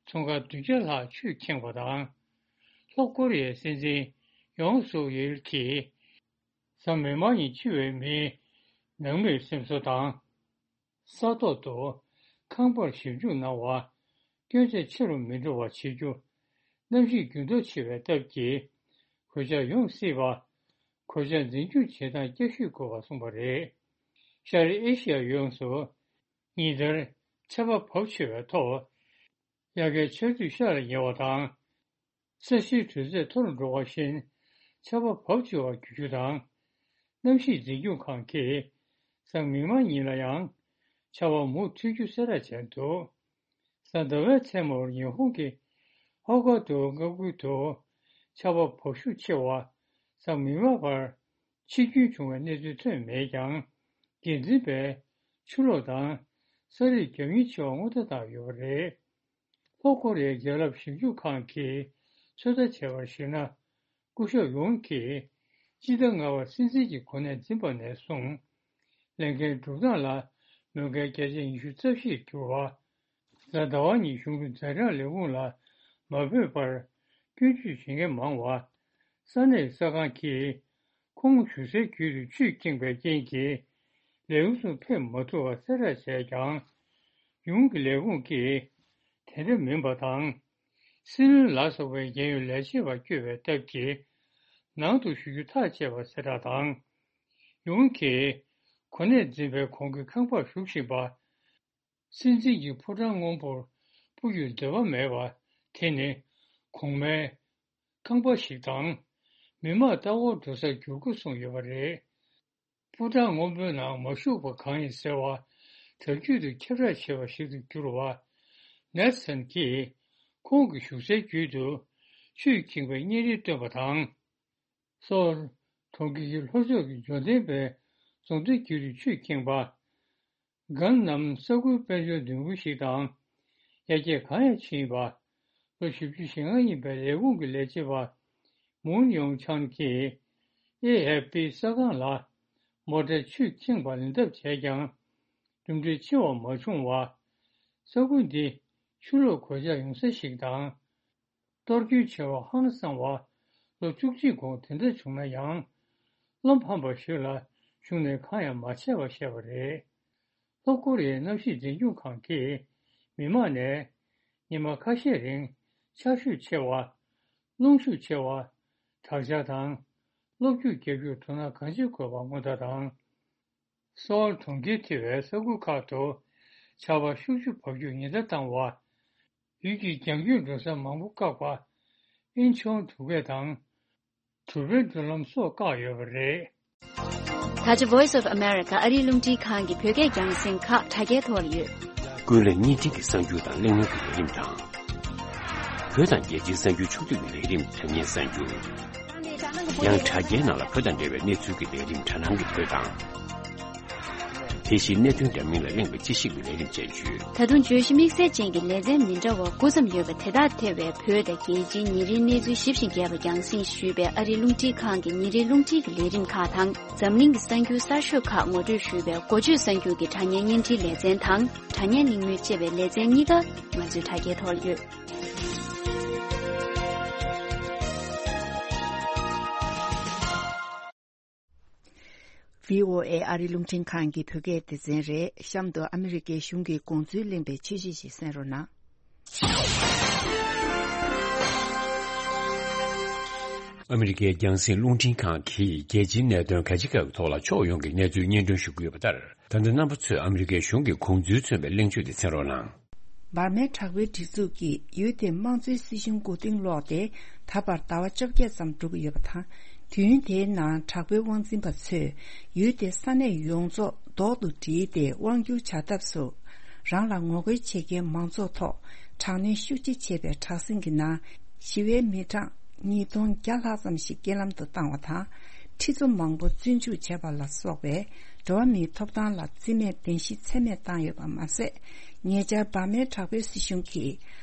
ཚོང་ཁང་བདུན་བརྒྱ་ལྷག་ཆུས་ཁེངས་པ་དང་། ལྷོ་ཀོ་རི་ཡའི་སྲིད་འཛིན་ཡོང་སུག་ཡེལ་གྱིས། གཟའ་མིག་དམར་ཉིན་འཆི་བའི་མིའི་ནང་མིར་སེམས་གསོ་དང་། ས་ཐོག་ཏུ་ཁང་པར་ཞིབ་འཇུག་གནང་བ། སྐྱོན་ཆ་ཆེ་རུ་མི་འགྲོ་བ་བྱེད་རྒྱུ། གནམ་གཤིས་འགྱུར་ལྡོག་ཆེ་བའི་སྟབས་ཀྱིས་གོད་ཆག་ཡོང་སྲིད་པ། གོད་ཆག་འཛིན་སྐྱོང་བྱེད་སྟངས་བསྐྱར་ཞིབ་དགོས་པ་གསུངས་པ་རེད། ཤར་ཨེ་ཤི་ཡ་ཡོངས་སུ་ཉིན་ལྟར་ཆར་པ་བབས་ཆེ་བའི་ཐོག་དབྱར་ཁའི་ཆར་དུས་ཤར་ལ་ཉེ་བ་དང་། ས་གཞིའི་དྲོད་ཚད་མཐོ་རུ་འགྲོ་བ་བཞིན་ཆར་པ་བབས་ཆེ་བར་འགྱུར་རྒྱུ་དང་། གནམ་གཤིས་འཛིན་སྐྱོང་ཁང་གིས་གཟའ་མིག་དམར་ཉིན་ལ་ཡང་ཆར་པ་མུ་མཐུད་རྒྱུ་གསལ་བསྒྲགས་བྱས་འདུག་གཟའ་ཟླ་བའི་མཚན་མོར་ཉི་ཧོང་གི་ཧོ་ཀ་ཏུ་མངའ་ཁུལ་དུ་ཆར་པ་བབས་ཤུགས་ཆེ་བ་གཟའ་མིག་དམར་བར་ཕྱིར་རྒྱུན་བྱུང་བའི་གནས་ཚུལ་ཐོན་མེད་ཀྱང་། འགན་འཛིན་པས་ཆུ་ལོག་དང་ས་རུད་རྒྱབ་ཉེན་ཆེ་བ་སྔོན་བརྡ་བཏང་ཡོད་པ་རེད། ལྷོ་ཀོ་རི་ཡའི་རྒྱལ་རབས་ཞིབ་འཇུག་ཁང་གིས་ཚོད་ལྟ་བྱས་པར་གཞིགས་ན། སྐུ་ཞབས་ཡོང་གིས་སྤྱི་ཟླ་ལྔ་པར་སྲིད་འཛིན་གྱི་གོ་གནས་འཛིན་པ་ནས་བཟུང་། ལས་འགན་སྒྲུབ་སྟངས་ལ་མོས་མཁན་བརྒྱ་ཆ་ཉི་ཤུ་རྩ་བཞིར་གྱུར་བ། གཟའ་ཟླ་བ་ཉིན་གཞུང་གི་མཛའ་འབྲེལ་ལས་ཁུངས་ལ་མ་འབོད་པར་སྐྱོན་བརྗོད་བྱེད་མཁན་མང་བ། ས་གནས་གསར་ཁང་གིས་ཁོང་བཞུགས་སའི་རྒྱུད་དུ་ཆུས་ཁེངས་པའི་རྐྱེན་གྱིས་ལས་ཁུངས་སུ་ཕེབས་མ་ཐུབ་པ་གསལ་བསྒྲགས་བྱས་ཀྱང་། ཡུང་གི་ལས་ཁུངས་ཀྱིས་དེ་འདྲ་མིན་པ་དང་། སྲིད་བློན་ལ་སོགས་པའི་རྒྱལ་ཡོངས་ལས་བྱེད་པ་བསྐྱོད་པའི་སྟབས་ཀྱིས་ནང་དུ་ཞུགས་རྒྱུ་ཐག་བཅད་པ་གསལ་བསྒྲགས་དང་། ཡུང་གིས་གོ་གནས་འཛིན་པའི་གོང་གི་ཁང་པར་བཞུགས་བཞིན་པ། སྲིད་འཛིན་གྱི་ཕོ་བྲང་སྔོན་པོར་སྤོ་རྒྱུར་འདོད་པ་མེད་པ་དེ་ནི་གོང་མའི་ཁང་པ་ཞིག་དང་། མི་མང་ལྟ་བར་འགྲོ་སར་འགྱུར་དགོས་གསུངས་ཡོད་པ་རེད། ཕོ་བྲང་སྔོན་པོའི་ནང་མ་ཞུགས་པ་གང་ཡིན་ཟེར་བ་དག་རྒྱུན་དུ་ཁྱབ་བསྒྲགས་བྱས་པ་ཞིག་ཏུ་གྱུར་བ། ནེལ་སན་གྱིས་ཁོང་གི་བཞུགས་སའི་རྒྱུད་དུ་ཆུས་ཁེངས་པའི་བརྙན་རིས་བཏོན་པ་དང་། སོལ་གྲོང་ཁྱེར་གྱི་ལྷོ་ཕྱོགས་ཀྱི་འབྱོར་ལྡན་པའི་རྫོང་སྡེའི་རྒྱུད་དུ་ཆུས་ཁེངས་པ། གྷན་ནམ་ས་ཁུལ་དཔལ་འབྱོར་ལྡིང་པོ་ཞིག་དང་། ཡར་རྒྱས་གང་ཡང་ཕྱིན་པ། ལོ་བཞི་བཅུ་ཞེ་ལྔ་ཡིན་པའི་ལས་ཁུངས་ཀྱི་ལས་བྱེད་པ་མུན་ཡོང་ཆང་གིས་ཨེ་ཨེཕ་པི་གསར་ཁང་ལ། མོ་ཊའི་ཆུས་ཁེངས་པ་ལེན་ཐབས་བྱས་ཀྱང་གྲུབ་འབྲས་ཆེ་བ་མ་བྱུང་བ། ས་ཁུལ་འདི་ཆུ་ལོག་གོད་ཆག་ཡོང་ས་ཞིག་དང་། གཏོར་སྐྱོན་ཆེ་བ་ཧང་སང་བ། ལོ་བཅུ་གཅིག་གོང་དེ་འདྲ་བྱུང་ན་ཡང་། བློ་ཕམ་པ་ཞིག་ལ་གཞུང་ནས་གང་ཡང་མ་བྱས་པ་བཤད་པ་རེད། ལྷོ་ཀོ་རི་ཡའི་གནམ་གཤིས་འཛིན་སྐྱོང་ཁང་གིས་མི་མང་ནས་ཉི་མ་ཁ་ཤས་རིང་ཆར་ཞོད་ཆེ་བ། རླུང་ཤུགས་ཆེ་བ། དྲག་ཆར་དང་། གློག་འཁྱུག་བརྒྱབ་རྒྱུར་དོ་སྣང་གང་ཆེ་དགོས་པ་སྔོན་བརྡ་དང་། སོལ་གྲོང་ཁྱེར་ཐེ་བའི་ས་ཁུལ་ཁག་ཏུ་ཆར་པ་ཤུགས་ཆུ་བབས་རྒྱུར་ཉེན་བརྡ་བཏང་བ། ཡུལ་གྱི་རྒྱང་སྐྱོད་འགྲོ་ས་མང་པོ་བཀག་པ། ཨིན་ཆོང་དུ་ཀེ་དང་། གྲུ་པའི་འགྲུལ་ལམ་སོགས་བཀག་ཡོད་པ་རེད། ད་ཆ་Voice of America ཨ་རིའི་རླུང་འཕྲིན་ཁང་གི་བོད་སྐད་རྒྱང་སྲིང་ཁག་དྲ་རྒྱའི་ཐོག་ལ་ཡོད། ཀུན་གླེང་བརྙན་འཕྲིན་གྱི་གསར་འགྱུར་དང་གླེང་མོལ་གྱི་ལས་རིམ་དང་། བོད་དང་རྒྱལ་སྤྱིའི་གསར་འགྱུར་ཕྱོགས་བསྡུས་ཀྱི་ལས་རིམ་དྲ་བརྙན་གསར་འགྱུར། ཡང་དྲ་རྒྱའི་ནང་ལ་བོད་དང་འབྲེལ་བའི་གནས་ཚུལ་གྱི་ལས་རིམ་དྲ་སྣང་གི་བོད་དང་། དེ་བཞིན་གནད་དོན་འདྲ་མིན་ལ་གླེང་བའི་དཔྱད་ཞིབ་ཀྱི་ལས་རིམ་བཅས་ཡོད། ད་དུང་བརྗོད་གཞི་དམིགས་བསལ་ཅན་གྱི་ལེ་ཚན་མི་འདྲ་བ་དགུ་ཙམ་ཡོད་པ་དེ་དག་ཐེ་བའི་བོད་དང་རྒྱལ་སྤྱིའི་ཉིན་རེའི་གནས་ཚུལ་ཞིབ་ཅིང་རྒྱས་པ་རྒྱང་སྲིང་ཞུས་པའི་ཨ་རིའི་རླུང་འཕྲིན་ཁང་གི་ཉིན་རེའི་རླུང་འཕྲིན་གྱི་ལས་རིམ་ཁག་དང་། འཛམ་གླིང་གི་གསར་འགྱུར་གསར་ཤོས་ཁག་ངོ་སྤྲོད་ཞུས་པའི་འགོ་བརྗོད་གསར་འགྱུར་གྱི་དྲ་བརྙན་བརྙན་འཕྲིན་ལེ་ཚན་དང་། དྲ་བརྙན་གླེང་མོལ་ཅེས་པའི་ལེ་ཚན་གཉིས་ཀ་ང་ཚོའི་དྲ་རྒྱའི་ཐོག་ལ་ཡོད། བྷི་ཨོ་ཨེ་ཨ་རིའི་རླུང་འཕྲིན་ཁང་གི་བོད་སྐད་སྡེ་ཚན་རེད། གཤམ་དུ་ཨ་མི་རི་ཀའི་གཞུང་གི་དགོངས་ཚུལ་གླེང་པའི་ཆོས་གཞི་ཞིག་གསན་རོགས་གནང་། ཨ་མི་རི་ཀའི་རྒྱང་སྲིང་རླུང་འཕྲིན་ཁང་གིས་རྒྱལ་སྤྱིའི་གནད་དོན་ག་ཅི་ག་གི་ཐོག་ལ་ཕྱོགས་ཡོངས་ཀྱི་གནས་ཚུལ་སྙན་སྒྲོན་ཞུ་གི་ཡོད་པ་ལྟར། ད་ལྟ་རྣམ་པ་ཚོས་ཨ་མི་རི་ཀའི་གཞུང་གི་དགོངས་ཚུལ་མཚོན་པའི་གླེང་བརྗོད་དེ་གསན་རོགས་གནང་། འབར་མའི་དྲག་པོའི་སྒྲིག་འཛུགས་ཀྱིས་ཡུལ་དེའི་དམངས་གཙོའི་སྲིད་གཞུང་མགོ་རྟིང་སློག་སྟེ། ད་བར་ཟླ་བ་བཅོ་བརྒྱད་ཙམ་འགྲོ་གི་ཡོད་པ་དང་། དུས་ཡུན་དེའི་ནང་དྲག་པོའི་དབང་འཛིན་པ་ཚོས་ཡུལ་དེའི་ས་གནས་ཡོངས་རྫོགས་རྡོག་ཏུ་བསྒྲིལ་ཏེ་དབང་སྒྱུར་བྱ་ཐབས་སུ། རང་ལ་ངོ་རྒོལ་བྱེད་མཁན་མང་ཚོགས་ཐོག་དྲག་གནོན་ཤུགས་ཆེ་བྱས་པའི་དྲག་ཟིང་གི་ནང་། ཞི་བའི་མི་གྲངས་ཉིས་སྟོང་བརྒྱ་ལྷག་ཙམ་ཞིག་རྐྱེན་ལམ་དུ་བཏང་བ་དང་། ཁྲི་ཚོ་མང་པོ་བཙོན་འཇུག་བྱས་པ་ལ་སོགས་པའི་འགྲོ་བ་མིའི་ཐོབ་ཐང་ལ་བརྩི་མེད་གདན་ཞུ་ཚད་མེད་བཏང་ཡོད་པ་མ་ཟད། ཉེ་ཆར་འབར་མའི་དྲག་པོའི་སྲིད་གཞུང་གིས་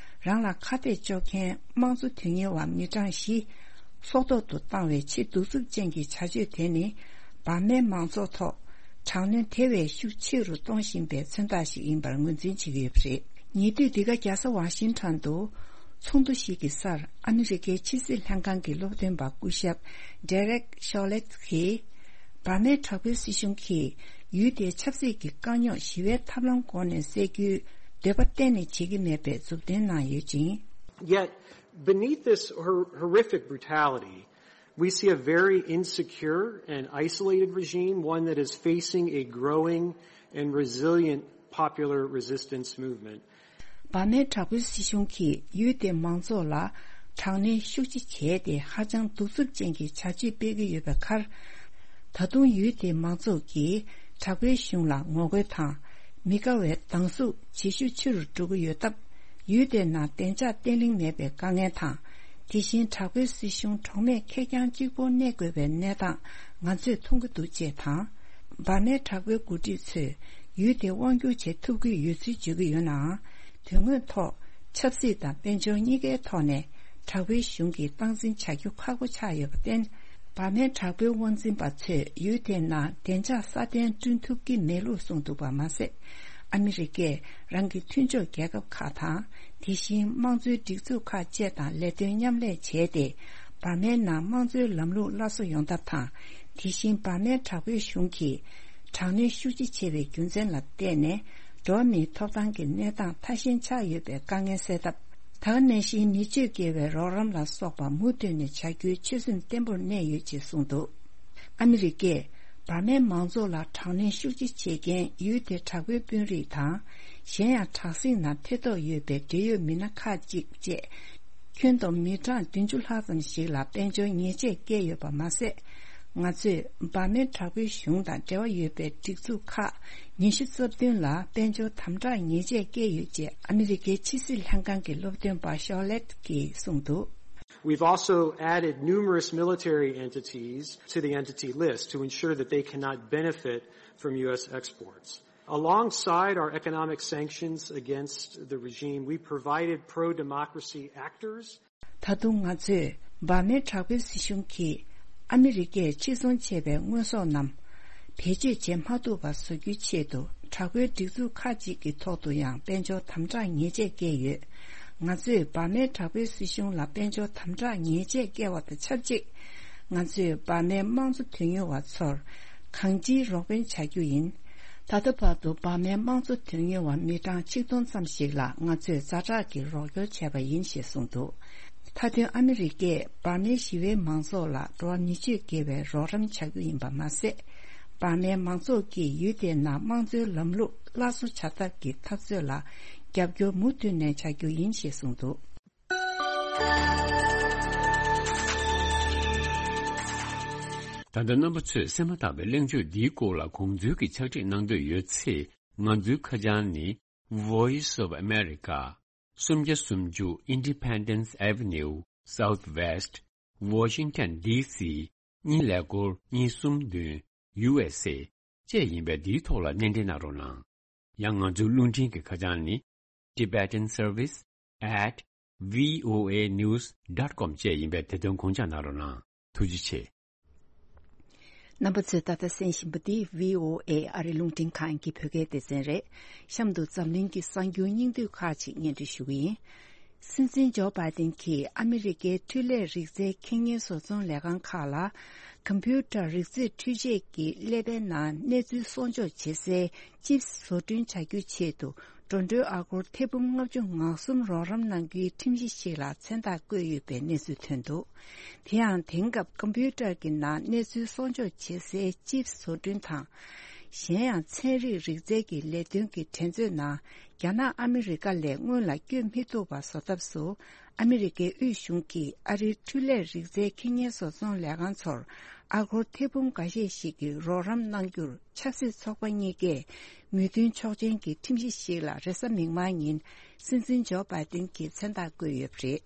རང་ལ་ཁ་གཏད་གཅོག་མཁན་དམངས་གཙོ་དོན་གཉེར་བ་མི་གྲངས་བཞི་སྲོག་ཐོག་ཏུ་བཏང་བའི་ཆེས་གདུག་རྩུབ་ཅན་གྱི་བྱ་སྤྱོད་དེ་ནི་འབར་མའི་མང་ཚོགས་ཐོག་དྲག་གནོན་དེ་བས་ཤུགས་ཆེ་རུ་གཏོང་བཞིན་པའི་མཚོན་རྟགས་ཤིག་ཡིན་པར་ངོས་འཛིན་བྱེད་ཀྱི་ཡོད་པ་རེད། ཉེ་དུས་འདི་ག་རྒྱལ་ས་ཝ་ཤིང་ཊོན་དུ་ཚོགས་འདུ་ཞིག་གི་སར་ཨ་མི་རི་ཀའི་ཕྱི་སྲིད་ལྷན་ཁང་གི་སློབ་སྟོན་པ་སྐུ་ཞབས་Derek Chollet གྱིས། འབར་མའི་དྲག་པོའི་སྲིད་གཞུང་གིས་ཡུལ་དེའི་ཆབ་སྲིད་ཀྱི་དཀའ་རྙོག་ཞི་བའི་ཐབས་ལམ་སྒོ་ནས་སེལ་རྒྱུའི་འདོད་པ་གཏན་ནས་བྱེད་ཀྱི་མེད་པའི་མཛུབ་སྟོན་གནང་ཡོད་ཅིང་། Yet, beneath this hor- horrific brutality, we see a very insecure and isolated regime, one that is facing a growing and resilient popular resistance movement. འབར་མའི་དྲག་པོའི་སྲིད་གཞུང་གིས་ཡུལ་དེའི་མང་ཚོགས་ལ་དྲག་གནོན་ཤུགས་ཆེ་བྱས་ཏེ་ཧ་ཅང་གདུག་རྩུབ་ཅན་གྱི་བྱ་སྤྱོད་སྤེལ་གྱི་ཡོད་པའི་ཁར། ད་དུང་ཡུལ་དེའི་མང་ཚོགས་ཀྱིས་དྲག་པོའི་གཞུང་ལ་ངོ་རྒོལ་དང་མི་དགའ་བའི་སྡང་ཟུག་ཇེ་ཤུགས་ཆེ་རུ་འགྲོ་གི་ཡོད་སྟབས། ཡུལ་དེའི་ནང་བདེ་འཇགས་བརྟན་ལྷིང་མེད་པའི་དཀའ་ངལ་དང་། དེ་བཞིན་དྲག་པོའི་སྲིད་གཞུང་གྲོགས་མེད་ཁེར་རྐྱང་གཅིག་པུར་གནས་དགོས་པའི་གནས་སྟངས་ང་ཚོས་མཐོང་གི་འདུག་ཅེས་དང་། འབར་མའི་དྲག་པོའི་འགོ་ཁྲིད་ཚོས་ཡུལ་དེ་དབང་བསྒྱུར་བྱེད་ཐུབ་ཀྱི་ཡོད་ཚུལ་བརྗོད་ཀྱི་ཡོད་ནའང་། དོན་དངོས་ཐོག་ཆབ་སྲིད་དང་དཔལ་འབྱོར་གཉིས་ཀའི་ཐོག་ནས་དྲག་པོའི་གཞུང་གིས་སྟངས་འཛིན་བྱ་རྒྱུ་ཁག་པོ་ཆགས་ཡོད་པར་བརྟེན། འབར་མའི་དྲག་པོའི་དབང་འཛིན་པ་ཚོས་ཡུལ་དེའི་ནང་བདེ་འཇགས་སྲ་བརྟན་བསྐྲུན་ཐུབ་ཀྱི་མེད་ལུགས་གསུངས་འདུག་པ་མ་ཟད། ཨ་མི་རི་ཀས་རང་གི་མཐུན་ཕྱོགས་རྒྱལ་ཁབ་ཁག་དང་། དེ་བཞིན་དམངས་གཙོའི་སྒྲིག་འཛུགས་ཁག་བཅས་དང་ལས་དོན་མཉམ་ལས་བྱས་ཏེ། འབར་མའི་ནང་དམངས་གཙོའི་ལམ་ལུགས་སླར་གསོ་ཡོང་ཐབས་དང་། དེ་བཞིན་འབར་མའི་དྲག་པོའི་གཞུང་གིས་དྲག་གནོན་ཤུགས་ཆེ་བྱས་པའི་རྒྱུ་མཚན་ལ་བརྟེན་ནས། འགྲོ་བ་མིའི་ཐོབ་ཐང་གི་གནས་སྟངས་ཐ་ཞན་ཆགས་ཡོད་པའི་དཀའ་ངལ་སེལ་ཐབས། ད་ག་ནང་བཞིན་མི་སྤྱོད་དགེ་བའི་རོགས་རམ་ལ་སོགས་པ་མུ་མཐུད་ནས་བྱ་རྒྱུའི་ཆོད་སེམས་བརྟན་པོར་གནས་ཡོད་ཅེས་གསུངས་འདུག། ཨ་མི་རི་ཀས་འབར་མའི་མང་ཚོགས་ལ་དྲག་གནོན་ཤུགས་ཆེ་བྱེད་མཁན་ཡུལ་དེའི་དྲག་པོའི་དཔོན་རིགས་དང་། གཞན་ཡང་དྲག་ཟིང་ནང་ཐེ་གཏོགས་ཡོད་པའི་འབྲེལ་ཡོད་མི་སྣ་ཁག་ཅིག་བཅས། ཁྱོན་བསྡོམས་མི་གྲངས་བདུན་ཅུ་ལྷག་ཙམ་ཞིག་ལ་དཔལ་འབྱོར་ཉེས་ཆད་བཀལ་ཡོད་པ་མ་ཟད། ང་ཚོས་འབར་མའི་དྲག་པོའི་གཞུང་དང་འབྲེལ་བ་ཡོད་པའི་སྒྲིག་འཛུགས་ཁག་ཉི་ཤུ་རྩ་བདུན་ལ་དཔལ་འབྱོར་དམ་དྲག་ཉེས་ཆད་བཀལ་ཡོད་ཅེས་ཨ་མི་རི་ཀའི་ཕྱི་སྲིད་ལྷན་ཁང་གི་སློབ་སྟོན་པ་ཤོ་ལེད་ཀྱིས་གསུངས་འདུག། We've also added numerous military entities to the entity list to ensure that they cannot benefit from U S exports. Alongside our economic sanctions against the regime, we provided pro-democracy actors. ད་དུང་ང་ཚོས་འབར་མའི་དྲག་པོའི་སྲིད་གཞུང་གིས་ཨ་མི་རི་ཀས་ཕྱིར་ཚོང་བྱས་པའི་དངོས་ཟོག་རྣམས་བེད་སྤྱོད་བྱེད་མ་ཐུབ་པ་བཟོ་རྒྱུའི་ཆེད་དུ་དྲག་པོའི་སྒྲིག་འཛུགས་ཁག་ཅིག་གི་ཐོག་ཏུ་ཡང་དཔལ་འབྱོར་དམ་དྲག་ཉེས་ཆད་བཀལ་ཡོད། ང་ཚོས་འབར་མའི་དྲག་པོའི་སྲིད་གཞུང་ལ་དཔལ་འབྱོར་དམ་དྲག་ཉེས་ཆད་བཀལ་བ་དང་ཆབས་ཅིག། ང་ཚོས་འབར་མའི་དམངས་གཙོ་དོན་གཉེར་བ་ཚོར་གང་ཅིའི་རོགས་ཕན་བྱ་རྒྱུ་ཡིན། ད་ལྟ་བར་དུ་འབར་མའི་དམངས་གཙོ་དོན་གཉེར་བ་མི་གྲངས་ཆིག་སྟོང་ཙམ་ཞིག་ལ་ང་ཚོས་ཛ་དྲག་གི་རོགས་སྐྱོར་བྱས་པ་ཡིན་ཞེས་གསུངས་འདུག། མཐའ་དོན་ཨ་མི་རི་ཀས་འབར་མའི་ཞི་བའི་མང་ཚོགས་ལ་འགྲོ་བ་མི་སྤྱོད་དགེ་བའི་རོགས་རམ་བྱ་རྒྱུ་ཡིན་པ་མ་ཟད། འབར་མའི་མང་ཚོགས་ཀྱིས་ཡུལ་དེའི་ནང་དམངས་གཙོའི་ལམ་ལུགས་སླར་གསོ་བྱ་ཐབས་ཀྱི་འཐབ་རྩོད་ལ་རྒྱབ་སྐྱོར་མུ་མཐུད་ནས་བྱ་རྒྱུ་ཡིན་ཞེས་གསུངས་འདུག། ད་ལྟ་རྣམ་པ་ཚོས་གསན་མ་ཐག་པའི་གླེང་བརྗོད་འདིའི་སྐོར་ལ་དགོངས་ཚུལ་གྱི་ཕྱག་བྲིས་གནང་འདོད་ཡོད་ཚེ། ང་ཚོའི་ཁ་བྱང་ནི། Voice of America། སུམ་བརྒྱ་སུམ་ཅུ་Independence Avenue Southwest Washington D C གཉིས་ཀླད་ཀོར་གཉིས་གསུམ་བདུན། U S A བཅས་ཡིན་པས་འདིའི་ཐོག་ལ་སྣེ་འདྲེན་གནང་རོགས་གནང་། ཡང་ང་ཚོའི་རླུང་འཕྲིན་གྱི་ཁ་བྱང་ནི། Tibetan Service at V O A news dot com བཅས་ཡིན་པས་དེ་དོན་དགོངས་འཇགས་གནང་རོགས་གནང་། ཐུགས་རྗེ་ཆེ། རྣམ་པ་ཚོས་ད་ལྟ་གསན་བཞིན་པ་འདི་V O A ཨ་རི་རླུང་འཕྲིན་ཁང་གི་བོད་སྐད་སྡེ་ཚན་རེད། གཤམ་དུ་འཛམ་གླིང་གི་གསར་འགྱུར་སྙིང་བསྡུས་ཁག་ཅིག་སྙན་སྒྲོན་ཞུ་གི་ཡིན། སྲིད་འཛིན་ཇོ་བྷའི་ཏིན་གྱིས་ཨ་མི་རི་ཀའི་འཕྲུལ་ལས་རིག་རྩལ་ཁེ་ཉེན་བཟོ་ཚོང་ལས་ཁང་ཁག་ལ། ཀམ་པུ་ཊར་རིག་རྩལ་འཕྲུལ་ཆས་ཀྱི་ཀླད་པའི་ནང་གནས་ཚུལ་གསོག་འཇོག་བྱེད་སའི་ཅིབ་བཟོ་སྐྲུན་བྱ་རྒྱུའི་ཆེད་དུ། འགྲོ་གྲོན་ཨ་སྒོར་ཐེར་འབུམ་ལྔ་བཅུ་ང་གསུམ་རོགས་རམ་གནང་རྒྱུའི་ཁྲིམས་གཞི་ཞིག་ལ་མཚན་རྟགས་བཀོད་ཡོད་པའི་གནས་ཚུལ་ཐོན་འདུག། དེ་ཡང་དེང་སྐབས་ཀམ་པུ་ཊར་གྱི་ནང་གནས་ཚུལ་གསོག་འཇོག་བྱེད་སའི་ཅིབ་བཟོ་སྐྲུན་དང་། གཞན་ཡང་ཚན་རིག་རིག་རྩལ་གྱི་ལས་དོན་གྱི་འགྲན་རྩོད་ནང་རྒྱ་ནག་ཨ་མི་རི་ཀ་ལས་སྔོན་ལ་བསྐྱོད་མི་ཐུབ་པ་བཟོ་ཐབས་སུ། ཨ་མི་རི་ཀའི་དབུས་གཞུང་གིས་ཨ་རིའི་འཕྲུལ་ལས་རིག་རྩལ་ཁེ་ཉེན་བཟོ་ཚོང་ལས་ཁང་ཚོར་ཨ་སྒོར་ཐེར་འབུམ་འགའ་ཤས་ཤིག་གི་རོགས་རམ་གནང་རྒྱུར་ཆབ་སྲིད་ཚོགས་པ་གཉིས་ཀས་མོས་མཐུན་ཆོག་མཆན་གྱི་ཁྲིམས་གཞི་ཞིག་ལ་རེས་གཟའ་མིག་དམར་ཉིན་སྲིད་འཛིན་ཇོ་བྷའི་ཏིན་གྱིས་མཚན་རྟགས་བཀོད་ཡོད་པ་རེད།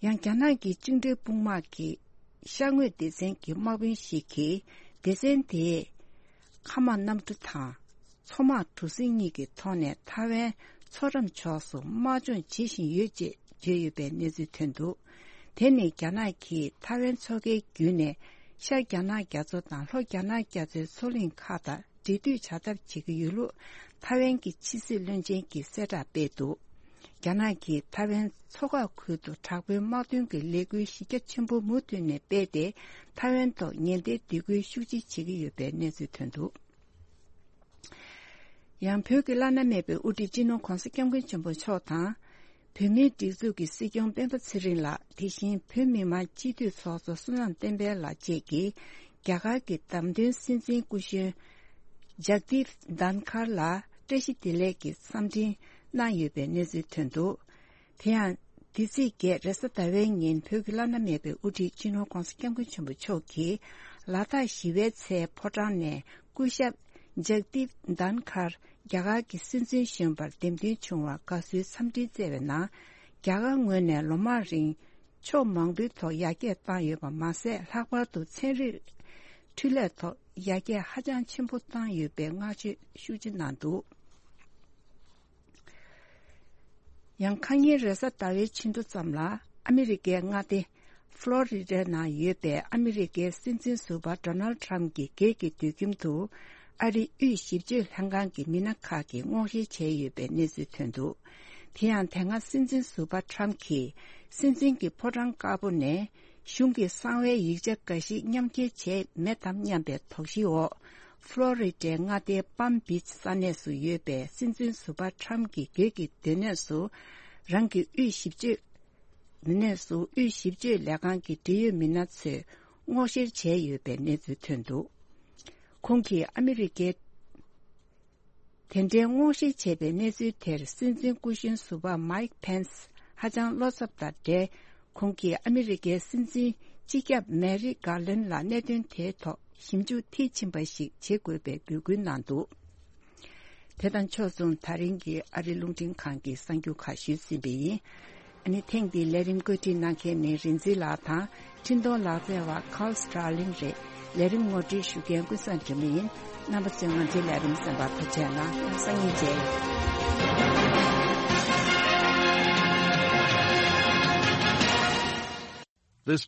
ཡང་རྒྱ་ནག་གི་བཅིངས་འགྲོལ་དཔུང་དམག་གི་ཤར་ངོས་སྡེ་ཚན་གྱི་དམག་དཔོན་ཞིག་གིས་སྡེ་ཚན་དེས་མཁའ་དམག་གནམ་གྲུ་དང་། མཚོ་དམག་གྲུ་གཟིངས་གཉིས་ཀྱི་ཐོག་ནས་ཐའེ་ཝན་མཚོ་འགྲམ་ཕྱོགས་སུ་དམག་སྦྱོང་བྱེད་བཞིན་ཡོད་ཅེས་བརྗོད་ཡོད་པའི་གནས་ཚུལ་ཐོན་འདུག། དེ་ནི་རྒྱ་ནག་གིས་ཐའེ་ཝན་མཚོ་ཁའི་བརྒྱུད་ནས་ཤར་རྒྱ་ནག་རྒྱ་མཚོ་དང་ལྷོ་རྒྱ་ནག་རྒྱ་མཚོའི་མཚོ་གླིང་ཁག་དང་འབྲེལ་མཐུད་བྱ་ཐབས་བྱེད་ཀྱི་ཡོད་ལུགས་ཐའེ་ཝན་གྱི་ཕྱི་སྲིད་བློན་ཆེན་གྱིས་གསལ་བསྒྲགས་སྤེལ་འདུག། རྒྱ་ནག་གིས་ཐའེ་ཝན་མཚོ་འགག་ཁུལ་དུ་དྲག་པོའི་དམག་དོན་གྱི་ལས་འགུལ་གཞི་རྒྱ་ཆེན་པོ་མུ་མཐུད་ནས་སྤེལ་ཏེ་ཐའེ་ཝན་ཐོག་ཉེན་བརྡའི་སྡིགས་སྐུལ་ཤུགས་ཆེ་བྱེད་ཀྱི་ཡོད་པའི་གནས་ཚུལ་ཐོན་འདུག། ཡང་བོད་ཀྱི་བླ་ན་མེད་པའི་དབུ་ཁྲིད་སྤྱི་ནོར་༧གོང་ས་༧སྐྱབས་མགོན་ཆེན་པོ་མཆོག་དང་། བོད་མིའི་སྒྲིག་འཛུགས་ཀྱི་སྲིད་སྐྱོང་སྤེན་པ་ཚེ་རིང་ལགས། དེ་བཞིན་བོད་མི་མང་སྤྱི་འཐུས་ཚོགས་གཙོ་བསོད་ནམས་བསྟན་འཕེལ་ལགས་བཅས་ཀྱིས་རྒྱ་གར་གྱི་བདམས་ཐོན་སྲིད་འཛིན་སྐུ་གཞོན་ཇག་དིབ་དྷན་ཁར་ལ་བཀྲ་ཤིས་བདེ་ལེགས་ཀྱི་འཚམས་འཕྲིན་གནང་ཡོད་པའི་གནས་ཚུལ་ཐོན་འདུག། དེ་ཡང་། འདི་ཚེས་བརྒྱད་རེས་གཟའ་ཟླ་བའི་ཉིན་བོད་ཀྱི་བླ་ན་མེད་པའི་དབུ་ཁྲིད་སྤྱི་ནོར་༧གོང་ས་༧སྐྱབས་མགོན་ཆེན་པོ་མཆོག་གིས་ལ་དྭགས་ཞི་བའི་ཚལ་ཕོ་བྲང་ནས་སྐུ་ཞབས་ཇག་དིབ་དྷན་ཁར་རྒྱ་གར་གྱི་སྲིད་འཛིན་གཞོན་པར་འདེམས་ཐོན་བྱུང་བར་དགའ་བསུའི་འཚམས་འཕྲིན་བསྩལ་བའི་ནང་། རྒྱ་གར་ངོས་ནས་ལོ་མང་རིང་ཕྱོགས་མང་པོའི་ཐོག་ཡར་རྒྱས་བཏང་ཡོད་པ་མ་ཟད། ལྷག་པར་དུ་ཚན་རིག་འཕྲུལ་ལས་ཐོག་ཡར་རྒྱས་ཧ་ཅང་ཆེན་པོ་བཏང་ཡོད་པའི་བསྔགས་བརྗོད་ཤུགས་ཆེ་གནང་འདུག། ཡང་ཁ་ཉིན་རེས་གཟའ་ཟླ་བའི་ཕྱི་དྲོ་ཙམ་ལ་ཨ་མི་རི་ཀའི་མངའ་སྡེ་ཕློ་རི་ཌའི་ནང་ཡོད་པའི་ཨ་མི་རི་ཀའི་སྲིད་འཛིན་ཟུར་པ་ཌོ་ནལ་ཌི་ཊརམ་གྱི་སྒེར་གྱི་དུད་ཁྱིམ་དུ་ཨ་རིའི་དབུས་ཞིབ་དཔྱོད་ལྷན་ཁང་གི་མི་སྣ་ཁག་གིས་སྔོག་བཤེར་བྱས་ཡོད་པའི་གནས་ཚུལ་ཐོན་འདུག། དེ་ཡང་དེ་སྔ་སྲིད་འཛིན་ཟུར་པ་ཊརམ་གྱིས་སྲིད་འཛིན་གྱི་ཕོ་བྲང་དཀར་པོ་ནས་གཞུང་གི་གསང་བའི་ཡིག་ཆ་འགའ་ཞིག་མཉམ་འཁྱེར་བྱས་མེད་དམ་སྙམ་པའི་དོགས་གཞིའི་འོག། ཕློ་རི་ཌའི་མངའ་སྡེའི་པམ་བིཆ་ས་གནས་སུ་ཡོད་པའི་སྲིད་འཛིན་ཟུར་པ་ཊརམ་གྱི་སྒེར་གྱི་སྡོད་གནས་སུ། རང་གི་དབུས་ཞིབ་དཔྱོད། མི་སྣས་སུ་དབུས་ཞིབ་དཔྱོད་ལས་ཁང་གི་འབྲེལ་ཡོད་མི་སྣ་ཚོས་སྔོག་བཤེར་བྱས་ཡོད་པའི་གནས་ཚུལ་ཐོན་འདུག་ཁོང་གིས་ཨ་མི་རི་ཀའི་དེ་འདྲའི་སྔོག་བཤེར་བྱས་པའི་གནས་ཚུལ་དེར་སྲིད་འཛིན་སྐུ་གཞོན་ཟུར་པ་མའིག་ཕེན་སི་ཧ་ཅང་བློ་འཚབ་དང་འབྲེལ། ཁོང་གིས་ཨ་མི་རི་ཀའི་སྲིད་འཛིན་སྤྱི་ཁྱབ་མེ་རི་གྷར་ལན་ལ་གནད་དོན་དེའི་ཐོག་ཞིབ་འཇུག་མཐིལ་ཕྱིན་པ་ཞིག་བྱེད་དགོས་པའི་འབོད་སྐུལ་གནང་འདུག་དེ་དང་ཕྱོགས་མཚུངས། ད་རིང་གི་ཨ་རི་རླུང་འཕྲིན་ཁང་གི་གསར་འགྱུར་ཁག་ཞུས་ཟིན་པ་ཡིན། ཨ་ནི་ཐེངས་འདིའི་ལས་རིམ་བཀོད་སྒྲིག་གནང་མཁན་ནི་རིན་འཛིན་ལགས་དང་། འཕྲིན་གཏོང་ལག་རྩལ་བ་ཀཱལ་སི་ཊར་ལིང་རེད། ལས་རིམ་ངོ་སྤྲོད་ཞུ་མཁན་ཀུན་བཟང་སྒྲོལ་མ་ཡིན། རྣམ་པ་ཚོས་ང་ཚོའི་ལས་རིམ་གསན་པར་ཐུགས་རྗེ་གནང་། སང་ཉིན་མཇལ།